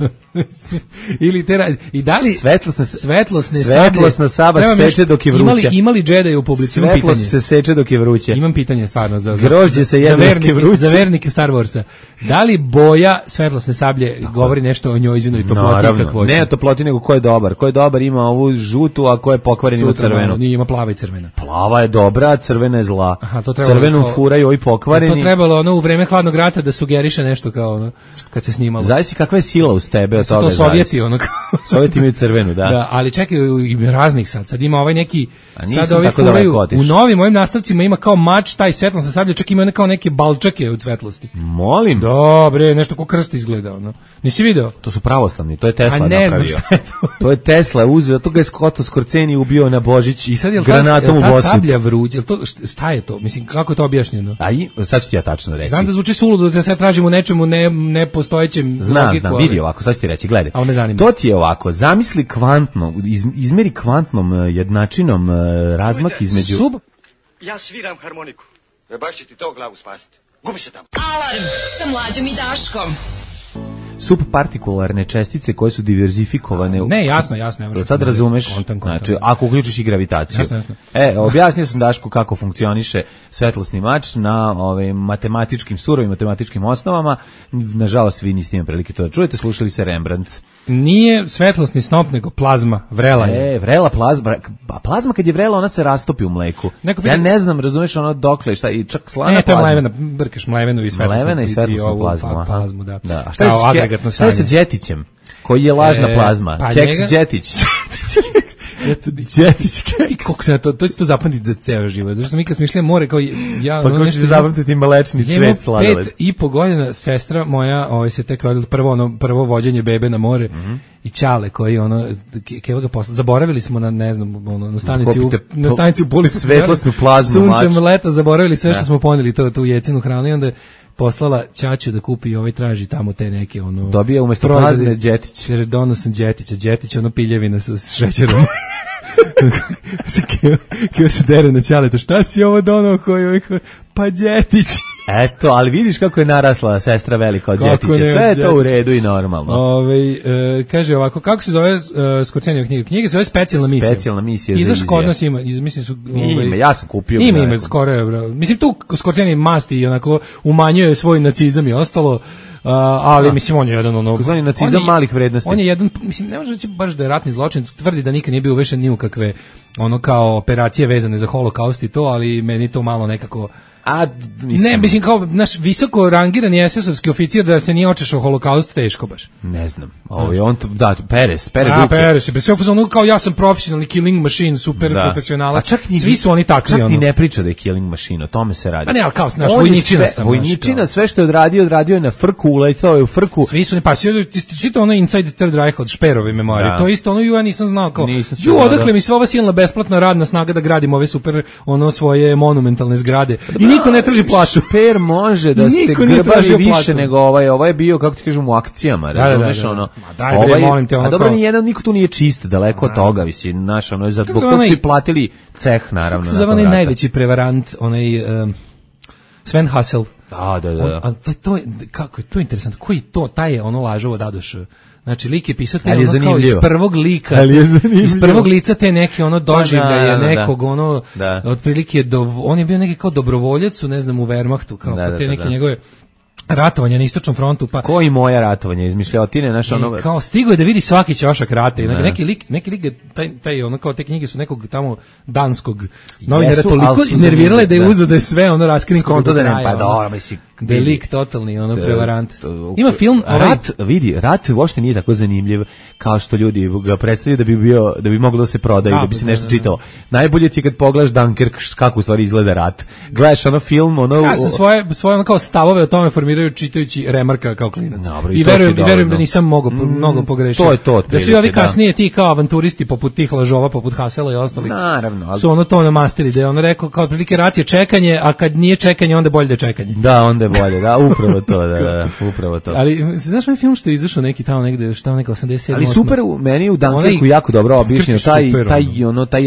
Ili te, i da li svetlosna, svetlosne svetlosna sablja se seče dok je vruća. Imali, imali Jedi u publici, imam pitanje. Svetlost se seče dok je vruće. Imam pitanje stvarno za, grožđe se jedno dok je vruće. Za vernike Star Warsa. Da li boja svetlosne sablje govori nešto o njojzinoj toploti i kakvoći? Ne o toploti, nego ko je dobar. Ko je dobar ima ovu žutu, a ko je pokvaren ima crvenu. Nije, ima plava i crvena. Plava je dobra, a crvena je zla. Aha, to crvenu furaju ovi pokvareni. To trebalo ono u vreme hladnog rata da sugeriše nešto kao ono kad se snimalo. Zavisi kakva je sila uz tebe od toga. To Sovjeti ono. Sovjeti imaju crvenu, da. Da, ali čekaj, ima raznih sad. Sad ima ovaj neki sad ovi furaju. U novim mojim nastavcima ima kao mač taj svetlosna sablja, čak ima kao neke balčake od svetlosti. Molim. Dobre, nešto kao krst izgleda ono. Nisi video? To su pravoslavni, to je Tesla napravio. A ne znam šta je to. To je Tesla uzeo, to ga je Scott Skorceni ubio na Božić i sad je granatom u Bosut. Ta sablja vruća, to šta je to? Mislim, kako je to objašnjeno? A i sad ću ti ja tačno reći. Znam da zvuči suludo da sad tražimo nečemu ne nepostojećem znam, logiku. Znam, vidi ovako, sad ću ti reći, gledaj. Me to ti je ovako, zamisli kvantno, iz, izmeri kvantnom jednačinom razmak između... Sub... Ja sviram harmoniku. E baš će ti to glavu spasiti. Gubi se tamo. Alarm sa Mlađom i Daškom. Subpartikularne čestice koje su diverzifikovane. Ne, jasno, jasno. Ja sad razumeš, kontan, kontan. Znači, ako uključiš i gravitaciju. Jasno, jasno. E, objasnio sam Dašku kako funkcioniše svetlosni mač na ove, matematičkim, surovim matematičkim osnovama. Nažalost, vi niste imali prilike to da čujete, slušali se Rembrandt. Nije svetlosni snop, nego plazma, vrela je. E, vrela plazma, a plazma kad je vrela, ona se rastopi u mleku. Neko ja ne znam, razumeš ono dokle, šta, i čak slana plazma. Ne, to je mlevena, brkaš mlevenu i svetlosnu. Mlevena i svetlosnu plazmu, pa, plazmu, da. da. A šta je Šta je sa Đetićem, koji je lažna e, plazma? Pa Keks njega... Đetić. Đetić keks. Kako se na to, to će to zapamtiti za ceo život. Zašto mi kad smo išli more, kao ja... Pa kako ćete zapamtiti mlečni cvet sladoled? Pet i po godina sestra moja ovaj, se tek rodila prvo, ono, prvo vođenje bebe na more. Mm-hmm. I Ćale koji ono keva ga posla zaboravili smo na ne znam ono na stanici u, na stanici u Polisu svetlosnu plazmu suncem leta zaboravili sve što smo poneli to tu jecinu hranu i onda poslala ćaću da kupi ovaj traži tamo te neke ono dobije umesto plazme Đetić jer donosim Đetića Đetić ono piljevina sa šećerom Keo se dere na Ćaleta, šta si ovo donao koji pa Đetić. Eto, ali vidiš kako je narasla sestra velika od Đetića, sve je to u redu i normalno. Ove, e, kaže ovako, kako se zove uh, Skorcenijeva knjiga? Knjiga se zove Specijalna misija. Specijalna misija. Izašao kod nas ima, iz, mislim su... Ovaj, ima, ja sam kupio. Ima, ima, skoro je, bro. Mislim, tu Skorcenij masti i onako umanjuje svoj nacizam i ostalo. Uh, ali da. Mislim on je jedan ono Kozvani nacizam je, malih vrednosti. On je jedan, mislim ne može reći baš da je ratni zločin, tvrdi da nikad nije bio uvešen ni u kakve ono kao operacije vezane za holokaust i to, ali meni to malo nekako A, mislim... Ne, mislim kao naš visoko rangirani es esovski oficir da se nije očešao holokaust teško baš. Ne znam. Ovo je on da Perez, Perez. A Perez, bez svega ono kao ja sam profesionalni killing machine, super da. Profesionalac. Svi su oni takvi. Čak ono. Ni ne priča da je killing machine, o tome se radi. A ne, al kao naš vojničina sam. Vojničina sve što je odradio, odradio je na frku, uletao je u frku. Svi su ne pa svi čita ono Inside the Third Reich od Šperove memorije. Da. To isto ono ju ja nisam znao kao. Ju odakle mi sva ova silna besplatna radna snaga da gradimo ove super ono svoje monumentalne zgrade. I niko ne traži plaću. Šper može da se grbavi više nego ovaj, ovaj je bio, kako ti kažem, u akcijama, razumeš, da, da, da. ono. Daj, ovaj, bre, molim te, ono a dobro, kao... nijedan, niko tu nije čist, daleko od toga, visi, naš, ono, za zbog toga su i platili ceh, naravno. Kako se zove onaj najveći prevarant, onaj um, Sven Hassel. Da, da, da. Ali to, to je, kako je to interesantno, koji to, taj je ono lažovo dadoš. Znači, lik je pisao te ono kao iz prvog lika, iz prvog lica te neke ono doživljaje pa, nekog, da. ono, da. otprilike, do, on je bio neki kao dobrovoljac u, ne znam, u Wehrmachtu, kao da, pa te da, neke da. njegove ratovanja na istočnom frontu, pa koji moja ratovanja izmišljotine naš ono kao stigo je da vidi svaki ćošak rata i neki, neki lik neki lik taj taj ono kao te knjige su nekog tamo danskog novinara toliko nervirale da je uzeo da je sve ono raskrinkao da ne pa dobro misli Da je lik totalni, ono, prevarant. Ima film, ovaj... Rat, vidi, rat uopšte nije tako zanimljiv kao što ljudi ga predstavljaju da bi bio, da bi moglo da se proda i da bi se nešto čitalo. Najbolje ti je kad pogledaš Dunkirk, kako u stvari izgleda rat. Gledaš ono film, ono... Ja sam svoje, svoje ono kao stavove o tome formiraju čitajući Remarka kao klinac. Dobro, i, I verujem, i verujem da nisam mogo, mm, mnogo pogrešio. To je to. Da svi ovi kasnije ti kao avanturisti poput tih lažova, poput Hasela i ostalih, naravno, ali... su ono to namastili, da je ono rekao kao otprilike rat je čekanje, a kad nije čekanje, onda bolje da je čekanje. Da, onda je bolje, da, upravo to, da, da, upravo to. Ali, znaš ovaj film što je izašao neki tamo negde, šta neka osamdeset sedam. Ali super, meni je u Dunkirku jako dobro objašnjeno taj, taj, ono, taj,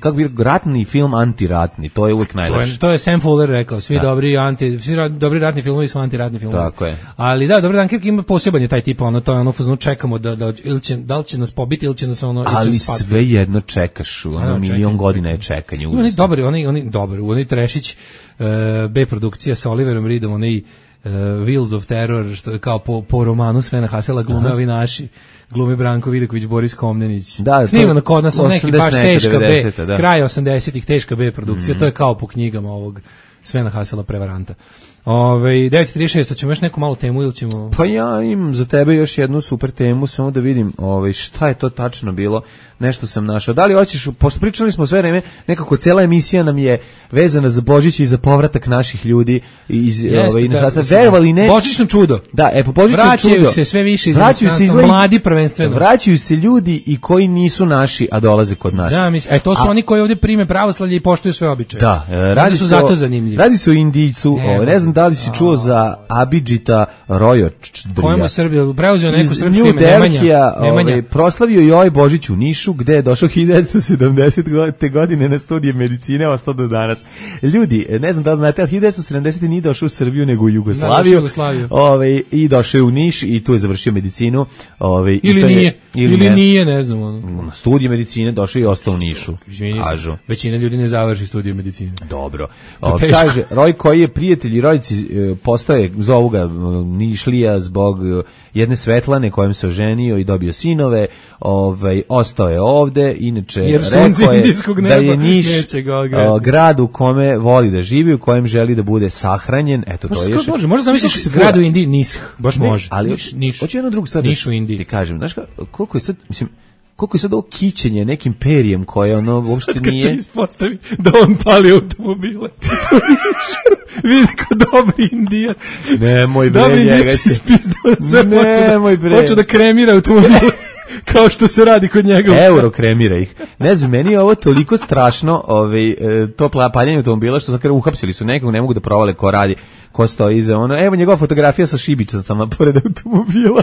kako bi ratni film antiratni, to je uvijek najlepše. To je Sam Fuller rekao, svi da. dobri anti, svi ra, dobri ratni filmovi su antiratni filmovi. Tako je. Ali da, dobro, Dunkirk ima poseban je taj tip, ono, to je ono, fazno, čekamo da, da, ili će, da li će nas pobiti ili će nas ono... Ali sve jedno čekaš, ono, milion godina je čekanje. Oni dobri, oni, oni dobri, oni Trešić, uh, B produkcija sa Oliverom Reedom, oni uh, Wheels of Terror, što je kao po, po romanu Svena Hasela glume ovi naši, glumi Branko Vidaković, Boris Komnenić. Da, snimano kod nas, neki baš teška B, da. kraj osamdesetih teška B produkcija, mm-hmm. to je kao po knjigama ovog Svena Hasela prevaranta. Ove, devet trideset šest, ćemo još neku malu temu ili ćemo... Pa ja imam za tebe još jednu super temu, samo da vidim ove, šta je to tačno bilo, nešto sam našao. Da li hoćeš, pošto pričali smo sve vreme, nekako cela emisija nam je vezana za Božić i za povratak naših ljudi iz ove, inostranstva. Verovali ne? Božićno čudo. Da, e, po Božićno čudo. Vraćaju se sve više iz inostranstva, mladi prvenstveno. Vraćaju se ljudi i koji nisu naši, a dolaze kod nas. Da, mislim, e, to su a, oni koji ovdje prime pravoslavlje i poštuju sve običaje. Da, e, radi su se zato o, zanimljivi. Radi se o Indijcu, ne, o, ne znam da li si čuo za Abidžita Rojočdrija. Kojemu Srbija preuzeo neko srpsko ime, Nemanja. Ovaj, proslavio i ovaj Božić u Nišu, gde je došao hiljadu devetsto sedamdesete godine na studije medicine, ostao do danas. Ljudi, ne znam da li znate, ali hiljadu devetsto sedamdesete nije došao u Srbiju, nego u Jugoslaviju. Jugoslaviju. Ovaj, i došao je u Niš i tu je završio medicinu. Ovaj, ili i to nije, je, ili, ili ne, nije, ne znam. Ono. Na studije medicine došao i ostao u Nišu. Kažu. Većina ljudi ne završi studije medicine. Dobro. O, kaže, Roj koji je prijatelj i rodici postoje, zovu ga Nišlija zbog jedne Svetlane kojem se oženio i dobio sinove, ovaj, ostao je ovde, inače jer rekao je da je Niš o, grad u kome voli da živi, u kojem želi da bude sahranjen, eto to je još. Može, može zamisliš grad u Indiji, Niš, baš ne, može. Ali Niš, Niš. Hoće jednu drugu stvar Niš u Indiji. Ti kažem, znaš koliko je sad, mislim, koliko je sad ovo kićenje nekim perijem koje ono uopšte sad nije... Sad kad se ispostavi da on pali automobile. Vidi kao dobri Indijac. Nemoj bre, dobri njega će... Spizdao sve počeo da, počeo da kremira automobile. Kao što se radi kod njega. Euro kremira ih. Ne znam, meni je ovo toliko strašno, ovaj, to paljenje automobila, što sad kada uhapsili su nekog, ne mogu da provale ko radi, ko stoji iza ono. Evo njegova fotografija sa šibicama pored automobila.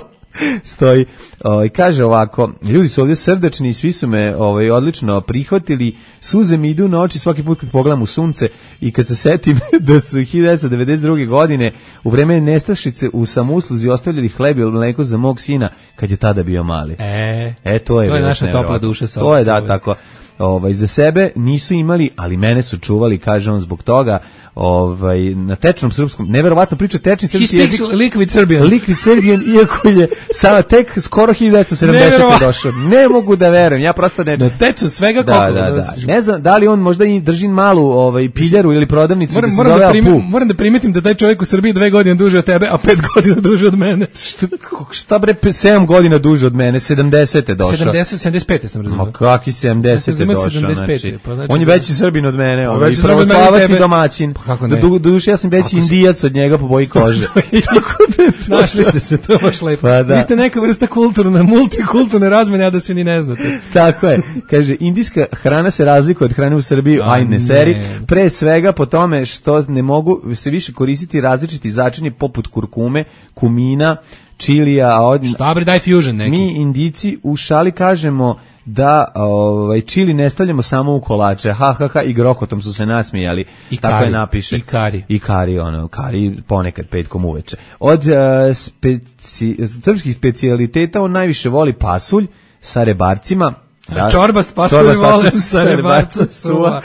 Stoji, ovaj, kaže ovako, ljudi su ovdje srdečni i svi su me ovaj, odlično prihvatili, suze mi idu na oči svaki put kad pogledam u sunce i kad se setim da su hiljadu devetsto devedeset druge godine u vreme nestašice u samousluzi ostavljali hleb i mleko za mog sina kad je tada bio mali. E, e to je, to je naša topla duša. Sa to je da, tako. Ovaj, za sebe nisu imali, ali mene su čuvali, kaže on, zbog toga, ovaj, na tečnom srpskom, neverovatno priča tečni srpski jezik. He speaks liquid Serbian. Liquid Serbian, iako je sada tek skoro hiljadu devetsto sedamdesete došao. Ne mogu da verujem, ja prosto ne... Na tečan svega da, koliko. Da, da. Ne znam, da li on možda i drži malu ovaj, piljaru ili prodavnicu moram, da se moram zove da primim, Apu. Moram da primetim da taj čovjek u Srbiji dve godine duže od tebe, a pet godina duže od mene. Šta, šta bre, sedam godina duže od mene, sedamdesete došao. sedamdeset, sedamdeset pet sam razumio. Ma kakvi sedamdesete došao, znači. Pa, znači, on je veći Srbin od mene, on je i pravoslavac i domaćin. Pa kako ne? Do duše ja sam veći Indijac od njega po boji kože. Našli ste se, to baš lepo. Pa da. Vi ste neka vrsta kulturne, multikulturne razmene, a da se ni ne znate. Tako je. Kaže, indijska hrana se razlikuje od hrane u Srbiji, aj ne seri. Pre svega po tome što ne mogu se više koristiti različiti začini poput kurkume, kumina, čilija. Od... Šta bre, daj fusion neki. Mi Indijci u šali kažemo da ovaj čili ne stavljamo samo u kolače, ha ha ha, i grohotom su se nasmijali. I tako kari, je napiše. I kari. I kari, ono, kari ponekad petkom uveče. Od uh, speci, srpskih specijaliteta on najviše voli pasulj sa rebarcima. Da, čorbast pasulj volim sa rebarca suva.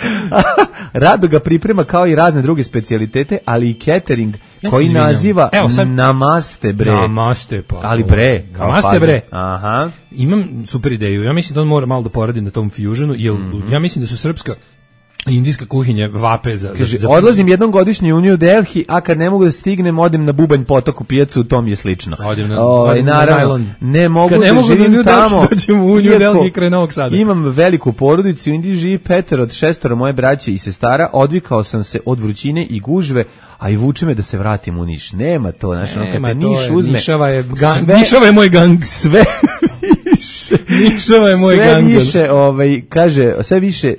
Rado ga priprema kao i razne druge specijalitete, ali i catering ja koji naziva Evo, sad... namaste bre. Namaste pa. Ali bre. Namaste bre. Aha. Imam super ideju. Ja mislim da on mora malo da poradi na tom fusionu, jer mm-hmm. ja mislim da su srpska Indijska kuhinja vape za... Kaže, za, za odlazim jednom godišnje u New Delhi, a kad ne mogu da stignem, odem na Bubanj potok u pijacu, to mi je slično. Odem na, o, odem naravno, na ne mogu kad da ne mogu živim da tamo. dođem u New Delhi kraj Novog Sada. Imam veliku porodicu, u Indiji živi petero od šestoro moje braće i sestara, odvikao sam se od vrućine i gužve, a i vuče me da se vratim u Niš. Nema to, znaš, ono kad te Niš uzme. Nišava je, gang, sve, Nišava je moj gang. Sve više, Nišava je moj sve gang. više, ovaj, kaže, sve više,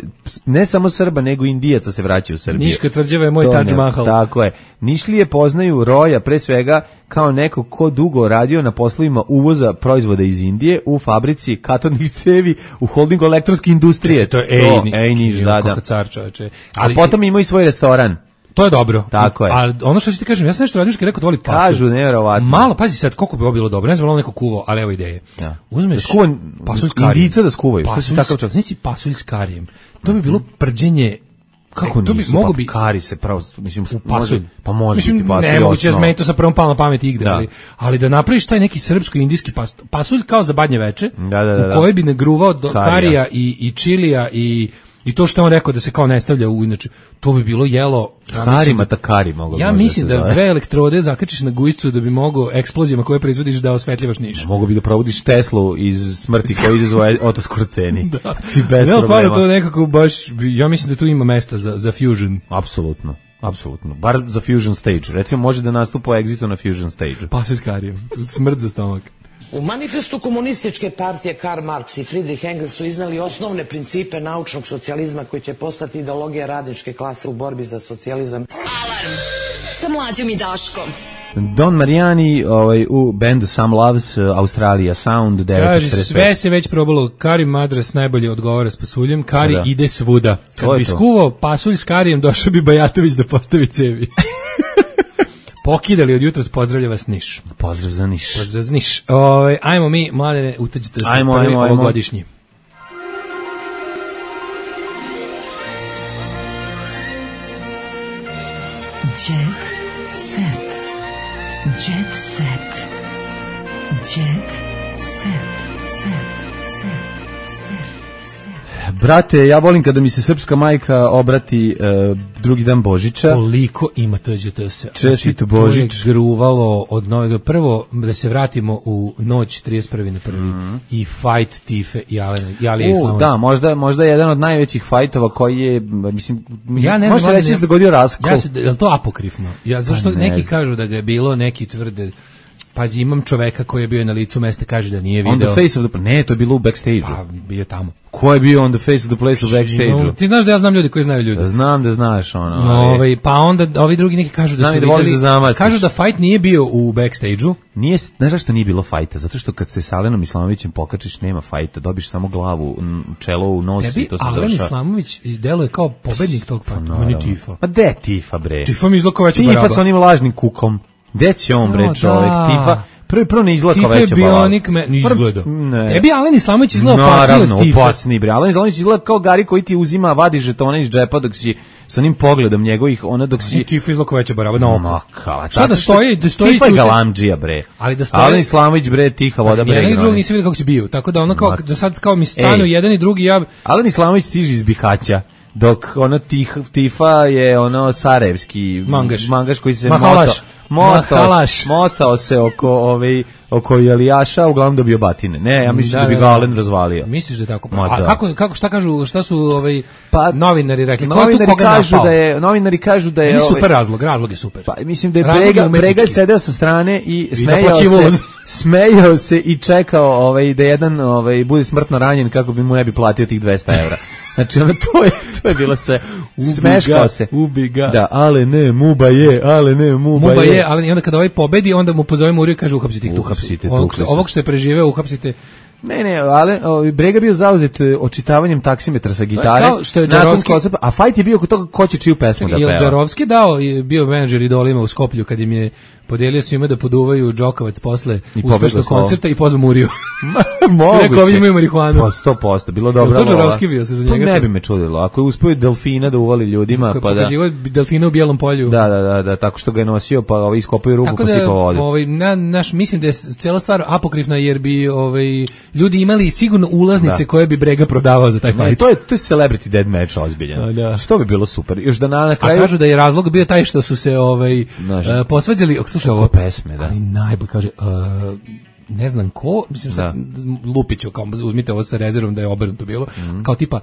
ne samo Srba, nego Indijaca se vraćaju u Srbiju. Niška tvrđava je moj Taj Mahal. Tako je. Nišlije poznaju Roja, pre svega, kao neko ko dugo radio na poslovima uvoza proizvoda iz Indije u fabrici katodnih cevi u holdingu elektronske industrije. To je Ej, Ej Niš, da, da. Car, čoveče. Ali, a potom imaju i svoj restoran. To je dobro. Tako je. Ali ono što ću ti kažem, ja sam nešto radio što rekao da voli pasulj. Kažu, nevjerovatno. Malo, pazi sad koliko bi ovo bilo dobro. Ne znam, ono neko kuvao, ali evo ideje. Ja. Uzmeš da skuvan, pasulj s karijem. Indica da skuvaju. Pasulj, takav čas. Nisi pasulj s karijem. To bi bilo prđenje. Kako to nisu, bi mogu pa bi kari se pravo, mislim, u pasulj. Može, pa može mislim, biti pasulj. Ne moguće da meni to sa prvom palo na pamet igre, da. ali, ali da napraviš taj neki srpsko-indijski pasulj, pasulj kao za badnje veče, da, da, da, da. u kojoj bi nagruvao do karija, karija i, i čilija i I to što je on rekao da se kao ne stavlja u, inače, to bi bilo jelo... Ja Harima takari mogu. Ja mislim da, da dve elektrode zakačiš na gujscu da bi mogo eksplozijama koje proizvodiš da osvetljivaš Niš. Mogu bi da provodiš Teslu iz smrti koji izazove Oto Skorceni. Da. Znači, bez ja, problema. To nekako baš, ja mislim da tu ima mesta za, za fusion. Apsolutno. Apsolutno. Bar za fusion stage. Recimo može da nastupa u Exitu na fusion stage. Pa se s karijem. Smrt za stomak. U manifestu komunističke partije Karl Marx i Friedrich Engels su iznali osnovne principe naučnog socijalizma koji će postati ideologija radničke klase u borbi za socijalizam. Alarm sa Mlađom i Daškom. Don Marijani ovaj, u bandu Some Loves, Australija Sound, devet Kaže, sve se već probalo, Kari Madras najbolje odgovara s pasuljem, Kari da. Ide svuda. Kad bi skuvao pasulj s Karijem, došao bi Bajatović da postavi cevi. Pokidali od jutros, pozdravlja vas Niš. Pozdrav za Niš. Pozdrav za Niš. Ove, ajmo mi, mladene, utađite se ajmo, prvi ajmo, ajmo. ovogodišnji. Jet set. Jet set. Jet set. Brate, ja volim kada mi se srpska majka obrati uh, drugi dan Božića. Koliko ima to J T S? Čestito Božić. To je gruvalo od novega. Prvo, da se vratimo u noć trideset prvi na prvi Mm-hmm. I fight Tife i Alena. I Ali U, da, možda, možda jedan od najvećih fajtova koji je, mislim, ja ne može znam, reći da se dogodio raskol. Ja se, je li to apokrifno? Ja, zašto pa neki znam. kažu da ga je bilo, neki tvrde... Pazi, imam čoveka koji je bio na licu mesta, kaže da nije video. On the face of the... Ne, to je bilo u backstage-u. Pa, bio tamo. Ko je bio on the face of the place u backstage-u? Ti znaš da ja znam ljudi koji znaju ljudi. Znam da znaš, ono. No, ovaj, pa onda ovi drugi neki kažu da znam su da vidjeli... Da kažu da fight nije bio u backstage-u. Nije, znaš zašto nije bilo fajta? Zato što kad se s Alenom Islamovićem pokačiš, nema fajta. Dobiš samo glavu, čelo u nos i to se završava. Tebi Alen Islamović deluje kao pobednik tog fajta. No, on je Tifa. Pa de Tifa, bre? Tifa mi izgleda kao veća baraba. Tifa sa onim lažnim kukom. Gde će on, bre, čovek? Tifa... Prvi prvo ne izgleda kao veća baba. Bionik me ne izgleda. Tebi Alen Islamović izgleda opasniji od Tifa. Naravno, opasniji, bre. Alen Islamović izgleda kao Gari koji ti uzima, vadi žetone iz džepa dok si sa onim pogledom njegovih, ona dok si... Tifa izgleda kao veća baraba na oko. Makala. Šta da stoji, da stoji... Tifa je galamdžija, bre. Ali da stoji... Alen Islamović, bre, tiha voda, bre. Jedan i drugi nisi vidio kako si bio. Tako da ono kao, da sad kao mi stanu jedan i drugi, ja... Alen Islamović stiže iz Bihaća. Dok ono tih, Tifa je ono sarajevski mangaš, mangaš koji se Mahalaš. motao, motao, motao se oko ovaj oko Jelijaša, uglavnom dobio batine. Ne, ja mislim da, da bi ga Alen razvalio. Misliš da je tako? A da. kako kako šta kažu, šta su ovaj pa, novinari rekli? Novinari kažu da je novinari kažu da je ovaj, super razlog, razlog je super. Pa mislim da je Brega, Brega sedeo sa strane i, I smejao se, smejao se i čekao ovaj da jedan ovaj bude smrtno ranjen kako bi mu ne bi platio tih dvesta evra. Znači, ono, to je, to je bilo sve, smeškao se. Ubi ga. Da, ale ne, muba je, ale ne, muba, muba je. je, ali onda kada ovaj pobedi, onda mu pozove Muriju i kaže uhapsite ih. Uhapsite, ovog, ovog što je preživeo, uhapsite. Ne, ne, ale o, Brega bio zauzet očitavanjem taksimetra sa gitare. Kao što je Džarovski, koncept, a fight je bio kod toga ko će čiju pesmu da peva. Je Džarovski dao, je bio menadžer Idolima u Skoplju kad im je podelio svima da poduvaju Džokavac posle uspešnog koncerta i pozvao Muriju. Moguće. Rekao, ovi imaju marihuanu. Pa sto posto, bilo dobro. To Džarovski bio se za njega. To ne bi me čudilo. Ako je uspio delfina da uvali ljudima, pa da... Pokaživo delfina u bijelom polju. Da, da, da, da, tako što ga je nosio, pa ovaj iskopaju ruku, pa sipao vodu. Ovaj, na, naš, mislim da je cijela stvar apokrifna, jer bi ovaj, ljudi imali sigurno ulaznice da. koje bi Brega prodavao za taj fight. Ne, to je to je celebrity dead match ozbiljan. Da. Što bi bilo super. Još da na, na kraju A kažu da je razlog bio taj što su se ovaj uh, posvađali, slušaj ovo pesme, da. Ali najbolje kaže uh, ne znam ko, mislim sad Lupiću, kao uzmite ovo sa rezervom da je obrnuto bilo, mm. kao tipa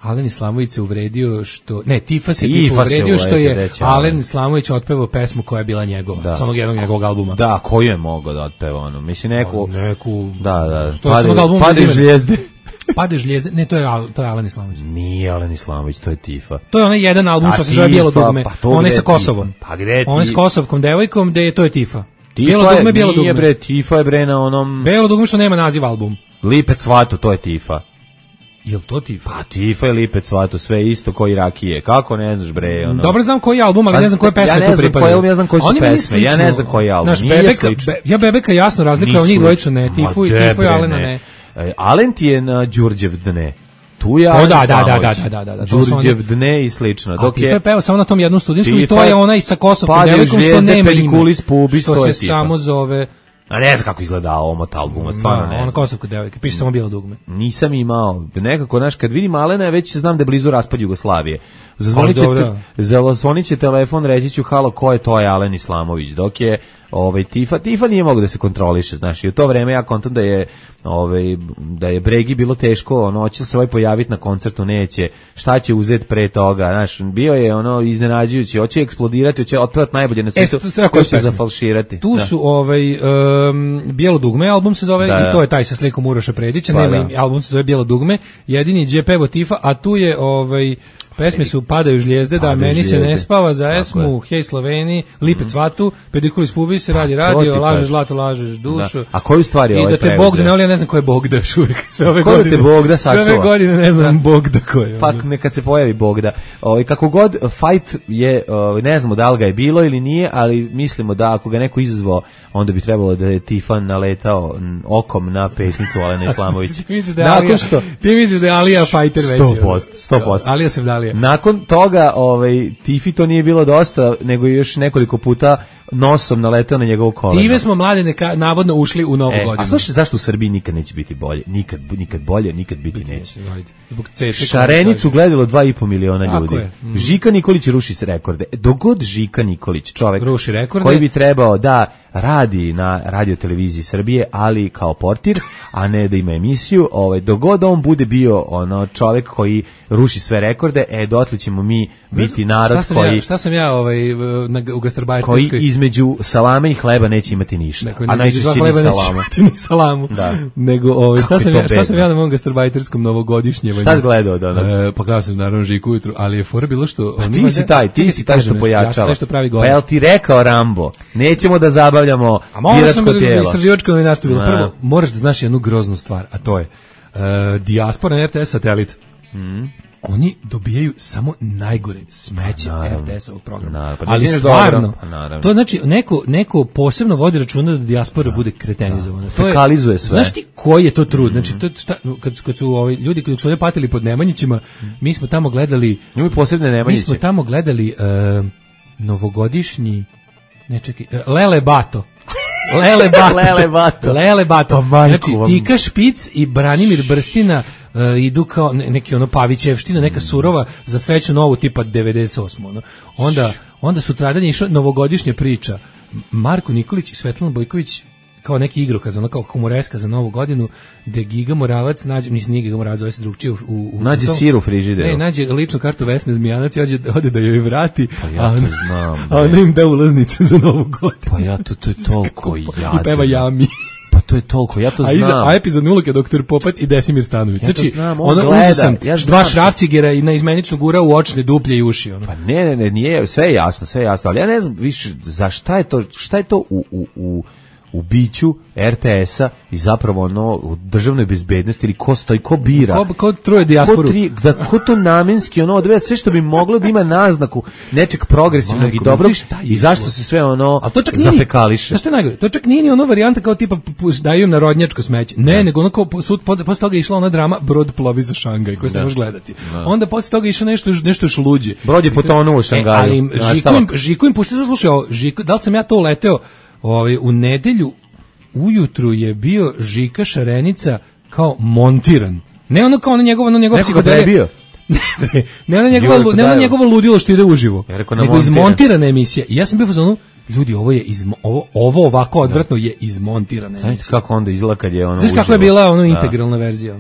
Alen Islamović se uvredio što ne Tifa se tipa uvredio što je Alen Islamović otpevao pesmu koja je bila njegova, da. sa onog jednog njegovog albuma. Da, koju je mogao da otpeva ono. Mislim neku neku da, da. Pade žlijezde. Pade žlijezde. Ne, to je to je Alen Islamović. Nije Alen Islamović, to je Tifa. To je onaj jedan album što se zove Bijelo dugme. Pa on je sa Kosovom. Pa gde ti? On je s kosovkom devojkom, gde je to je Tifa. Bijelo dugme, Bijelo dugme. Nije bre, Tifa je bre na onom Bijelo dugme što nema naziv album. Lipec Svatu, to je Tifa. Jel to Tifa? Pa Tifa je Lipec Svatu, sve isto koji rakije. Kako ne znaš bre? Ono... Dobro znam koji album, ali ne znam koje pesme ja tu pripadaju. Ja ne znam koji su pesme, ja ne znam koji album. Naš Bebeka, be, ja Bebeka jasno razlikujem njih dvojicu ne, Tifu i Tifu i Alena ne. Alen ti je na Đurđev dne. Tu ja o, da, da, da, da, da, da, da. Đurđev dne i slično. Dok je peo samo na tom jednom studijskom i to je onaj sa Kosovkom devojkom što nema ime. Što se samo zove... A ne znam kako izgleda omot albuma, stvarno ne znam. Ona Kosovka devojka, piše samo Bijelo dugme. Nisam imao, nekako, znaš, kad vidim Alena, već znam da je blizu raspad Jugoslavije. Zazvonit će, zazvonit će telefon, reći ću, halo, ko je to je Alen Islamović, dok je ovaj Tifa, Tifa nije mogu da se kontroliše, znaš, i u to vreme ja kontam da je ovaj da je Bregi bilo teško, ono hoće se ovaj pojaviti na koncertu, neće, šta će uzeti pre toga, znaš, bio je ono iznenađujući, hoće eksplodirati, hoće otpevati najbolje na svijetu, e, ko će zafalširati. Tu da. su ovaj um, Bijelo dugme, album se zove, da, i to je taj sa slikom Uroša Predića, pa, nema da. album se zove Bijelo dugme, jedini je pevo Tifa, a tu je ovaj pesme su Padaju žlijezde, da, meni žlijezde. Se ne spava, za Esmu, Hej Sloveni, Lipec Svatu, Pedikulis Pubi se radi radio, lažeš zlato, lažeš dušu. Da. A koju stvar je ovaj preuzeo? I da te Bog da ne voli, ja ne znam ko je Bogda još uvijek. Sve ove ko godine. Ko te Bogda sačuva? Sve ove godine ne znam da. Bogda ko je. Pa nekad se pojavi Bogda. Ovaj kako god fight je, ovaj, ne znamo da li ga je bilo ili nije, ali mislimo da ako ga neko izazvao, onda bi trebalo da je Tifan naletao okom na pesnicu Alena Islamovića. Nakon što ti misliš da je Alija fighter već? sto posto, sto posto. Alija se vdalija. Nakon toga, ovaj Tifi to nije bilo dosta, nego još nekoliko puta nosom naletao na njegovo koleno. Time smo mlade neka, navodno ušli u novu e, godinu. A slušaj, zašto u Srbiji nikad neće biti bolje? Nikad, nikad bolje, nikad biti, biti neće. Zbog cece, Šarenicu gledalo dva i po miliona ljudi. Mm. Žika Nikolić ruši se rekorde. Dogod Žika Nikolić, čovek ruši rekorde, koji bi trebao da radi na radio televiziji Srbije, ali kao portir, a ne da ima emisiju, ovaj dogod on bude bio ono čovjek koji ruši sve rekorde, e dotle ćemo mi biti narod šta koji ja, šta sam ja ovaj na u gastarbajterskoj koji između salame i hleba neće imati ništa. Dakle, a najčešće ni salamu. Ni salamu. Da. Nego ovaj šta sam ja, šta sam ja na mom gastarbajterskom novogodišnjem. Šta gledao da? E, pa gledao sam naravno Žiku ujutru, ali je fora bilo što pa ti si taj, ti si taj što pojačava. Nešto pravi pa jel ti rekao Rambo? Nećemo da zabavljamo biračko tijelo. Istraživačko novinarstvo bilo. Prvo, moraš da znaš jednu groznu stvar, a to je uh, dijaspora na R T S satelit. Mm. Oni dobijaju samo najgore smeće R T S-ovog programa. Naravno, pa ali stvarno, pa to znači neko, neko posebno vodi računa da dijaspora da. bude kretenizovana. To fekalizuje sve. Znaš ti koji je to trud? Mm. Znači, to, šta, kad, kad su ovi ljudi koji su ovdje patili pod Nemanjićima, mm. mi smo tamo gledali... Njima posebne Nemanjiće. Mi smo tamo gledali uh, novogodišnji... Ne čekaj, uh, Lele Bato. Lele Bato. Lele Bato. Lele Bato. Znači, Tika Špic i Branimir Brstina uh, idu kao neki ono Pavićevština, neka surova za sreću novu tipa devedeset osam. Ono. Onda, onda sutradan je išla novogodišnja priča. Marko Nikolić i Svetlana Bojković kao neki igrokaz, ono kao humoreska za novu godinu, gde Giga Moravac nađe, mislim nije Giga Moravac, zove se drugčije u, u nađe tom, sir u frižideru. Ne, nađe ličnu kartu Vesne Zmijanac i ode, ode da joj vrati, pa ja to znam, a ona im da ulaznice za novu godinu. Pa ja to, to je toliko jadno. I peva Jami. Pa to je toliko, ja to znam. A, iza, a epizodni ulog je doktor Popac i Desimir Stanović. Ja znači, znam, on ono, uzeo sam ja dva šrafcigera i na izmeničnu gura u očne duplje i uši. Ono. Pa ne, ne, ne, nije, sve je jasno, sve je jasno, ali ja ne znam više za šta je to, šta je to u, u, u u biću R T S-a i zapravo ono u državnoj bezbednosti ili ko stoji, ko bira. Ko, ko troje dijasporu. Ko, tri, da, ko to namenski ono odveja sve što bi moglo da ima naznaku nečeg progresivnog Majko, i dobrog i zašto se sve ono zafekališe. Znaš što je najgore? To čak nije ni ono varijanta kao tipa daju im narodnjačko smeće. Ne, ne. nego ono kao sud, posle toga je išla ona drama Brod plovi za Šangaj koju se ne može gledati. Da. Onda posle toga je išlo nešto, nešto još luđe. Brod je potonuo u Šangaju. E, ali im, Žiku im, Žiku im pušti za slušao, Žiku, da li sam ja to uleteo ovaj, u nedelju ujutru je bio Žika Šarenica kao montiran. Ne ono kao ono njegovo, ono njegovo psihodelija. ne, ne ono njegovo, ne ono njegovo ludilo što ide uživo. Nego izmontirana emisija. I ja sam bio u fazonu, ljudi, ovo je izmo, ovo ovo ovako odvratno je izmontirana emisija. Znaš kako onda izgleda kad je ono uživo. Znaš kako je bila ono integralna verzija?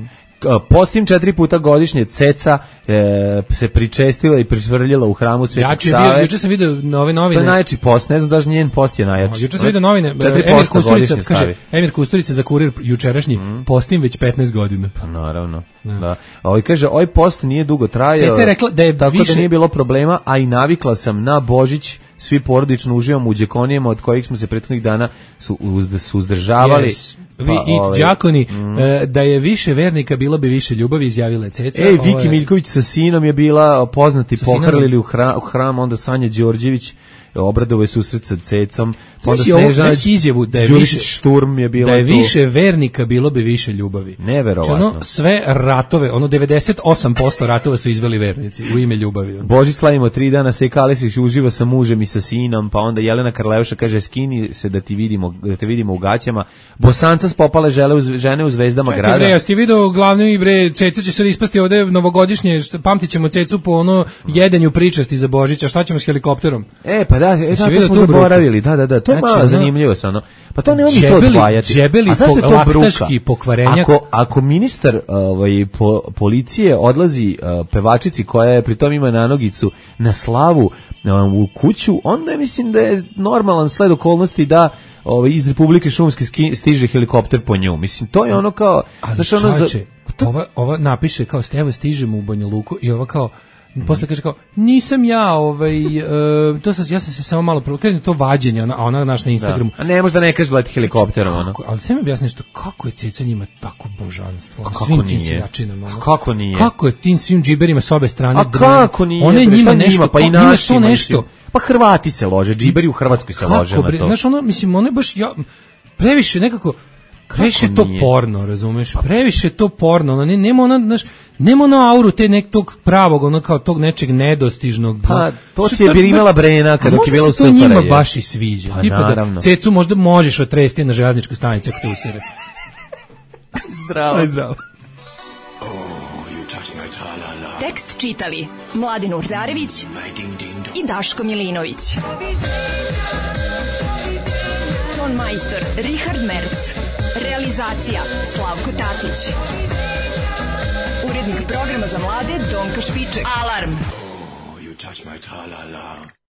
Postim četiri puta godišnje ceca e, se pričestila i prisvrljila u hramu Svetog Save. Juče sam video nove novine. To je najjači post, ne znam da njen post je najjači. Juče sam video novine. Emir Kusturica kaže, Emir Kusturica za Kurir jučerašnji, mm. postim već petnaest godina. Pa naravno. Da. da. Ovaj kaže, ovaj post nije dugo trajao. Ceca je rekla da je tako više... da nije bilo problema, a i navikla sam na Božić. Svi porodično uživamo u đekonijama od kojih smo se prethodnih dana su, uz, su uzdržavali. Yes. Vi pa, i ovaj, đakoni, mm. e, da je više vernika, bilo bi više ljubavi, izjavila je Ceca. Ej, Viki ovaj, Miljković sa sinom je bila poznati, pohrlili u hram, u hram, onda Sanja Đorđević, obradove susret sa Cecom, onda Snežana izjavu da je više Šturm je bila da je više vernika, bilo bi više ljubavi. Neverovatno. Ono, sve ratove, ono devedeset osam posto ratova su izveli vernici u ime ljubavi. Božić slavimo tri dana, Seka Aleksić uživa sa mužem i sa sinom, pa onda Jelena Karleuša kaže skini se da ti vidimo, da te vidimo u gaćama. Bosanca spopale žele uz, žene u zvezdama Čekaj, grada. Bre, ja ste video glavni bre, Ceca će sad ispasti ovde novogodišnje, pamtićemo Cecu po ono jedenju pričasti za Božić, a šta ćemo s helikopterom? E, pa da, e, da, to smo zaboravili, da, da, da, to je znači, malo zanimljivo sa ono. Pa to ne umije to odvajati. Džebeli a zašto je to laktaški pokvarenjak? Ako, ako ministar ovaj, po, policije odlazi uh, pevačici koja je pritom ima nanogicu na slavu um, u kuću, onda mislim da je normalan sled okolnosti da ovaj, iz Republike Šumske stiže helikopter po nju. Mislim, to je ono kao... Ali čače, ono za, to... ova, ova napiše kao evo stižemo u Banja Luku i ova kao Mm. Posle kaže kao, nisam ja, ovaj, uh, to sam, ja sam se samo malo provokrenuo, to vađenje, ona, ona naš na Instagramu. Da. A ne možda ne kaže leti helikopterom, ono. Ali sve mi objasni nešto, kako je Ceca njima tako božanstvo, kako svim nije? Tim seljačinama, ono. Kako nije? Kako je tim svim džiberima s obe strane? A kako nije? One njima nešto, njima, pa i naši to nešto. Pa Hrvati se lože, džiberi u Hrvatskoj se lože na to. Znaš, ono, mislim, ono je baš, ja, previše nekako, previše to porno, razumeš? Previše to porno, ono ne, nema ona, znaš, nema ona auru te nekog pravog, ono kao tog nečeg nedostižnog. Pa, to ti je imala Brena kada je bila u Srpare. Možda se to njima baš i sviđa. Pa, tipa naravno. Da Cecu možda možeš otresti na željezničkoj stanici ako te usere. Zdravo. Aj, zdravo. Tekst čitali Mladin Urdarević i Daško Milinović. Ton majstor Richard Merc. Realizacija Slavko Tatić. Urednik programa za mlade Donka Špiček. Alarm! Oh, you touch my tra-la-la.